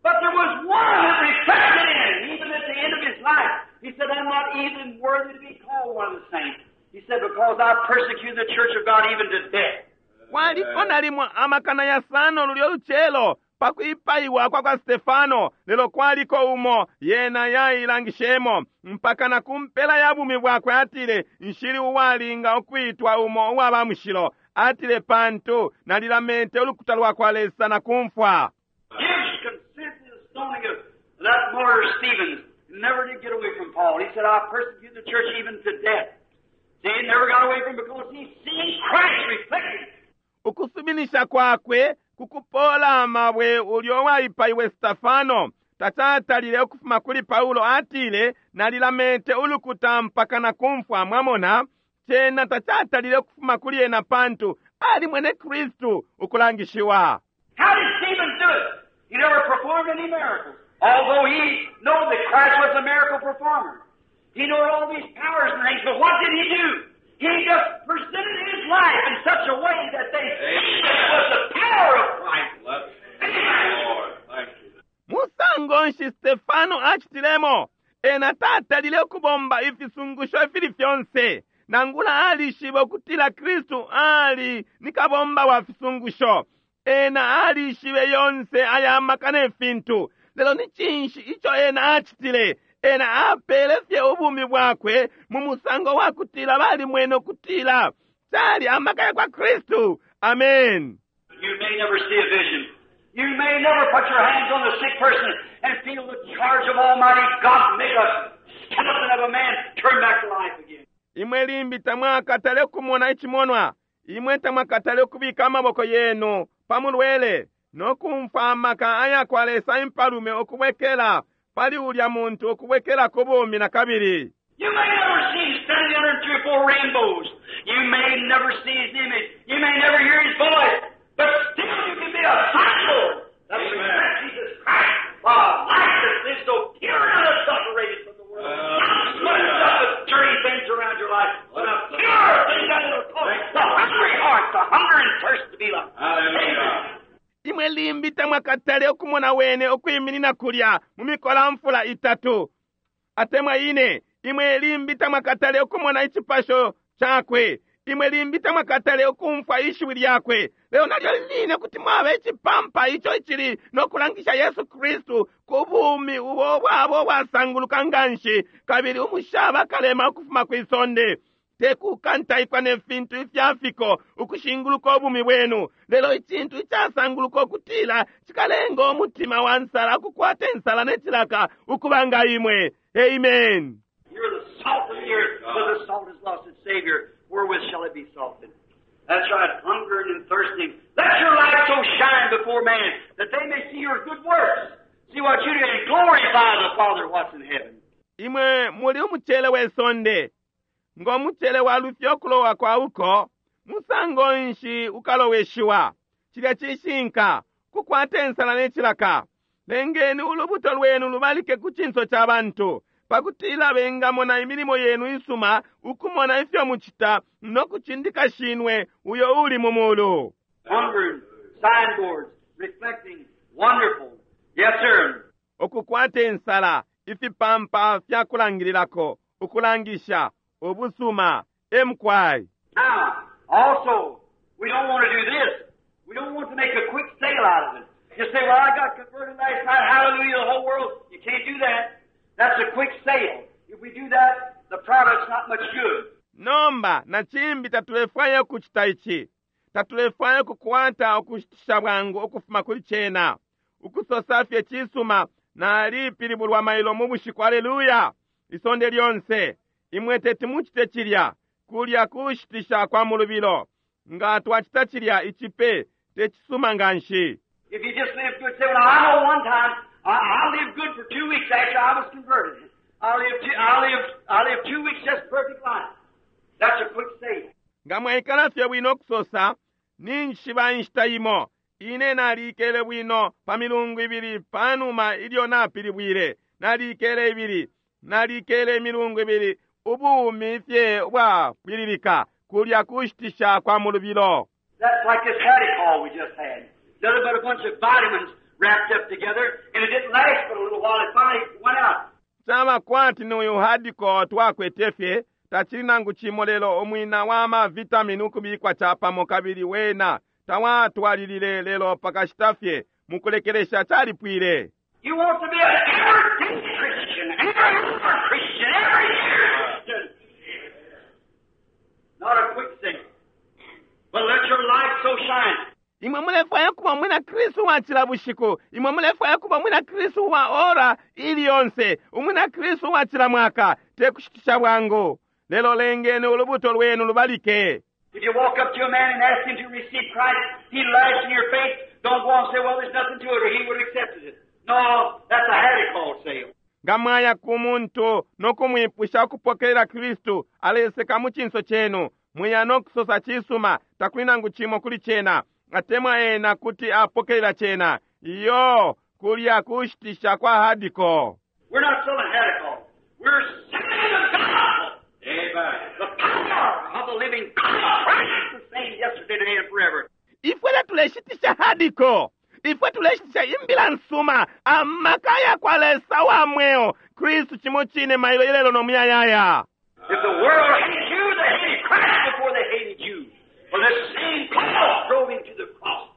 But there was one that reflected in, even at the end of his life. He said, I'm not even worthy to be called one of the saints. He said, because I persecuted the church of God even to death. Kwaliko nalimo amakana yasano lulyo lucelo pa kwipaiwa kwa kwa Stefano, lelo kwaliko umo yena yailangishemo mpaka na kumpela ya bumi bwakwe. Atile, nshili uwalinga ukwitwa umo uwa ba mushilo. Atile, pantu nalilamete ulukuta lwa kwa Lesa na kumfwa. Gives consent to the stoning of that martyr Stephen. Never did get away from Paul. He said, I persecuted the church even to death. See, he never got away from it because he seen Christ reflected. Ukusuminisha kwakwe kukupola amabwe ulyo waipaiwe Stefano tacatalile ukufuma kuli Paulo. Atile, nalilamete ulukuta mpaka na kumfwa. Mwamona, cena tacatalile ukufuma kuli ena pantu ali mwene Kristu ukulangishiwa. How did Stephen do it? He never performed any miracles. Although he knew that Christ was a miracle performer. He knew all these powers and things, but what did he do? He just presented his life in such a way that they see it was the power of Christ. Bless the Lord. Thank you. Musango nshi Stefano acitilemo? Ena tatalile ukubomba ifisungusho ifili fyonse, nangula alishiba ukutila Kristu ali ni kabomba wa fisungusho. Ena alishibe yonse aya maka ne fintu, lelo ni cinshi ico ena acitile? Ena apele fye ubumi bwakwe mu musango wa kutila balimwene ukutila cali amaka ya kwa Kristu. Amen. You may never see a vision. You may never put your hands on the sick person and feel the charge of Almighty God make a skeleton of a man turn back to life again. Imwe limbi tamwakatale kumona icimonwa, imwe tamwakatale kubika amaboko yenu pa mulwele no kumfwa amaka aya kwa Lesa impalume ukubwekela pali ulya muntu ukubwekela ku bumi na kabili. You may never see him standing under 3 or 4 rainbows. You may never see his image. You may never hear his voice. But still you can be a signboard that reflects Jesus Christ. A life that is so pure and unadulterated from the world. Not smudged up with dirty things around your life, but a pure thing that will cause the hungry heart, the hunger and thirst to be like. Hallelujah. Imwe limbi tamwakatale ukumona wene ukwiminina kulya mu mikola mfula itatu atemwa ine. Imwe limbi tamwakatale ukumona icipasho cakwe. Imwe limbi tamwakatale ukumfwa ishiwi lyakwe. Lelo nalyo line kuti mwaba icipampa ico icili no kulangisha Yesu Kristu ku bumi ubo bwabo bwasanguluka nganshi, kabili umushaba kalema ukufuma kwi sonde. Te kukantaikwa ne fintu ifyafiko ukushinguluka ubumi bwenu, lelo icintu icasanguluka ukutila cikalenga umutima wa nsala ukukwata insala ne cilaka ukuba nga imwe. Amen. You're the salt of the earth, but the salt has lost its savior. Wherewith shall it be salted? That's right, hungering and thirsting. Let your light so shine before man that they may see your good works, see what you do, and glorify the Father what's in heaven. Imwe muli umucele we sonde. Ngo mucele walufya ukulowa kwa uko, musango nshi ukaloweshiwa? Cilya cishinka, kukwata insala ne cilaka. Lengeni ulubuto lwenu lubalike ku cinso ca bantu, pakutila bengamona imilimo yenu isuma, ukumona ifyo mucita, no kucindika Shinwe uyo uli mu mulu. Hunger, signboards, reflecting, wonderful. Yes, sir. Ukukwata insala, ifipampa fya kulangililako, ukulangisha, ubusuma, emukwai. Now, also, we don't want to do this. We don't want to make a quick sale out of it. You say, well, I got converted last night, hallelujah, the whole world. You can't do that. That's a quick sale. If we do that, the product's not much good. Nomba na cimbi tatulefwaya ukucita ici. Tatulefwaya ukukwata ukushitisha bwangu ukufuma kuli cena. Ukusosa fye cisuma, nalipilibulwa mailo mu bushiku, aleluya, isonde lyonse. Imwe teti mucite cilya, kulya kushitisha kwa mulubilo. Nga twacita cilya, icipe tecisuma nganshi. If you just live good, say, well, I know one time, I lived good for 2 weeks after I was converted. I lived 2 weeks just perfect life. That's a quick sale. Nga mwaikala fye bwino kusosa, ninjishiba inshita imo, ine nalikele bwino pa milungu ibili panuma ilyo napilibwile. Nalikele ibili, nalikele imilungu ibili, ubumi fye ubwapwililika, kulya kushitisha kwa mulubilo. That's like this Hadacol we just had. Nothing but a bunch of vitamins wrapped up together, and it didn't last but a little while. It finally went out. Caba kwati ni uyu Hadacol twakwete fye, tacili nangu cimo lelo umwina wa ma vitamini ukubikwa capamo kabili wena tawatwalilile lelo pakashita fye mukulekelesha calipwile. You want to be an everyday Christian, every Christian, every Christian. Not a quick thing, but let your light so shine. Imwe mulefwaya kuba mwina Kristu wa cila bushiku, imwe mulefwaya kuba mwina Kristu wa ora ili yonse, umwina Kristu wa cila mwaka, te kushitisha bwangu. Lelo lengeni ulubuto lwenu lubalike. If you walk up to a man and ask him to receive Christ, he laughs in your face. Don't go and say, well, there's nothing to it, or he would have accepted it. No, that's a Hadacol sale. Nga mwaya ku muntu no kumwipusha ukupokelela Kristu, aleseka mu cinso cenu, mwiya no kusosa cisuma, takuli nangu cimo kuli cena, atemwa ena kuti apokelela cena. Iyo, kulya kushitisha kwa Hadacol. We're not selling Hadacol. We're selling the gospel. Amen. The power of the living God. Christ the same yesterday, today, and forever. Ifwe tatuleshitisha Hadacol. Ifwe tuleshitisha imbila nsuma, amaka ya kwa Lesa wa mweo, Kristu cimo cine mailo ilelo no muyayaya. If the world hates you, they hated Christ before they hated you. For the same cause drove him to the cross.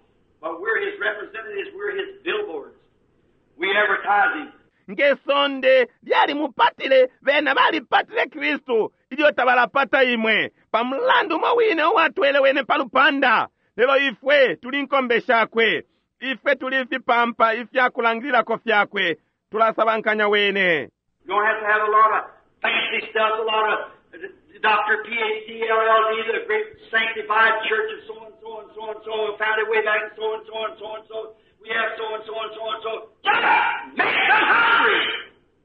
But we're his representatives, we're his billboards. We advertise him. Nge sonde lyalimupatile, bena balipatile Kristu, ilyo tabalapata imwe. Pa mulandu umo wine uwatwele wene pa lupanda. Lelo ifwe tuli nkombe shakwe. Ifwe tuli fipampa ifyakulangililako fyakwe. Tulasabankanya wene. You don't have to have a lot of fancy stuff, a lot of Doctor PhD, LLD, the great sanctified church of so and so and so and so, founded way back and so and so and so and so. We have so and so and so and so. Just make them hungry.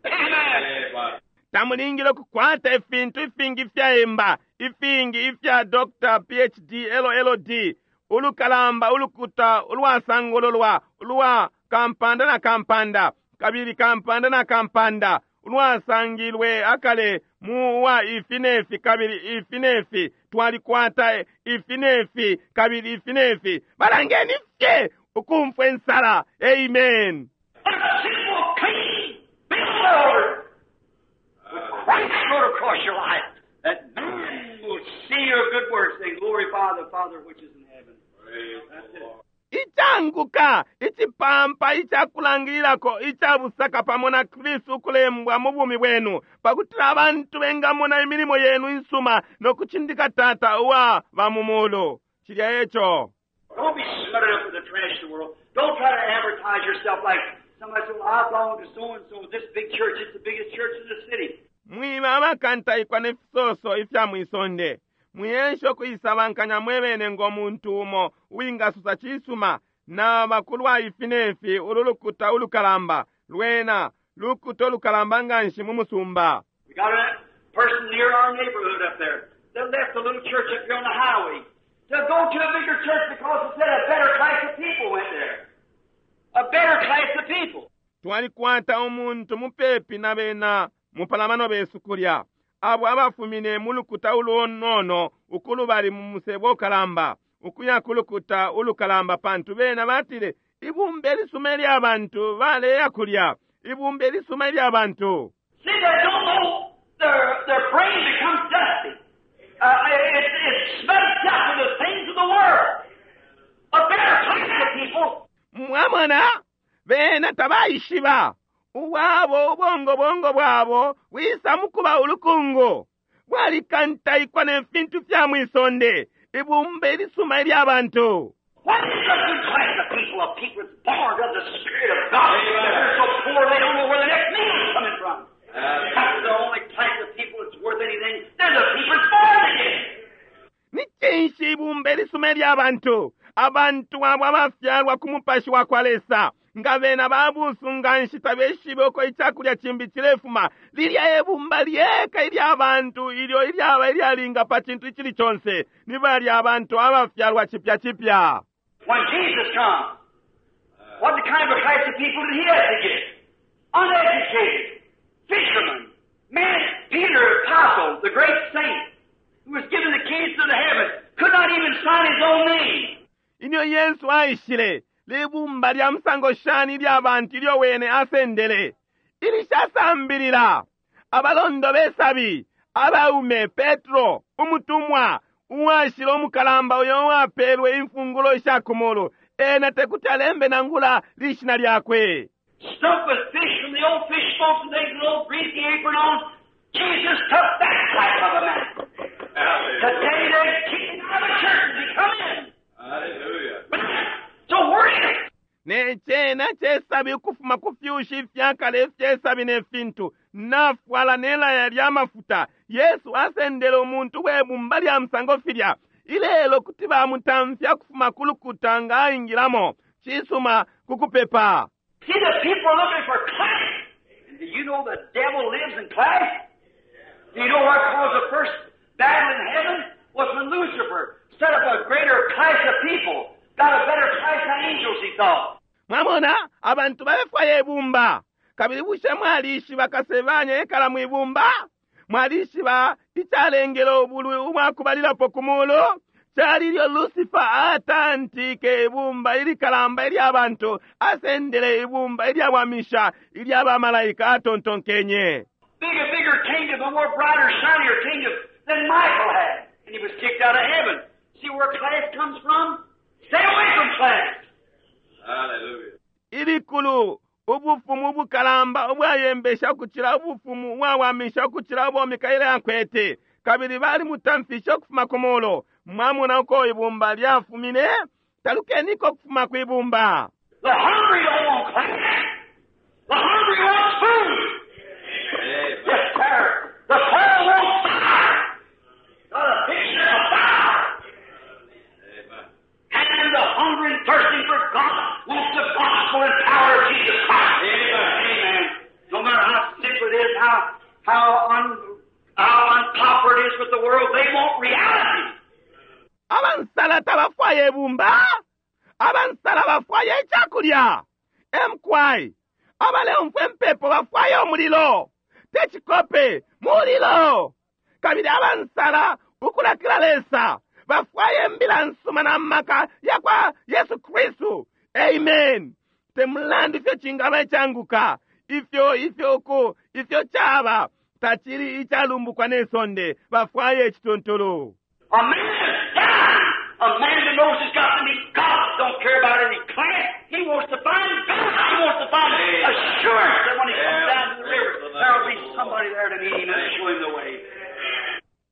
Amen. Tamulingile kukwata ifintu ifingi ifyaemba, ifingi ifya Doctor PhD, LLD, ulukalamba, ulukuta, ulwasangululwa, ulwa kampanda na kampanda, kabili kampanda na kampanda, ulwasangilwe akale mu wa ifi nefi, kabili ifi nefi, twalikwata ifi nefi, kabili ifi nefi. Balangeni fye ukumfwa insala. Amen. A simple, clean billboard with Christ wrote across your life, that man will see your good works and glorify the Father which is in heaven. Praise That's the it. Lord. Icanguka, icipampa icakulangililako icabusaka pamo na Kristu ukulembwa mu bumi bwenu, pakutila abantu bengamona imilimo yenu insuma no kucindika Tata uwa ba mu mulu. Cilya eco. Don't be smutted up with the trash of the world. Don't try to advertise yourself like somebody said, well, I belong to so-and-so, this big church. It's the biggest church in the city. Mwiba abakantaikwa ne fisoso ifya mwisonde. Mwiyensho kuisabankanya mwebene ngo muntu umo uwingasusa cisuma na bakulwa ifi nefi ulu lukuta ulukalamba lwena Lukuta lukalamba nganshi mu musumba. We got a person near our neighborhood up there that left the little church up here on the highway to go to a bigger church because they said a better class of people went there. A better class of people. Twalikwata umuntu mupepi na bena mupalamano besu kulya, abo abafumine mu lukuta ulunono ukulubali mu musebo ukalamba, ukuya ku lukuta ulukalamba, pantu bena batile ibumba ilisuma ilya bantu baleya kulya, ibumba ilisuma ilya bantu. See, they don't know their brain becomes dusty. It's smudged up with the things of the world. A better class of people. Mwamona, bena tabaishiba ubwabo ubongobongo bwabo bwisa mukuba ulukungu bwalikantaikwa ne fintu fya mwisonde, ibumba ilisuma ilya bantu. What is a good class of people? A people that's born of the Spirit of God. They're so poor they don't know where the next meal is coming from. That's the only class of people that's worth anything. They're the people that's born again. Ni cinshi ibumba ilisuma ilya bantu? Abantu abo abafyalwa ku mupashi wa kwa Lesa, nga bena babusu nganshi tabeshibe uko icakulya cimbi cilefuma. Lilya ebumba lyeka ilya bantu ilyo ilyaba ilyalinga pa cintu icili conse, ni balya abantu abafyalwa cipya cipya. When Jesus comes, what kind of a class of people did he have to get? Uneducated, fishermen, man, Peter, apostle, the great saint, who was given the keys to the heavens, could not even sign his own name. Ilyo Yesu aishile, libumba lya musango shani ilya bantu ilyo wene asendele, ilishasambilila, abalondo besabi, abaume, Petro, umutumwa, uwashila umukalamba uyo uwapelwe imfungulo isha kumulu, ena tekuti alembe nangula lishina lyakwe. Stuck with fish from the old fish boats and things, an old greasy apron on. Jesus took that type of a man. Today they're kicking out of the church as he come in. Hallelujah. So where is it? Ne cena cesabi ukufuma ku fyushi ifyakale ifyesabi ne fintu, nafwala ne laya lya mafuta. Yesu asendele umuntu we bumba lya musango filya. Ilelo kuti bamutamfya kufuma ku lukuta nga aingilamo. Cisuma kukupepa. See, the people are looking for class. And do you know the devil lives in class? Do you know what caused the first battle in heaven? Was when Lucifer set up a greater class of people, got a better class of angels, he thought. Mwamona, abantu balefwaya ibumba. Kabili bushe mwalishiba kasebanya ekala mwibumba? Mwalishiba icalengele ubulwi ubwakubalilapo ku mulu? Cali ilyo Lucifer atantike ibumba ilikalamba ilya bantu, asendele ibumba ilyawamisha ilya bamalaika atontonkenye. Big, a bigger kingdom, a more brighter, shinier kingdom than Michael had. And he was kicked out of heaven. See where class comes from? Stay away from class. Hallelujah. Ilikulu ubufumu ubukalamba ubwayembesha ukucila ubufumu ubwawamisha ukucila ubo Mikaeli akwete, kabili balimutamfishe ukufuma ku mulu. Mwamona uko ibumba lyafumine? Talukeniko ukufuma kwibumba. The hungry don't want class. The hungry wants food. Amen. Yes, sir. The poor wants fire. Got a picture of fire. Amen. And the hungry and thirsty for God wants the gospel and power of Jesus Christ. Amen. Amen. No matter how simple it is, how unpopular it is with the world, they want reality. Abansala tabafwaya ibumba. Abansala bafwaya icakulya. Emkwai abaleumfwa impepo bafwaya umulilo, te cikope, mulilo. Kabili abansala ukulakila Lesa bafwaya imbila nsuma na maka ya kwa Yesu Kristu. Amen. Te mulandu ifyo cingaba icanguka, ifyo ifyo uku ifyo caba tacili icalumbukwa ne sonde, bafwaya icituntulu. A man that's dying, a man that knows he's got to meet God, don't care about any class. He wants to find God. He wants to find assurance that when he comes down to the river, there will be somebody there to meet him and show him the way.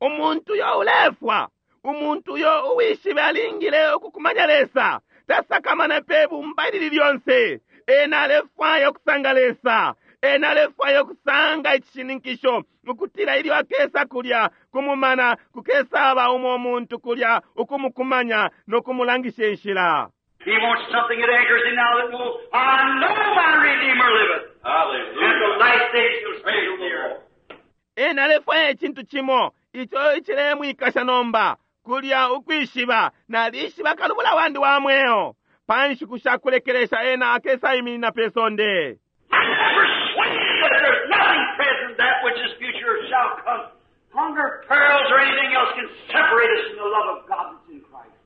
Umuntu uyo ulefwa, umuntu uyo uwishibe alingile ukukumanya Lesa, tasakamana pe bumba ilili lyonse. Ena alefwaya ukusanga Lesa, ena alefwaya ukusanga icishininkisho ukutila ilyo akesa kulya kumumana kukesaba umo muntu kulya ukumukumanya no kumulangisha inshila. He wants something that anchors him now that knows, I know my Redeemer liveth. And the Hallelujah. last days he'll Praise stand on the the earth. Lord. Ena alefwaya icintu cimo ico icilemwikasha nomba kulya ukwishiba nalishiba kalubula wandi wa mweo pa nshiku shakulekelesha ena akesaiminina pe sonde. I'm persuaded that there's nothing present that which is future shall come. Hunger, perils, or anything else can separate us from the love of God that's in Christ.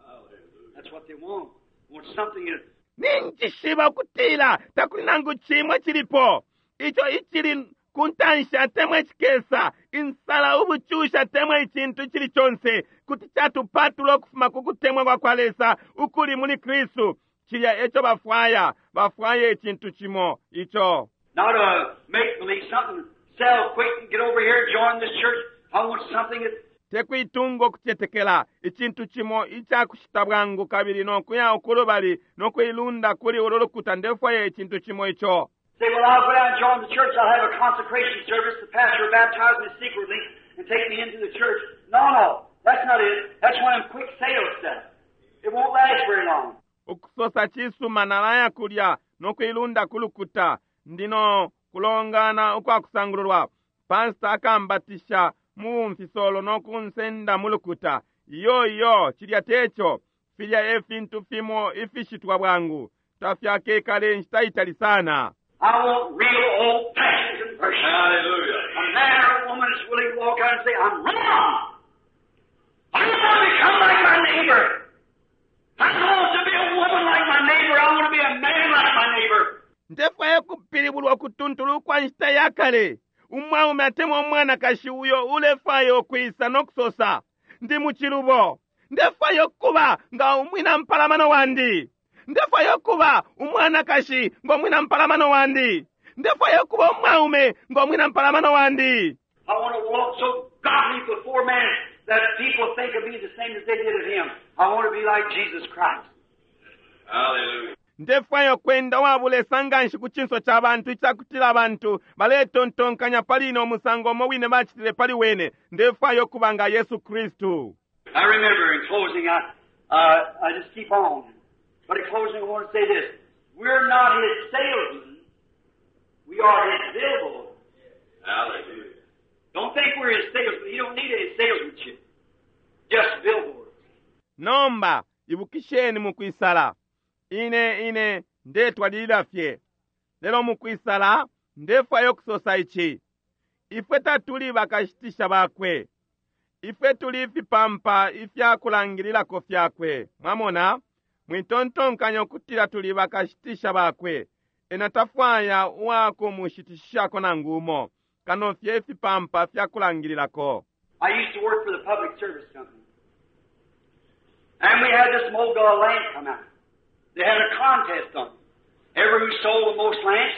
Hallelujah. That's what they want. They want something that Ninjishiba ukutila takuli nangu cimwe cilipo ico icili ku ntanshi atemwa icikesa insala ubucushi atemwa icintu icili conse kuti catupatula ukufuma ku kutemwa kwa kwa Lesa ukuli muli Kristu. Cilya eco bafwaya, bafwaya icintu cimo ico. Not a make believe something, sell quick and get over here, join this church. I want something that Tekuitunga ukucetekela icintu cimo icakushita bwangu kabili nokuya ukulubali nokuilunda kuli ulu lukuta. Ndefwaya icintu cimo ico. Say, well, I'll go down and join the church. I'll have a consecration service. The pastor will baptize me secretly and take me into the church. No, no, that's not it. That's one of them quick sales stuff. It won't last very long. Ukusosa cisuma nalaya kulya nokuilunda ku lukuta ndino kulongana ukwakusangululwa. Pastor akambatisha mu bumfisolo nokunsenda mu lukuta. Iyo, iyo, cilya teco. Filya e fintu fimo ifishitwa bwangu tafyakekale inshita itali sana. I want real old-fashioned conversion. Hallelujah. A man or a woman is willing to walk out and say, I'm wrong. I don't want to become like my neighbor. I don't want to be a woman like my neighbor. I want to be a man like my neighbor. Ndefwaya kupilibulwa ukutuntulu kwa nshita ya kale. Umwaume atemwa umwanakashi uyo ulefwaya ukwisa nokusosa, ndi mucilubo. Ndefwaya ukuba nga umwina mpalamano wandi. Ndefwaya ukuba umwanakashi ngo mwina mpalamano wandi. Ndefwaya ukuba umwaume ngo mwina mpalamano wandi. I want to walk so godly before man that people think of me the same as they did of him. I want to be like Jesus Christ. Hallelujah. Ndefwaya ukwenda uwabulesa nganshi ku cinso ca bantu icakutila abantu baletontonkanya pali ine umusango umo wine bacitile pali wene. Ndefwaya ukuba nga Yesu Kristu. I remember in closing, I just keep on. But in closing, I want to say this. We're not his salesmen. We are his billboards. Hallelujah. Don't think we're his salesmen. You don't need any salesmanship. Just billboards. Nomba ibukisheni mukwisala. Ine ine ndetwalilila fye. Lelo mukwisala ndefwaya ukusosa ici. Ifwe tatuli bakashitisha bakwe. Ifwe tuli ifipampa ifya kulangililako fyakwe. Mwamona? Mwitontonkanya ukutila tuli bakashitisha bakwe. Ena tafwaya uwakumushitishishako nangu umo. Kano fye ifipampa fya kulangililako. I used to work for the public service company. And we had this mogul lamp come out. They had a contest on it. Every who sold the most lamps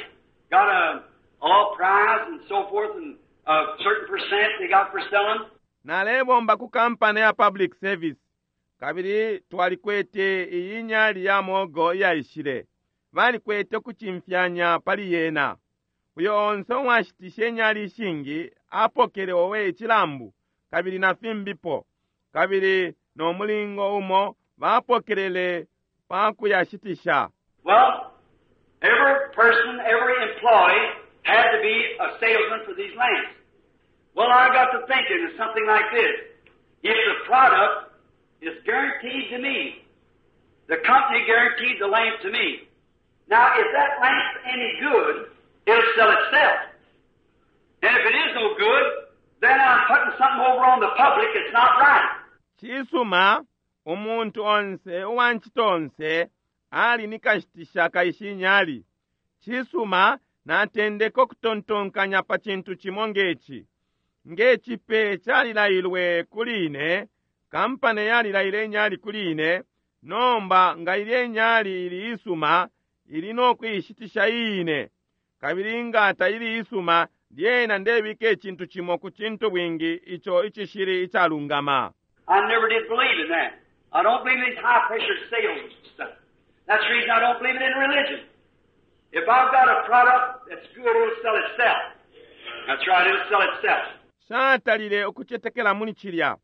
got a all prize and so forth, and a certain percent they got for selling. Nalebomba ku kampani ya public service. Kabili twalikwete iyi nyali ya mogo iyaishile. Balikwete kucimfyanya pali yena. Uyo onse uwashitishe inyali ishingi apokele owe icilambu kabili na fimbipo. Kabili no mulingo umo bapokelele pa kuyashitisha. Well, every person, every employee had to be a salesman for these lamps. Well, I got to thinking of something like this. If the product is guaranteed to me, the company guaranteed the lamp to me. Now, if that lamp's any good, it'll sell itself. And if it is no good, then I'm putting something over on the public that's not right. Cisuma, umuntu onse uwancito onse ali ni kashitisha kaishi nyali. Cisuma, natendeka ukutontonkanya pa cintu cimo ngeci. Ngecipe calilailwe kuli ine, kampani yalilaile inyali kuli ine, nomba nga ilye inyali ili isuma, ili nokuishitisha iine. Kabili nga taili isuma, lyena ndebika icintu cimo ku cintu bwingi ico icishili icalungama. I never did believe in that. I don't believe in these high pressure sales stuff. That's the reason I don't believe it in religion. If I've got a product that's good, it'll sell itself. That's right, it'll sell itself. Nshatalile ukucetekela muli cilya.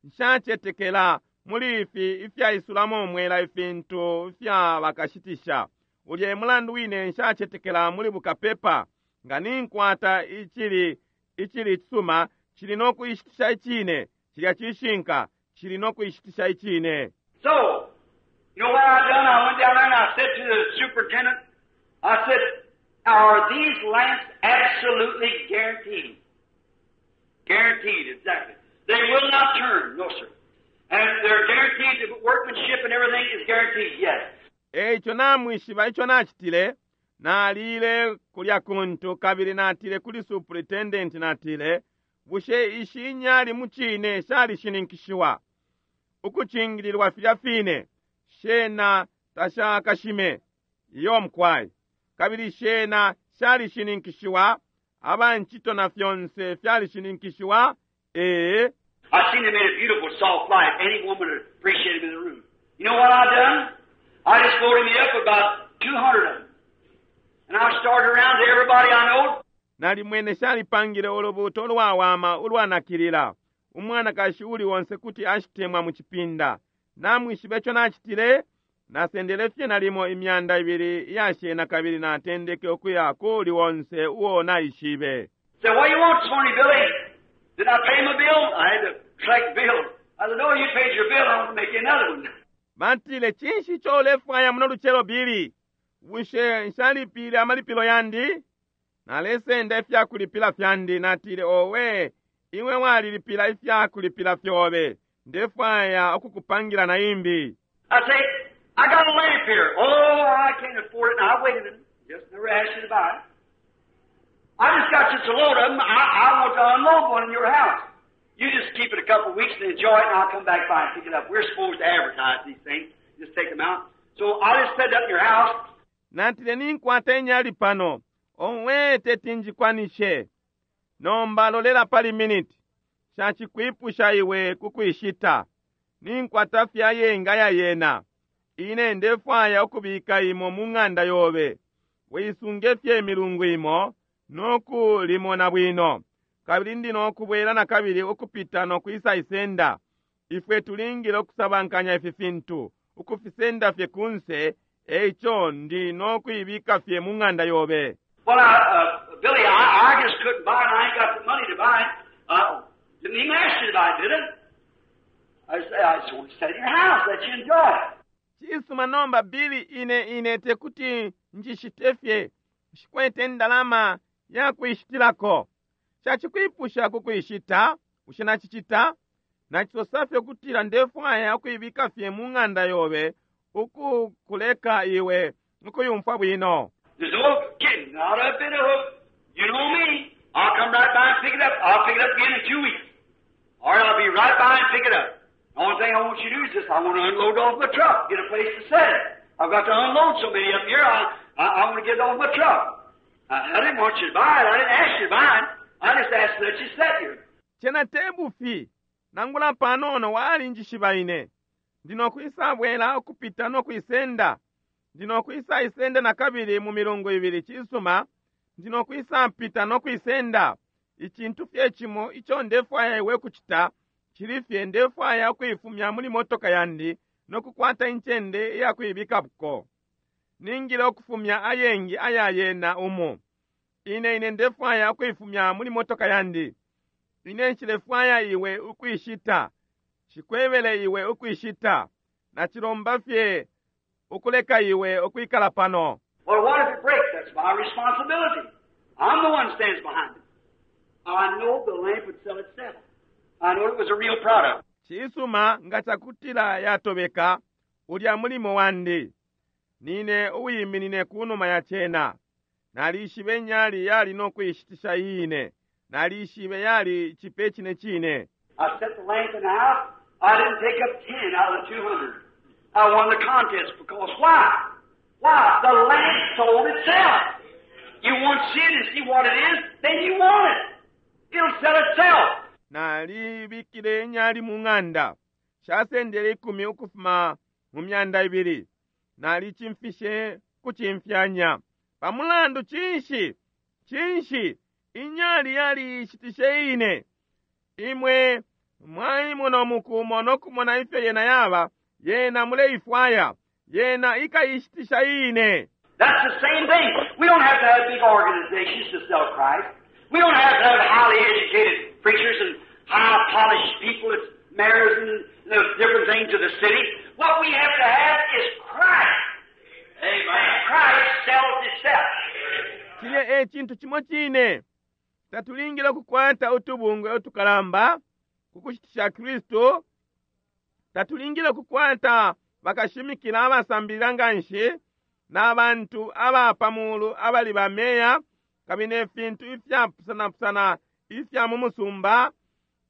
Nshacetekela muli ifi ifyaisulamo umwela ifintu ifya bakashitisha. Ulya e mulandu wine nshacetekela muli bukapepa. Nga ninkwata icili, icili icisuma, cili no kuishitisha icine. Cilya cishinka, cili no kuishitisha icine. So, you know what I done? I went down there and I said to the superintendent, I said, are these lamps absolutely guaranteed? Guaranteed, exactly. They will not turn, no sir. And they're guaranteed, the workmanship and everything is guaranteed, yes. Eico namwishiba ico nacitile? Nalile kulya kuntu kabili natile kuli superintendent, natile, Bushe ishi inyali mucine shalishininkishiwa ukucingililwa filya fine? Shena tashakashime. Iyo, mukwai. Kabili shena shalishininkishiwa, abancito na fyonse fyalishininkishiwa? Ee. I seen they made a beautiful soft light. Any woman would appreciate them in the room. You know what I done? I just loaded me up about 200 of them. And I started around to everybody I know. Nalimwene shalipangile ulubuuto ulwawama ulwanakilila. Umwanakashi uuli onse kuti ashitemwa mu cipinda. Namwishiba ico nacitile? Nasendele fye nalimo 200 iya shena kabili natendeke ukuya ku uli onse uo naishibe. Said, what you want this morning, Billy? Did I pay my bill? I had to collect bills. I said, no, you paid your bill. I want to make you another one. Batile, Cinshi ico ulefwaya muno lucelo, Billy? Bushe nshalipile amalipilo yandi? Nalesenda ifyakulipila fyandi. Natile, Owe, iwe walilipila ifyakulipila fyobe. Ndefwaya ukukupangila na imbi. I say, I got a lamp here. Oh, I can't afford it. Now, wait a minute. Just never asked you to buy it. I just got just a load of them. I want to unload one in your house. You just keep it a couple of weeks and enjoy it, and I'll come back by and pick it up. We're supposed to advertise these things. Just take them out. So I just set it up in your house. Natile, Ninkwata inyali pano. Owe, teti njikwanishe. Nomba lolela pali miniti. Nshacikwipusha iwe ku kuishita. Ninkwata fye ayengi aya yena. Ine ndefwaya ukubika imo mu ng'anda yobe. Uisunge fye imilungu imo no ku limona bwino. Kabili ndi no kubwela nakabili ukupita no kwisa isenda. Ifwe tulingile ukusabankanya ifi fintu, ukufisenda fye kunse, eico ndi no kuibika fye mu ng'anda yobe. Well, I, Billy, I just couldn't buy it. I ain't got the money to buy it. Didn't even ask you to buy it, did I? I said, I just want to set it in your house, let you enjoy it. Cisuma nomba, Billy, ine, ine tekuti njishite fye. Nshikwete indalama ya kuishitilako. Nshacikwipusha ku kuishita, bushe nacicita? Nacisosa fye ukutila ndefwaya ukuibika fye mu ng'anda yobe, ukukuleka iwe ukuyumfwa bwino. There's no kidding, not a bit of hook. You know me. I'll come right by and pick it up. I'll pick it up again in 2 weeks. All right, I'll be right by and pick it up. The only thing I want you to do is just, I want to unload off my truck, get a place to set it. I've got to unload so many up here, I want to get it off my truck. I didn't want you to buy it. I didn't ask you to buy it. I just asked to let you set here. Cena te bufi, nangula panono walinjishiba ine. Ndi no kwisabwela ukupita no kuisenda. Ndi no kwisaisenda nakabili mu milungu ibili. Cisuma, ndi no kwisapita no kuisenda. Icintu fye cimo ico ndefwaya iwe kucita, cili fye ndefwaya ukuifumya muli motoka yandi no kukwata incende iya kuibikako. Ningile ukufumya ayengi aya yena umu. Ine, ine ndefwaya ukuifumya muli motoka yandi. Ine nshilefwaya iwe ukuishita. Nshikwebele iwe ukuishita. Nacilomba fye ukuleka iwe ukwikala pano. Well, what if it breaks? That's my responsibility. I'm the one stands behind it. I know the lamp would sell itself. I know it was a real product. Cisuma nga cakutila yatobeka, ulya mulimo wandi. Nine uwiminine kunuma ya cena. Nalishibe nyali yali no kuishitisha iine. Nalishibe yali cipe cine cine. I set the lamp in the house. I didn't take up 10 out of the 200. I won the contest because why? Why? The lamp sold itself. You once see it and see what it is, then you want it. It'll sell itself. Nalibikile inyali mu ng'anda. Shasendele 10 ukufuma mu 200. Nalicimfishe kucimfyanya. Pamulandu cinshi? Cinshi? Inyali yali ishitishe ine. Imwe mwaimona umukumo no kumona ifyo yena yaba, yena muleifwaya, yena ikaishitisha ine. That's the same thing. We don't have to have big organizations to sell Christ. We don't have to have highly educated preachers and high polished people as mayors and the different things of the city. What we have to have is Christ. Amen. Christ sells himself. Cilya e cintu cimo cine. Tatulingile ukukwata utubungwe utukalamba ku kushitisha Kristu. Tatulingile ukukwata bakashimikila abasambilila nganshi na bantu aba pa mulu abali ba meya kabili ne fintu ifyapusanapusana ifya mu musumba.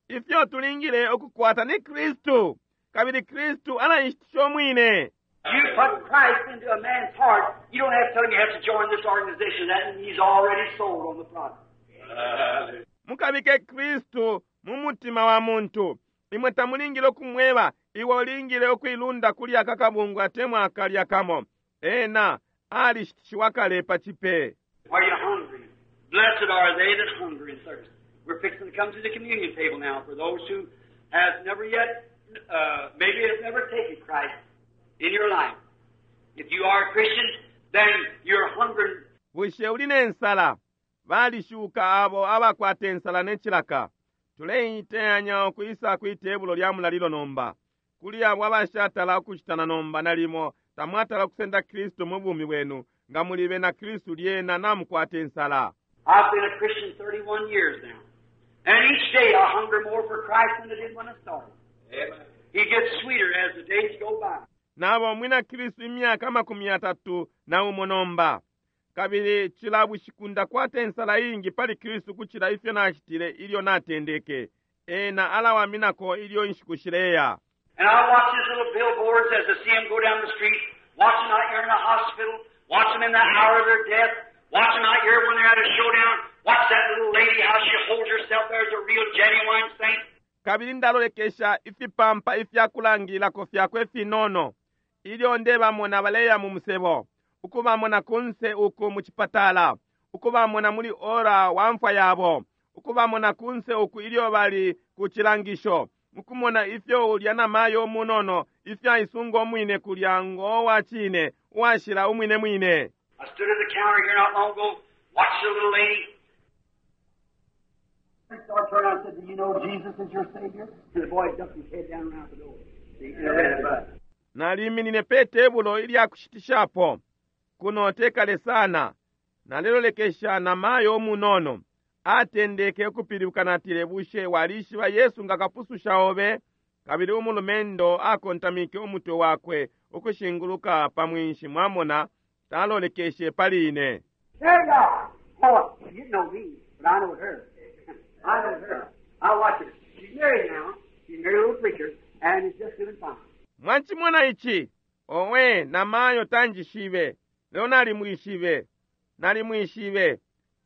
Ifyo tulingile ukukwata ni Kristu, kabili Kristu alaishitisha umwine. You put Christ into a man's heart, you don't have to tell him you have to join this organization, that, and he's already sold on the product. Hallelujah. Mukabike Kristu mu mutima wa muntu. Imwe tamulingile ukumweba, iwe ulingile ukuilunda kuli aka kabungwe atemwa akalya kamo. Ena alishitishiwa kale pa cipe. Are you hungry? Blessed are they that hunger and thirst. We're fixing to come to the communion table now for those who has never yet, maybe have never taken Christ in your life. If you are a Christian, then you're hungering. Bushe uli ne nsala? Balishuka abo abakwata ensala ne cilaka. Tuleiteyanya ukwisa kwi tebulo lya mulalilo nomba. Kuli abo abashatala ukushitana nomba nalimo tamwatala kusenda Kristu mu bumi bwenu, nga muli bena Kristu lyena namukwata ensala. I've been a Christian 31 years now. And each day I hunger more for Christ than I did when I started. Amen. He gets sweeter as the days go by. Naba umwina Kristu imyaka 31 nomba. Kabili cila bushiku ndakwata ensala iingi pali Kristu kucila ifyo nacitile ilyo natendeke. Ena alawaminako ilyo inshiku shileya. And I watch his little billboards as I see them go down the street, watch them out here in the hospital, watch them in the hour of their death, watch them out here when they're at a showdown, watch that little lady, how she holds herself there as a real genuine saint. Kabili ndalolekesha ifipampa ifyakulangilako fyakwe ifinono ilyo ndebamona baleya mu musebo, ukubamona kunse uku mu cipatala, ukubamona muli ora wa mfwa yabo, ukubamona kunse uku ilyo bali ku cilangisho, mukumona ifyo ulya na mayo umunono ifyo aisunga umwine kulya ngo wa cine uwashila umwine mwine. I stood at the counter here not long ago, watched the little lady. Started turning around and said, Do you know Jesus is your Savior? And the boy ducked his head down around the door. See, in a red bus. Naliminine pe tebulo ilya kushitishapo kuno tekale sana. Nalelolekesha na mayo umunono atendeke ukupilibuka natile, bushe walishiba Yesu nga kapususha obe? Kabili umulumendo akontamike umutwe wakwe ukushinguluka pa mwinshi, mwamona talolekeshe pali ine. There you are. Oh, you know me, but I know her. I know her. I watch her. She's married now. She's married a little preacher, and is just doing fine. Mwachimona ichi? Owe, namayo tanjishibe. Leo nalimwishibe. Nalimwishibe.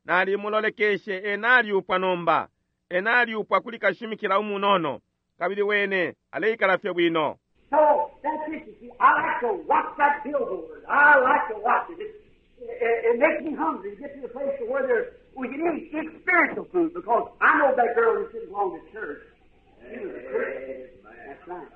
Nalimulolekeshe ena aliupwa nomba. Ena aliupwa kuli kashimikila umunono. Kabili wene aleikala fye bwino. So that's it. You see, I like to watch that billboard. I like to watch it. It makes me hungry to get to the place to where there's, we can eat it's spiritual food, because I know that girl who sits along the church. She was a Christian. That's right.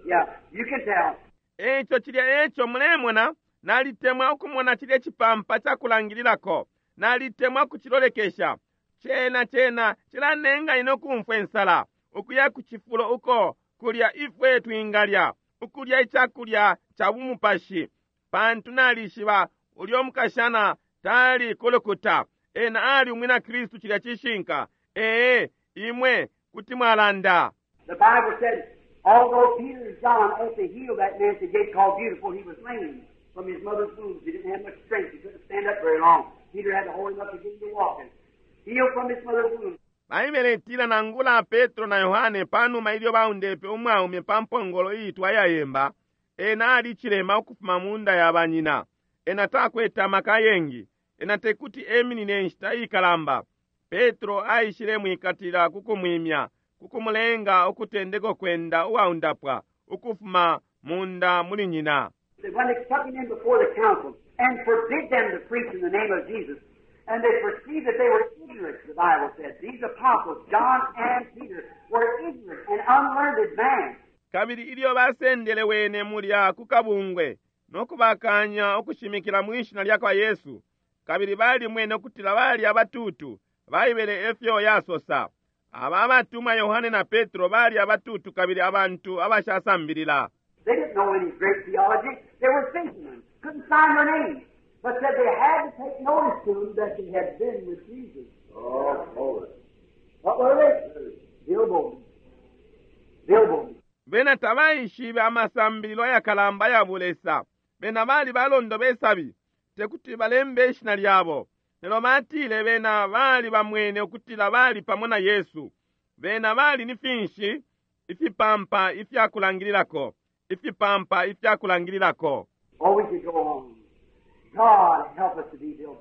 Yeah, you can tell. Eco cilya eco mulemona, nalitemwa ukumona cilya cipampa cakulangililako. Nalitemwa kucilolekesha. Cena cena cilanenga ine ukumfwa insala, ukuya ku cifulo uko kulya ifwe twingalya, ukulya icakulya ca bumupashi, pantu nalishiba ulyo mukashana tali kulukuta. Ena ali umwina Kristu cilya cishinka. Ee, imwe kuti mwalanda. The Bible said, although Peter and John, after he healed that man at the gate called Beautiful, he was lame from his mother's womb. He didn't have much strength. He couldn't stand up very long. Peter had to hold him up to get him to walking. Healed from his mother's womb. Baibele itila nangula Petro na Yohane panuma ilyo baundepe umwaume pa mpongolo iitwa yayemba, ena ali cilema ukufuma munda ya banyina. Ena takwete amaka yengi, ena tekuti eminine inshita ikalamba. Petro aishile mwikatila kukumwimya, kukumulenga ukutendeko kwenda uwaundapwa ukufuma munda muli nyina. When they took him in before the council and forbid them to preach in the name of Jesus, and they perceived that they were ignorant, the Bible said. These apostles, John and Peter, were ignorant and unlearned men. Kabili ilyo basendele wene mulya ku kabungwe, no kubakanya ukushimikila mwi Shina lyakwa Yesu, kabili balimwene ukutila bali abatutu, Baibele efyo yasosa. Aba abatumwa Yohane na Petro bali abatutu kabili abantu abashasambilila. They didn't know any great theology. They were fishermen, couldn't sign their names, but said they had to take notice to them that they had been with Jesus. Oh, glory. What were they? Billboards. Billboards. Bena tabaishibe amasambililo ayakalamba aya bulesa. Bena bali balondo besabi, tekuti balembe ishina lyabo. Lelo batile bena bali bamwene ukutila bali pamo na Yesu. Bena bali ni finshi? Ifipampa ifya kulangililako. Ifipampa ifya kulangililako. Oh, we could go on. God help us to be billboards.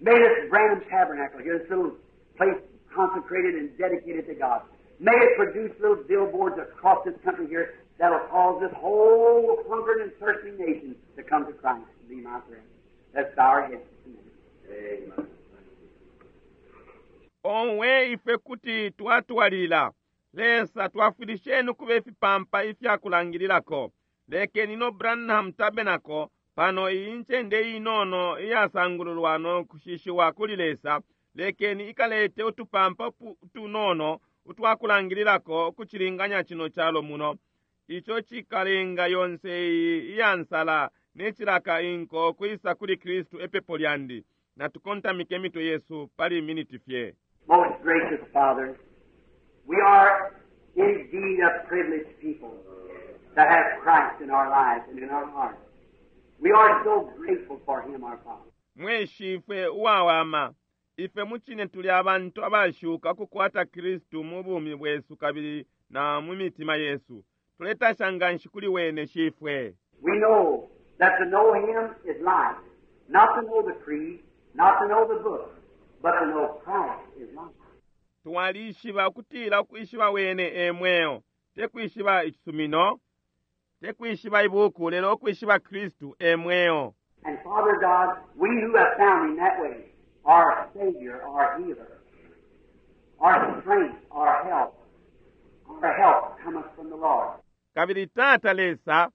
May this Branham Tabernacle here, this little place consecrated and dedicated to God, may it produce little billboards across this country here that'll cause this whole hungering and thirsting nation to come to Christ. Be my prayer. Let's bow our heads just a minute. Amen. Owe ifwe kuti twatwalilila. Lesa twafwilisheni ukuba ifipampa ifya kulangililako. Lekeni no Branham Tabernacle pano iyi ncende inono iyasangululwa no kushishiwa kuli Lesa, lekeni ikalete utupampa utunono utwakulangililako ukucilinganya cino calo muno. Ico cikalenga yonse iyi iyansala ne cilaka inko kwisa kuli Kristu epepo lyandi. Natukontamike imitwe yesu pali miniti fye. Most gracious Father, we are indeed a privileged people that have Christ in our lives and in our hearts. We are so grateful for Him, our Father. Mwe Shifwe uwawama, ifwe mucine tuli abantu abashuka ukukwata Kristu mu bumi bwesu kabili na mu mitima yesu. Tuletasha nganshi kuli Wene, Shifwe. We know that to know Him is life. Not to know the creed, not to know the book, but to know Christ is life. Twalishiba ukutila ukwishiba Wene e mweo, te kwishiba icisumino, te kwishiba ibuku, lelo ukwishiba Kristu e mweo. And Father God, we who have found Him that way, our Savior, our healer, our strength, our help, our help cometh from the Lord. Kabili Tata Lesa,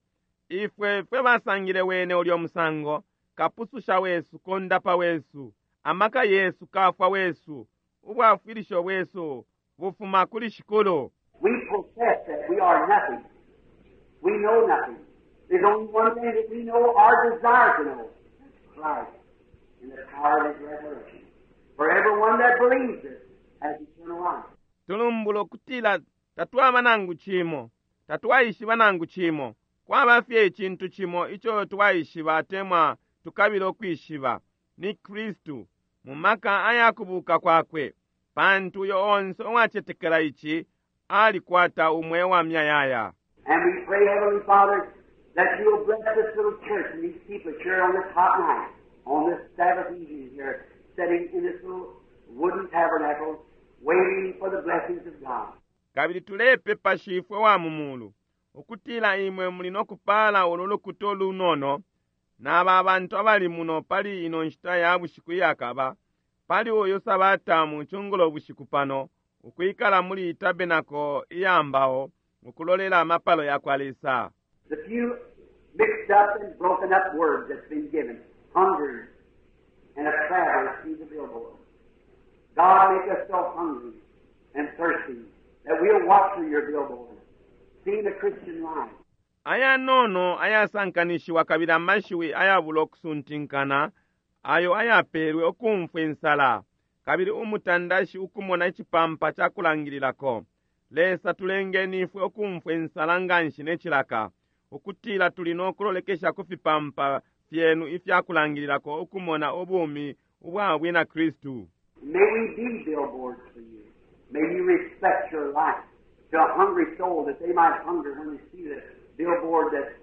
ifwe fwe basangile Wene ulyo musango, Kapususha wesu, Kondapa wesu, amaka yesu, Kafwa wesu, ubwafwilisho bwesu bufuma kuli Shikulu. We profess that we are nothing. We know nothing. There's only one thing that we know or desire to know. That's Christ and the power of His resurrection. For everyone that believes it has eternal life. Tulumbula ukutila tatwaba nangu cimo, tatwaishiba nangu cimo. Kwaba fye icintu cimo ico twaishiba atemwa tukabila ukwishiba, ni Kristu mu maka aya kubuka kwakwe, pantu uyo onse uwacetekela ici alikwata umweo wa muyayaya. And we pray, Heavenly Father, that you will bless this little church and these people here on this hot night, on this Sabbath evening here, sitting in this little wooden tabernacle, waiting for the blessings of God. Kabili tulepepa, Shifwe wa mu Mulu, ukutila Imwe muli no kupala ulu lukuta ulunono na aba bantu abali muno pali ino nshita ya bushiku iyakaba, pali uyu Sabata mu cungulo bushiku pano, ukwikala muli iyi tabenako iya mbao, ukulolela amapalo yakwa Lesa. The few mixed up and broken up words that's been given, hunger and a traveler see the billboard. God, make us so hungry and thirsty that we'll watch through your billboard, seeing the Christian life. Ayanono ayasankanishiwa kabili amashiwi ayabulo kusuntinkana ayo ayapelwe ukumfwa insala kabili umutandashi ukumona icipampa ca kulangililako. Lesa, tulengeni ifwe ukumfwa insala nganshi ne cilaka, ukutila tuli no kulolekesha ku fipampa fyenu ifya kulangililako ukumona ubumi ubwa bwina Kristu. May we be billboards for you. May you reflect your life to a hungry soul that they might hunger when they see the billboard that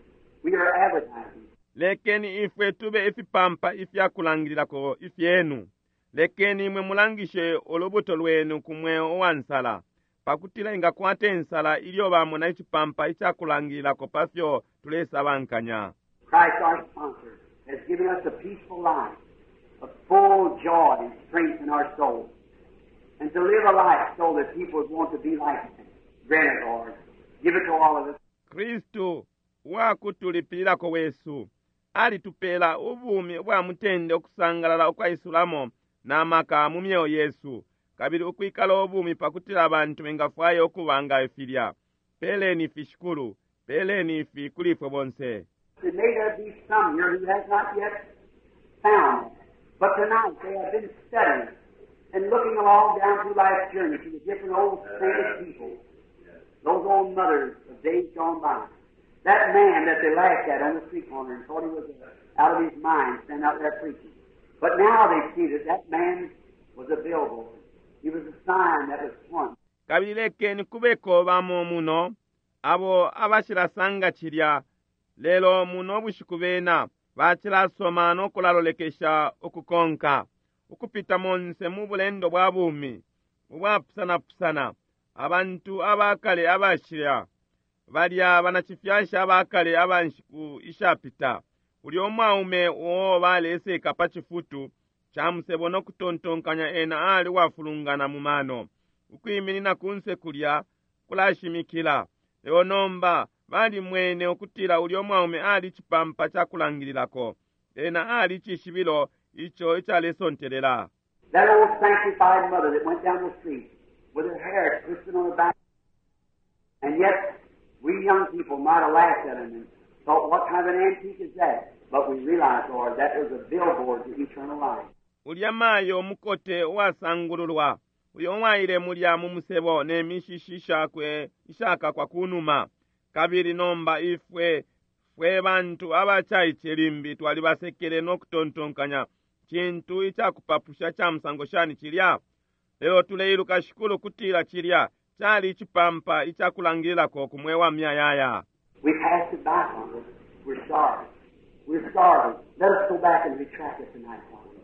we are advertising. Lekeni ifwe tube ifipampa ifya kulangililako ifyenu. Lekeni imwe mulangishe ulubuto lwenu ku mweo uwa nsala, pakutila ingakwata insala ilyo bamona icipampa ica kulangililako pa fyo tulesabankanya. Christ our sponsor has given us a peaceful life, a full joy and strength in our soul, and to live a life so that people would want to be like him. Grant it, Lord. Give it to all of us. Kristu uwakutulipililako wesu alitupela ubumi ubwa mutende ukusangalala ukwaisulamo na maka mu myeo yesu kabili ukwikala ubumi pakutila abantu bengafwaya ukuba nga filya peleni ifi shikulu peleni ifi kuli ifwe bonse And may there be some here who has not yet found it. But tonight they have been studying and looking along down through life's journey to the different old sainted people, those old mothers of days gone by. That man that they laughed at on the street corner and thought he was out of his mind standing out there preaching. But now they see that that man was a billboard. He was a sign that was pointing. Kabili lekeni kubeko bamo muno abo abashilasanga cilya lelo muno bushiku bena bacilasoma no kulalolekesha ukukonka ukupita monse mu bulendo bwa bumi ubwapusanapusana abantu abakale abashila balya banacifyashi abakale aba nshiku ishapita ulya umwaume uo baleseka pa cifutu ca musebo no kutontonkanya ena ali uwafulungana mu mano ukwiminina kunse kulya kulashimikila lelo nomba balimwene ukutila ulya mwaume ali cipampa ca kulangililako ena ali cishibilo ico icalesontelela That old sanctified mother that went down the street with her hair twisted on her back. And yet, we young people might have laughed at him and thought, what kind of an antique is that? But we realized, Lord, that was a billboard to eternal life. Ulya mayo umukote uwasangululwa uyo uwaile mulya mu musebo ne mishishi shakwe ishakakwa kunuma kabili nomba ifwe fwe bantu abacaice limbi twalibasekele no kutontonkanya cintu icakupapusha ca musango shani cilya lelo tuleiluka shikulu kutila cilya cali icipampa icakulangililako ku mweo wa muyayaya We passed it by, Father. We're sorry. We're sorry. Let us go back and retract it tonight, Father.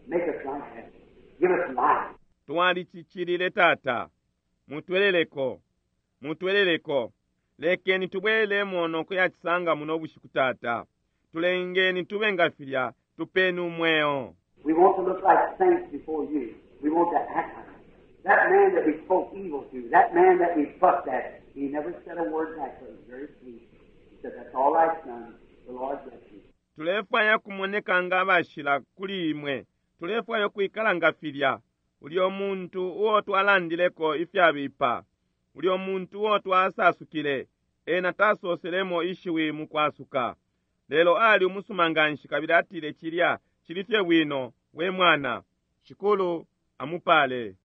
Make us like that. Give us life. Twalicicilile tata mutweleleko mutweleleko lekeni tubwelelemo no kuyacisanga muno bushiku tata tulengeni tube nga filya tupeni umweo We want to look like saints before you. We want to act like it. That man that we spoke evil to, that man that we fussed at, he never said a word back, but he was very sweet. He said, That's all right, son. The Lord bless you. Tulefwaya kumoneka nga abashila kuli imwe. Tulefwaya ukwikala nga filya. Ulyo muntu uo twalandileko ifyabipa, ulyo muntu uo twasasukile, ena tasoselemo ishiwi mukwasuka. Lelo ali umusuma nganshi kabili atile cilya cili fye bwino, we mwana. Shikulu amupale.